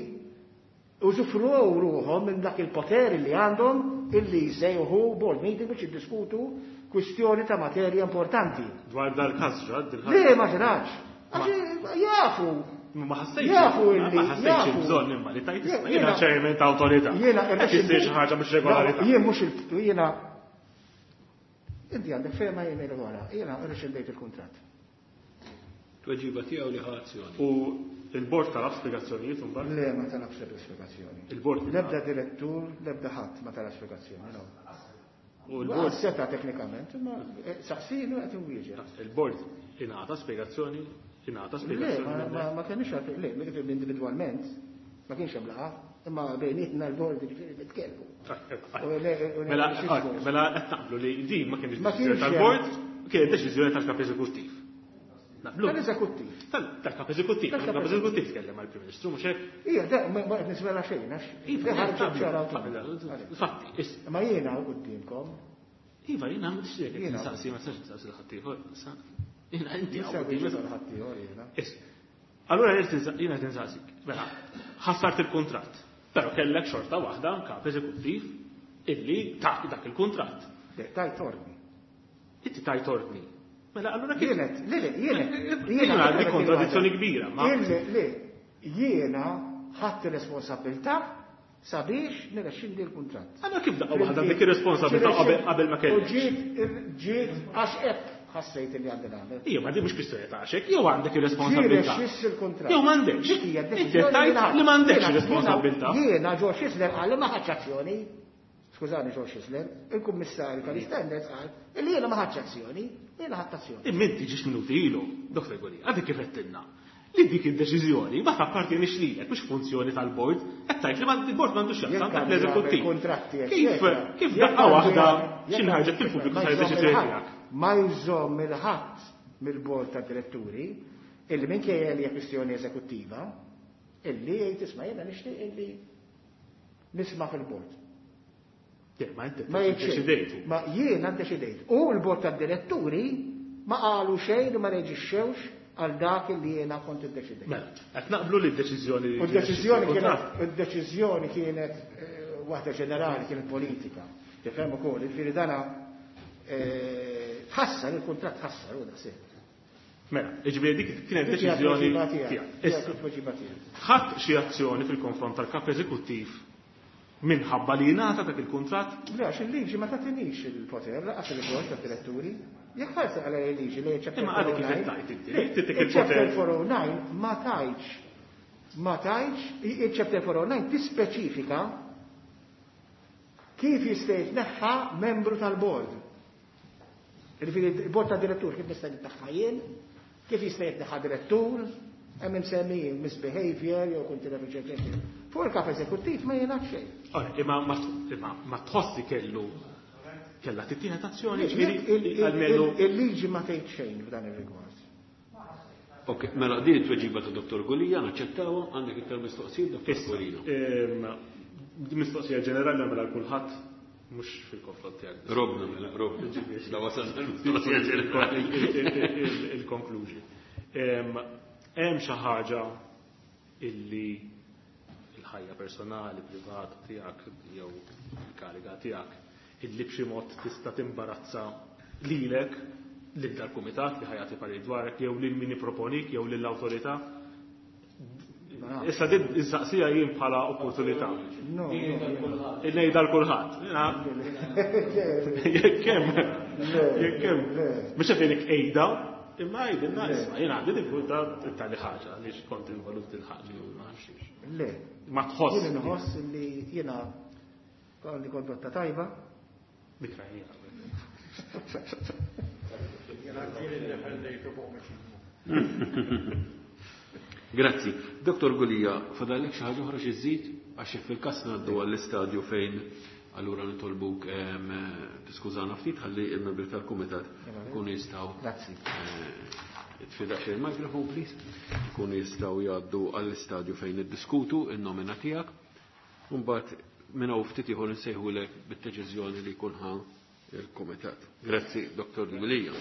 użufruw ruħhom minn dak il-poter li għandhom illi jsejħu board meeting biex jiddiskutu kwistjoni ta' materja importanti. Dwar dal-każ ġad, dil-ħadd. Le, ma ġrax. Għax jafu. Ma ħassejtx Jafu ma illi, ħassejtx jafu. il-bżonn imma li tajt Jien- isma' jiena jiena- chairman ta' awtorità. Jiena Qed issir xi ħaġa mhux regolarità. Jien mhux il-, jiena inti għandek fehma jien ngħidu wara. Jiena rrexxindejt il-kuntratt. Tweġiba tiegħu li ħa azzjoni. U il-bord talab spjegazzjonijiet imbagħad? Le, ma talabx l-ebda spjegazzjoni. Il-bord L-ebda direttur, l-ebda ħadd ma talab spjegazzjoni, no. U l-bord seta' teknikament, imma, eh, saqsinu qed inwieġeb. Il-bord ingħata spjegazzjoni, ingħata Le, spjegazzjoni ma, minn ma, hekk? ma kienx għalfejn, le, individwalment, ma kienx hemm laqgħa, imma bejnietna l-bord jiġifieri nitkellmu. U le, u le, Mela, mhux ah, il-bord. mela qed naqblu li din ma kienx Ma deċiżjoni kienx tal-bord, hemm. kienet deċiżjoni tal-kap eżekuttiv. Naqblu. Tal-eżekuttiv. Tal-, tal-kap eżekuttiv. Tal-kap Tal-kap eżekuttiv tkellem għall-Prim Ministru, mhux hekk? Ija, de, ma, ma qed nisvela xejn, għax Iva, de ħarġet naqblu, ċara naqblu, u naqblu. Fatti, issa. Ma jiena quddiemkom. Iva, jiena ma nixtieq Jiena. nistaqsi, ma nistax nistaqsi l ħaddieħor, issa. Jiena inti Nista' hawn wieġeb quddiem. għal ħaddieħor jiena. Issa. Allura jiena qed nistaqsik. Mela, ħassart il-kuntratt, però kellek xorta waħda kap eżekuttiv illi tak dak il-kuntratt. Le, tajt ordni. Inti tajt ordni. Mela, allura kif? Jienet, le, le, jienet, Jiena jiena għandi kif kontradizzjoni qed kbira, ma Le, le, jiena ħadd ir-responsabilità sabiex nirrexxindi l-kuntratt. Allora kif daqqa waħda dik ir-responsabilità qabel, qabel ma kellek? U ġiet, ġiet għax hekk ħassejt li għandi nagħmel. Ija, ma di mhux kwistjoni ta' għax hekk, jew għandek ir-responsabilità. Ġie rexxiss il-kuntratt. Jew m'għandekx. Dik hija Inti d-deċiżjoni tajt li ħadt. li m'għandekx Jiena- ir-responsabilità. Jiena George Hyzler qal li ma ħadx azzjoni. Skużani George Hyzler, il-kummissarju tal-Standards qal li jiena ma ħadx azzjoni, jiena ħadt azzjoni. Imma inti ġiex minuti ilu, Doktor Gulia, għadek kif għedtilna li dik id-deċiżjoni ma tappartienix lilek, mhux funzjoni tal-bord, qed tgħid li ma-, il-bord m'għandux x'jaqsam Jekk taħt għandu l-eżekuttiv. jagħmel kuntratti, Kif, eccetera. kif Jekk daqqa għandu waħda jagħmel- x'inħarġet jekk għandu fil-pubbliku ma sar jżomm id-deċiżjoni il-ħadd. tiegħek? Ma jżomm il-ħadd mill-bord tad-diretturi illi minkejja li hija kwistjoni eżekuttiva, illi jgħid isma' jiena nixtieq illi nisma' fil-bord. Le, ma inti Ma jgħid xejn. deċidejtu. Ma jiena ddeċidejt. U l-bord tad-diretturi ma qalu xejn u ma reġixxewx għal dak li jiena kont iddeċidejt. Mela, qed naqblu li d-deċiżjoni U d-deċiżjoni kienet, kuntratt. u d-deċiżjoni kienet, eh, waħda ġenerali, kienet politika. Tifhem ukoll, jiġifieri dana, eh, tħassar, il-kuntratt tħassar, u daqshekk. Mela, jiġifieri dik kienet Dik hija deċiżjoni t-tweġiba tiegħek. tiegħek. Dik hija Issa, t-tweġiba tiegħek. ħadd xi azzjoni fil-konfront tal-kap eżekuttiv minħabba li jingħata dak il-kuntratt? Le, għax il-liġi ma tagħtinix il-poter, laqas il-bord tad-diretturi. Jekk ħarsa għal il-liġi li chapter Imma għadek kif four oh nine, qed tgħid inti, le, li titik il-chapter il-poter. four oh nine ma tgħidx Ma tgħidx, il-chapter four oh nine tispeċifika kif jista' jitneħħa membru tal-bord. Jiġifieri il-bord ta' direttur kif nista' jitneħħa jien, kif jista' jitneħħa direttur, hemm imsemmijin misbehavior jew kunti eċetera. Fuq il-kap eżekuttiv ma jingħad xejn. Imma ma tħossi kellu kellha tittieħed azzjoni, ġifieri almenu il-liġi ma tgħid xejn f'dan ir-rigward. Ok, mela din it-tweġiba ta' Dottor Gulia naċċettawha, għandek iktar mistoqsijiet Dottor Gulia. Mistoqsija ġenerali mela kulħadd mhux fil-konfront tiegħek. Robna mela, robna. La wasalna l-mistoqsija ġenerali. Il-konklużi. Hemm xi ħaġa illi il-ħajja personali, privata tiegħek jew il-kariga tiegħek illi b'xi mod tista' timbarazza lilek lil dal-kumitat li ħajati parir dwarek jew lil min jipproponik jew lill-awtorità. Issa din insaqsija jien bħala opportunità. Ngħidha l kulħadd. Jekk hemm, jekk hemm. Mhux qed ngħidlek ejda, imma għidilna isma' jien għandi diffikultà tali ħaġa għaliex kont involut il-ħaġa jew ma nafx. Le. Ma tħoss. Jien inħoss li jiena għandi kondotta tajba. Dikra jiena. Grazzi. Dottor Gulia, fadallek xi ħaġa oħra xi żżid għax fil-każ ngħaddu għall-istadju fejn allura nitolbuk tiskużana ftit ħalli il-membri tal-kumitat ikunu jistgħu. Grazzi. Tfidax il-mikrofon, please. Ikunu jistgħu jgħaddu għall-istadju fejn niddiskutu in-nomina tiegħek. Mbagħad minn hawn ftit ieħor insejħulek bid-deċiżjoni li jkun ħa il-kumitat. Grazzi, Dottor Gulia.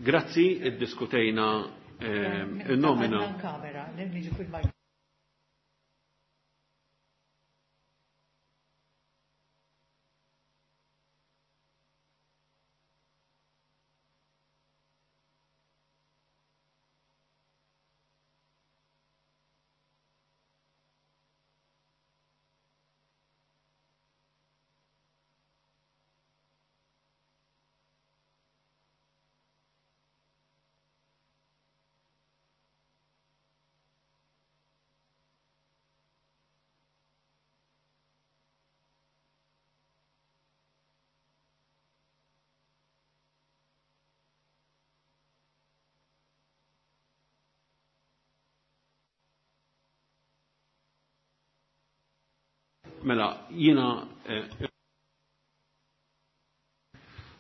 Grazzi, iddiskutejna il-nomina. Mela, jiena eh,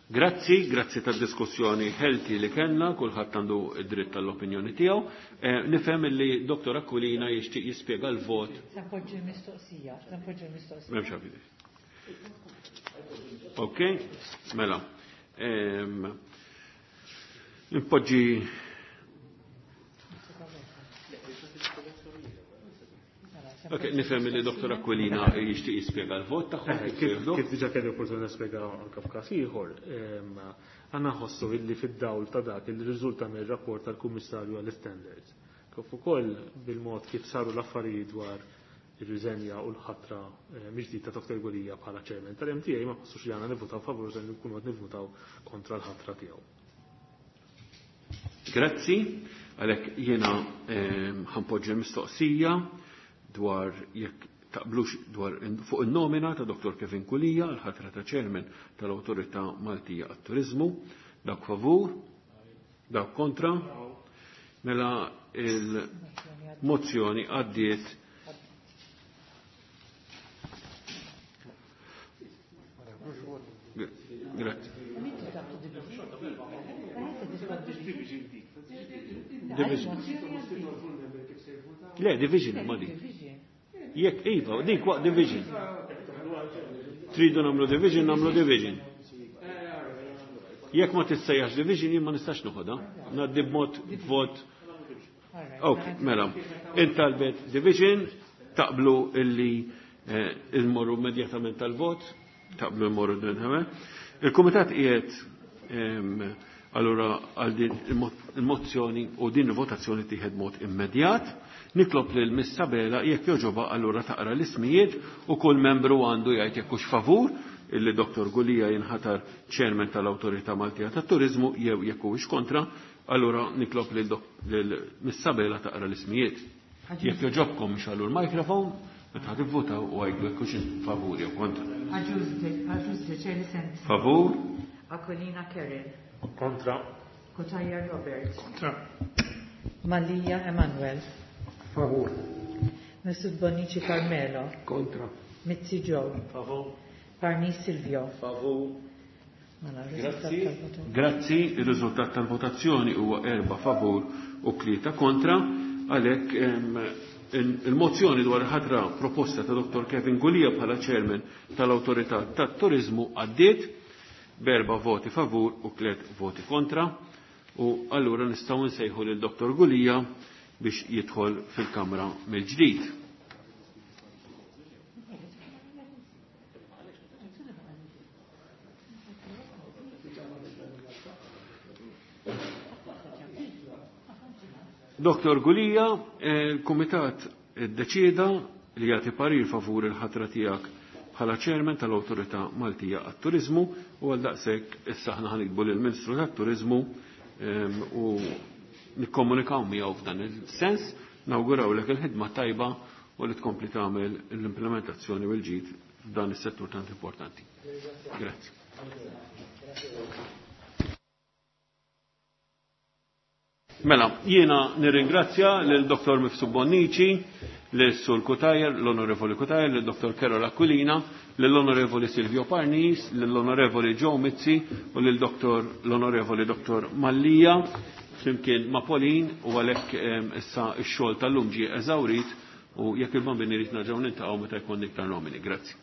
grazzi, grazzi tad-diskussjoni healthy li kellna, kulħadd għandu id-dritt tal-opinjoni tiegħu. Eh, nifhem li Dottor Aquilina jixtieq jispjega l-vot. Se npoġġi l-mistoqsija, se npoġġi l-mistoqsija. M'hemmx għalfejn. Ok, mela. Ehm, Npoġġi Ok, nifhem li Dottor Aquilina jixtieq jispjega l-vot tagħhom. Kif kif diġà kelli opportunità nispjega anke f'każ ieħor, għandna nħossu illi fid-dawl ta' dak li riżulta mir-rapport tal-Kummissarju għall-Standards. Kif ukoll bil-mod kif saru l-affarijiet dwar ir-riżenja u l-ħatra mill-ġdid ta' Dottor Gulia bħala chairman tal-M T A ma nħossux li għandna nivvutaw favur se nkunu qed nivvutaw kontra l-ħatra tiegħu. Grazzi, għalhekk jiena ħanpoġġi l-mistoqsija dwar jekk taqblux dwar fuq in-nomina ta' Dottor Kevin Gulia l-ħatra ta' chairman tal-Awtorità Maltija għat-Turiżmu. Dawk favur, dawk kontra. Mela il-mozzjoni għaddiet. Grazie. Division. Le, division ma dik. Jekk iva, dik waqt division. Tridu nagħmlu division, nagħmlu division. Jekk ma tissejjaħx division, jien ma nistax noħodha. Ngħaddi b'mod vot. Ok, mela. Intalbet division, taqblu illi immorru immedjatament tal-vot, taqblu immorru immedjatament. Il-Kumitat qiegħed allura għal din il-mozzjoni u din il-votazzjoni tieħed mod immedjat. Nitlob lil Miss Sabela jekk joġoba allura taqra l-ismijiet u kull membru għandu jgħid jekk hux favur illi Dottor Gulia jinħatar chairman tal-Awtorità Maltija tat-Turiżmu jew jekk huwiex kontra, allura nitlob lil Miss Sabela taqra l-ismijiet. Jekk joġobkom xallu l-mikrofon, meta tivvutaw u għajdu jekk hux favur jew kontra. Favur. Aquilina Karen. Kontra. Cutajar Robert. Kontra. Mallia Emanuel. Favur. Mifsud Bonnici Carmelo. Kontra. Mizzi Joe. Favur. Parnis Silvio. Favur. Grazzi. Grazzi, il-riżultat tal-votazzjoni huwa erba' favur u tlieta kontra, għalhekk il-mozzjoni dwar ħatra proposta ta' Dottor Kevin Gulia bħala chairman tal-Awtorità tat-Turiżmu għaddiet b'erba' voti favur u tliet voti kontra, u allura nistgħu nsejħu lil Dottor Gulia biex jidħol fil-Kamra mill-ġdid. Dottor Gulia, il-Kumitat iddeċieda li jagħti parir favur il-ħatra tiegħek bħala chairman tal-Awtorità Maltija għat-Turiżmu u għal daqshekk issa aħna ħanikbu lill-Ministru tat-Turiżmu u nikkomunikaw miegħu f'dan il-sens, nawgurawlek il-ħidma tajba u li tkompli tagħmel l-implementazzjoni u l-ġid f'dan is-settur tant importanti. Grazzi. Mela, jiena nirringrazzja lil Dottor Mifsud Bonnici, lil Sur Cutajar, l-Onorevoli Cutajar, lil Dottor Karol Aquilina, lill-Onorevoli Silvio Parnis, lill-Onorevoli Joe Mizzi u lil Dottor l-Onorevoli Dottor Mallia, flimkien ma' Pauline, u għalhekk issa x-xogħol tal-lum ġie eżawrit u jekk il-bambini rrid nerġgħu niltaqgħu meta jkun iktar nomini. Grazzi.